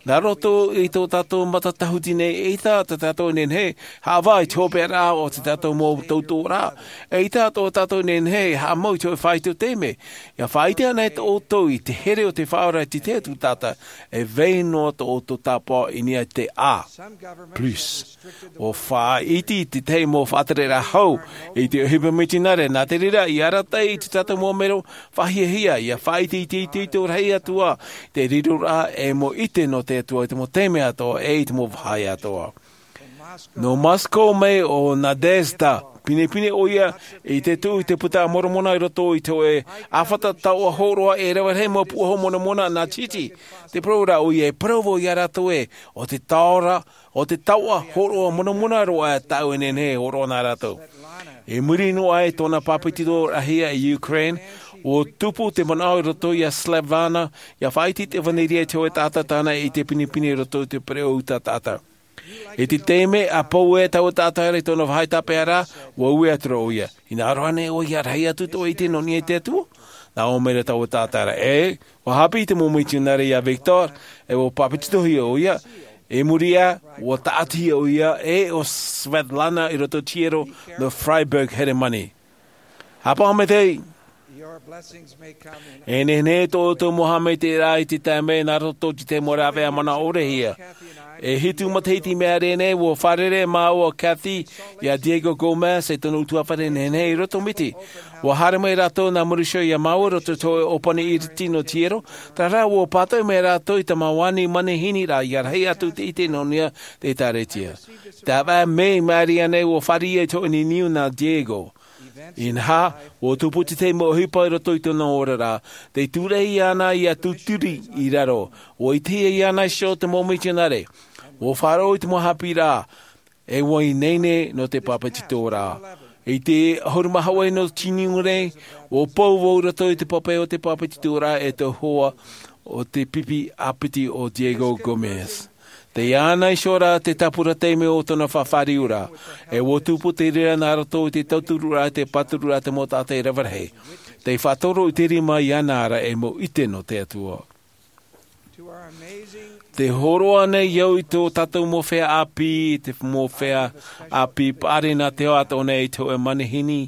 Nā roto i tō tātou matatahuti nei, eʻita tā tātou e nehenehe e haʻavā i te hopeʻaraʻa o tā tātou mau tautoʻoraʻa, eʻita tā tātou e nehenehe e haʻamau i te hōʻē faito taime. ʻIa faʻaʻite anaʻe ʻoutou i te here o te Faʻaora i te tahi atu taʻata, e vai noa tō ʻoutou tāpaʻo i niʻa i te A plus. ʻUa faʻaʻite i te tahi mau faʻatereraʻa hau i te ʻohipa mitionare, nā te reira, ʻia arataʻi i tā tātou mau mero faʻahiahia, ʻia faʻaʻite i te itoito rahi atoʻa, te riroraʻa e mau ʻite nō te Atua i te mau taime atoʻa, e i te mau vāhi atoʻa. Nō Moscow mai ʻo Nadezhda, pinepine ʻoia i te tuʻu i te Puta a Moromona i roto i te hōʻē ʻāfata taoʻa hōroʻa e rave rahi mau puahu Moromona nā Titi. Te parau ra ʻoia, e parau vau ia rātou ē, ʻo te taoʻa, ʻo te taoʻa hōroʻa Moromona roa tāʻu e nehenehe e hōroʻa nā rātou. I muri noa i tōna pāpetitoraʻahia i Ukraine, ʻua tupu te manaʻo i roto ia Svetlana, ʻia faʻaʻite i te ʻevanelia i te hōʻē taʻata tāna e ʻite pinepine i roto i te pereʻoʻo taʻata. I te taime ʻa pau e taua taʻata ra i tōna vāhi tāpeʻaraʻa, ʻua ui atu ra ʻoia. Hinaʻaro ānei ʻoe ʻia rahi atu tō ʻoe ʻite nō niʻa i te Atua? Nā ʻō mai ra taua taʻata ra, ʻē, ʻua haʻapiʻi te mau mitionare ia Viktor, e ʻua pāpetitohia ʻoia. I muri aʻe, ʻua tāʻatihia ʻoia, e ʻo Svetlana i roto i te hiero nō Freiburg, Heremani. Haʻapaʻo maitaʻi. E nehenehe tō ʻoutou mau haʻamaitaʻiraʻa i te taime nā roto i te mau rāveʻa manaʻo ʻore hia. E hitu matahiti i maʻiri aʻe nei, ʻua fārerei māua ʻo Kathy ia Diego Gomez, e tōna ʻutuāfare nehenehe i roto i Miti. ʻUa haere mai rātou nā Mauricio ia māua i roto i te hōʻē ʻōpani iriti nō te hiero, terā rā ʻua pātoʻi mai rātou i te mau ani manihini ra ʻia rahi atu te ʻite nō niʻa i te ʻĒkālesia. Te ʻāvaʻe mē i maʻiri aʻe nei ʻua fāriʻi i te hōʻē niuniu nā Diego. Inaha, ʻua tupu te tahi mau ʻohipa i roto i tōna oraraʻa, tē tūraʻi iāna ia tūturi i raro, ʻua ʻitehia iāna iho te mau mitionare, ʻua faʻaroʻo i te mau haʻapiʻiraʻa, e ʻua ineine nō te pāpetitoraʻa. I te ʻahuru mā hōʻē nō Tiuniraʻa, ʻua pou vau i roto i te pape o te pāpetitoraʻa e te hoa o te pipi ʻāpiti ʻo Diego Gomez. Tei iāna iho rā te tāpura taime o tōna fāriuraʻa, e ʻua tupu te reira nā roto i te tauturuʻraʻa, te pāturuʻraʻa, te mau taʻata e rave rahi. Tei faʻatoro i te rima iāna ra e mau ʻite nō te Atua. Tē hōroʻa nei au i tō tātou mau feiā ʻāpī, te mau feiā ʻāpī paʻari nā te ao atoʻa nei i te hōʻē manihini,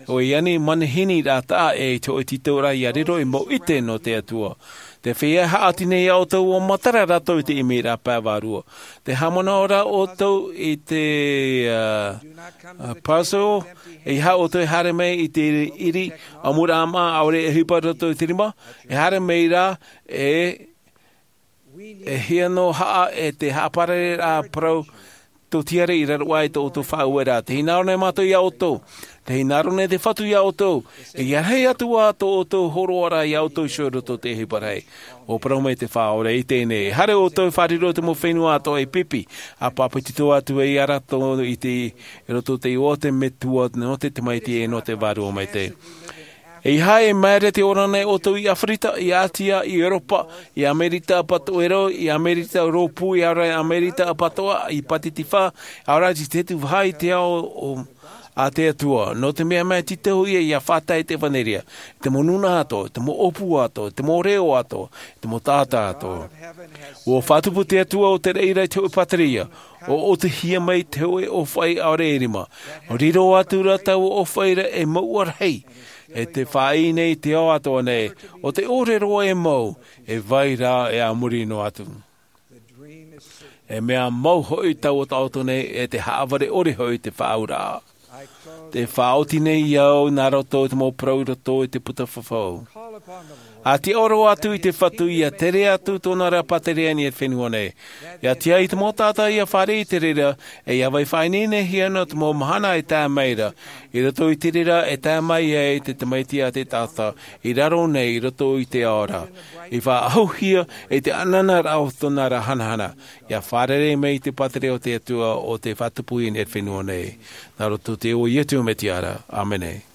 hōʻē ani manihini ra taʻa ʻē i te hōʻē tītauraʻa ʻia riro ei mau ʻite nō te Atua. Te feiā haʻati nei iā ʻoutou, ʻua matara rātou i te ʻimiraʻa pae vārua. Tē haʻamanaʻo ra ʻoutou i te, ā, ā, puzzle, ʻeiaha ʻoutou e haere mai i te ʻiri, ʻamuraʻa maʻa, ʻaore e ʻohipa i roto i te rima, e haere mai rā, e, e hia nō haʻa, e te haʻaparare ra parau, tōtiare i raro aʻe i tō ʻoutou faʻaueraʻa. Tē hinaʻaro nei mātou iā ʻoutou. Tē hinaʻaro nei te Fatu iā ʻoutou. E ʻia rahi atu ā tō ʻoutou hōroʻaraʻa iā ʻoutou iho i roto i te ʻohipa rahi. ʻUa parau mai te Faʻaora i teie nei. E haere ʻoutou e fārerei i te mau fenua atoʻa e pipi, ʻa pāpetito atu ai ia rātou i te, i roto i te iʻoa o te Metua, nō te Tamaiti e nō te Vārua Maitaʻi. ʻEiaha e māere te ora nei ʻoutou i ʻĀfirika, i ʻĀtia, i ʻEuropa, i Amerika Apatoʻero, i Amerika Rōpū, ʻaore rā i Amerika Apatoʻa, i Pātitifā, ʻaore rā i te atu vāhi i te ao o, a te Atua, nō te mea mai te tau ia ia fātai te evanelia, te mau nūnaʻa atoʻa, te mau ʻōpū atoʻa, te mau reo atoʻa, te mau taʻata atoʻa. Ua faʻatupu te Atua o te reira i te hoʻi pātireia, ʻo ʻōtihia mai te hoʻi ʻōfaʻi ʻaore e rima, ʻo riro atu ra taua ʻōfaʻi ra e mau ʻarahi, e te faʻaʻī nei te ao atoʻa nei, ʻo te ʻōrero e mau, e vai rā e a muri noa atu. E mea mau hoʻi taua taʻoto nei e te haʻavare ʻore hoʻi te faʻaauraʻa. Te faʻaoti nei au nā roto i te mau parau i roto i te puta fafau. A te ʻōrero atu i te Fatu ia tere atu tōna ra pātireia i te fenua nei. Ia tiʻa i te mau taʻata ia fāriʻi i te reira, e ia vai faʻaineinehia nō te mau mahana e tae mai ra. I roto i te reira e tae mai ai te Tamaiti a te Taʻata, i raro nei i roto i te ao ra. I faʻaʻahuhia e te ʻanana ra o tōna ra hanahana. Ia fārerei mai te pātireia o te Atua ʻo tei faʻatupu i te fenua nei. Nā roto i te iʻoa o Iesu Mesia ra. ʻĀmene.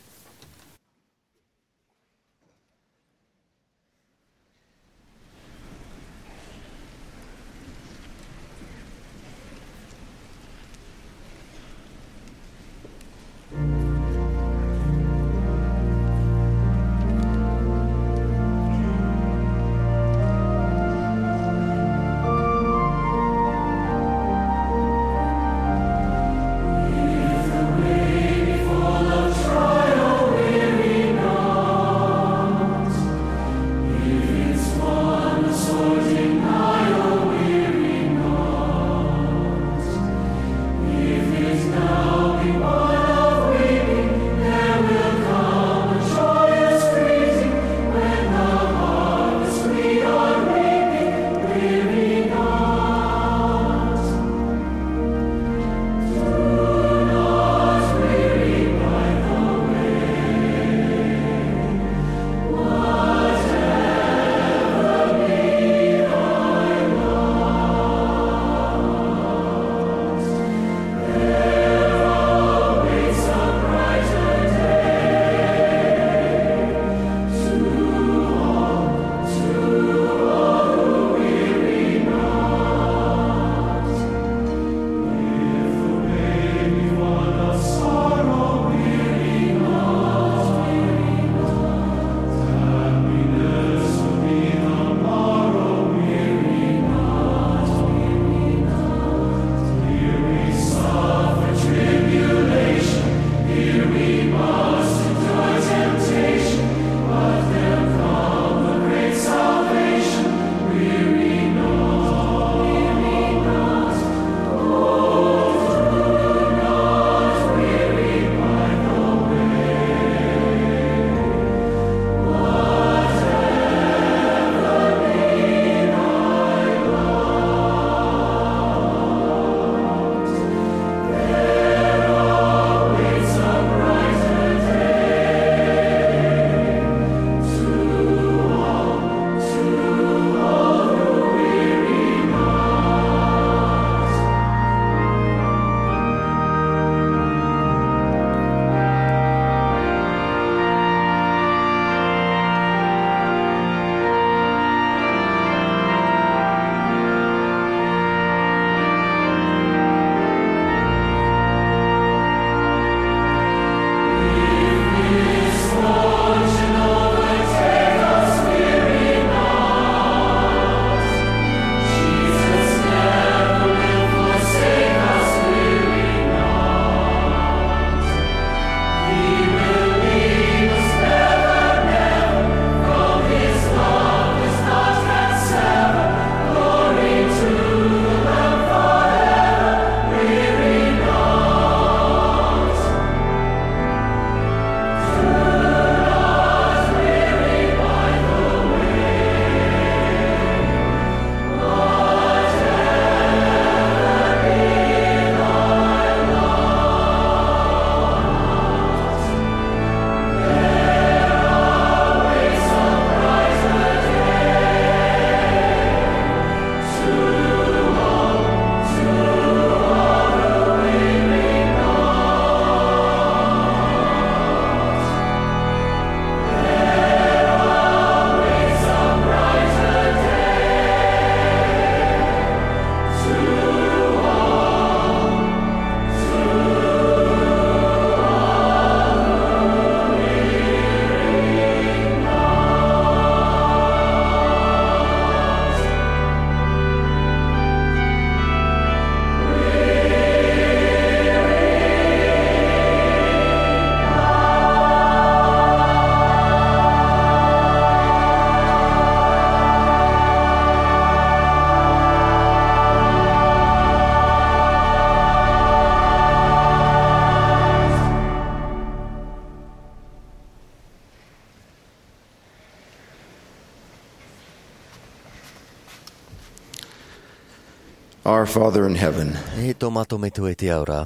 Our Father in heaven, E tō mātou Metua i te ao ra,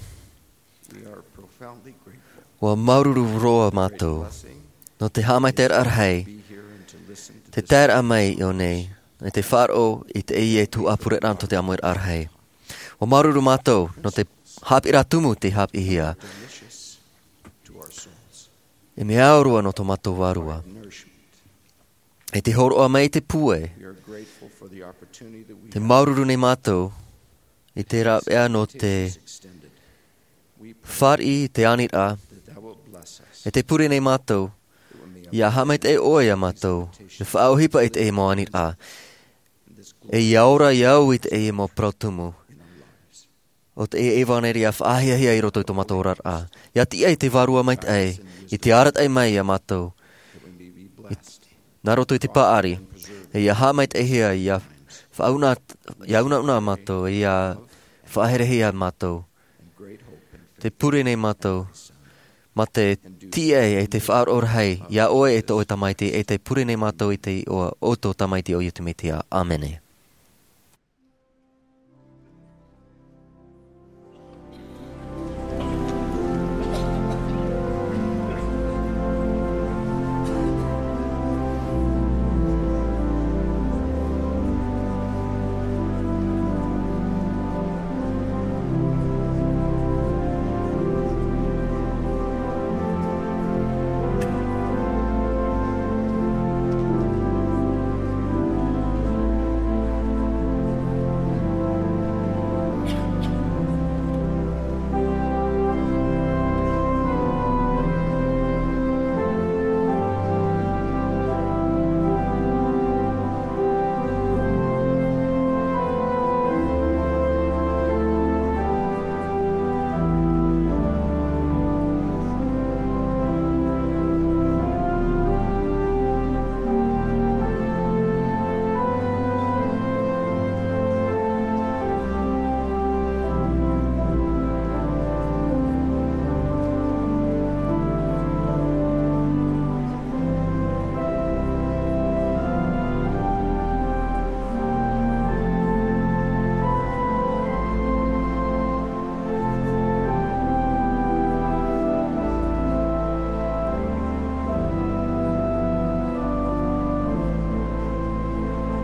we are profoundly grateful ua māuruuru roa mātou for the blessing nō te haʻamaitaʻiraʻa rahi, be here and to listen to te this taeraʻa mai i ʻō nei, e te faʻaroʻo i te ʻēʻa e tuhaʻa pureraʻa nō te ʻāmuiraʻa rahi. Ua māuruuru mātou nō te haʻapiʻiraʻa tumu tei haʻapiʻihia, delicious to our souls. E mea ao roa nō tō mātou vārua. Nourishment. E te hōroʻa mai i te pūai. We are grateful for the opportunity that we Te have māuruuru nei mātou i te rāveʻa nō te extended. We pray fāriʻi i te aniraʻa, that thou wilt bless us. E te pure nei mātou, that we may ia haʻamaitaʻi ʻoe iā mātou, e faʻaʻohipa i te mau aniraʻa, e ia ora iā ʻu i te mau parau tumu. O te ʻevanelia faʻahiahia i roto i tō mātou oraraʻa. Ia tiʻa i te Vārua Maitaʻi, i te arataʻi mai iā mātou. I, nā roto i te paʻari, e ia haʻamaitaʻihia, ia faʻauna, ia unauna mātou, ia faʻaherehia mātou. Te pure nei mātou, mā te tiʻa e te faʻaroʻo rahi, iā ʻoe e tō ʻoe Tamaiti, e te pure nei mātou i te iʻoa o tō Tamaiti ʻo Iesu Mesia. ʻĀmene.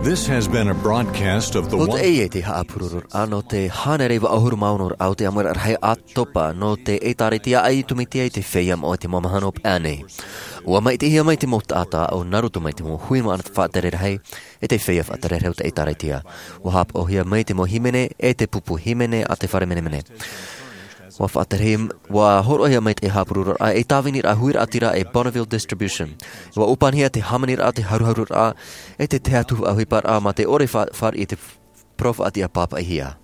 This has been a broadcast of the Ua one taʻi e te haʻapurororaʻa nō te hānere iva ʻahuru mā ono raʻa o te ʻāmuiraʻa rahi ʻātopa nō te ʻĒtārētia a Iesu Mesia i te feiā moʻa i te mau mahana o paʻi nei. Ua maʻitihia mai te mau taʻata ʻo nā roto mai te mau hui faʻatere rahi, e te feiā faʻatere rahi o te ʻĒtārētia. Ua haʻapaʻohia mai te mau hīmene, e te pupu hīmene a te fare menemene. Ua faʻatere, ua hōroʻahia mai te haʻapurororaʻa, e tāviniraʻa huiraʻatira e Bonneville Distribution. Ua ʻōpanihia te hāmaniraʻa, te haruharuraʻa, e te tahi atu ʻohiparaʻa mā te ʻore fa-, fāriʻi i te parau faʻatiʻa pāpaʻihia.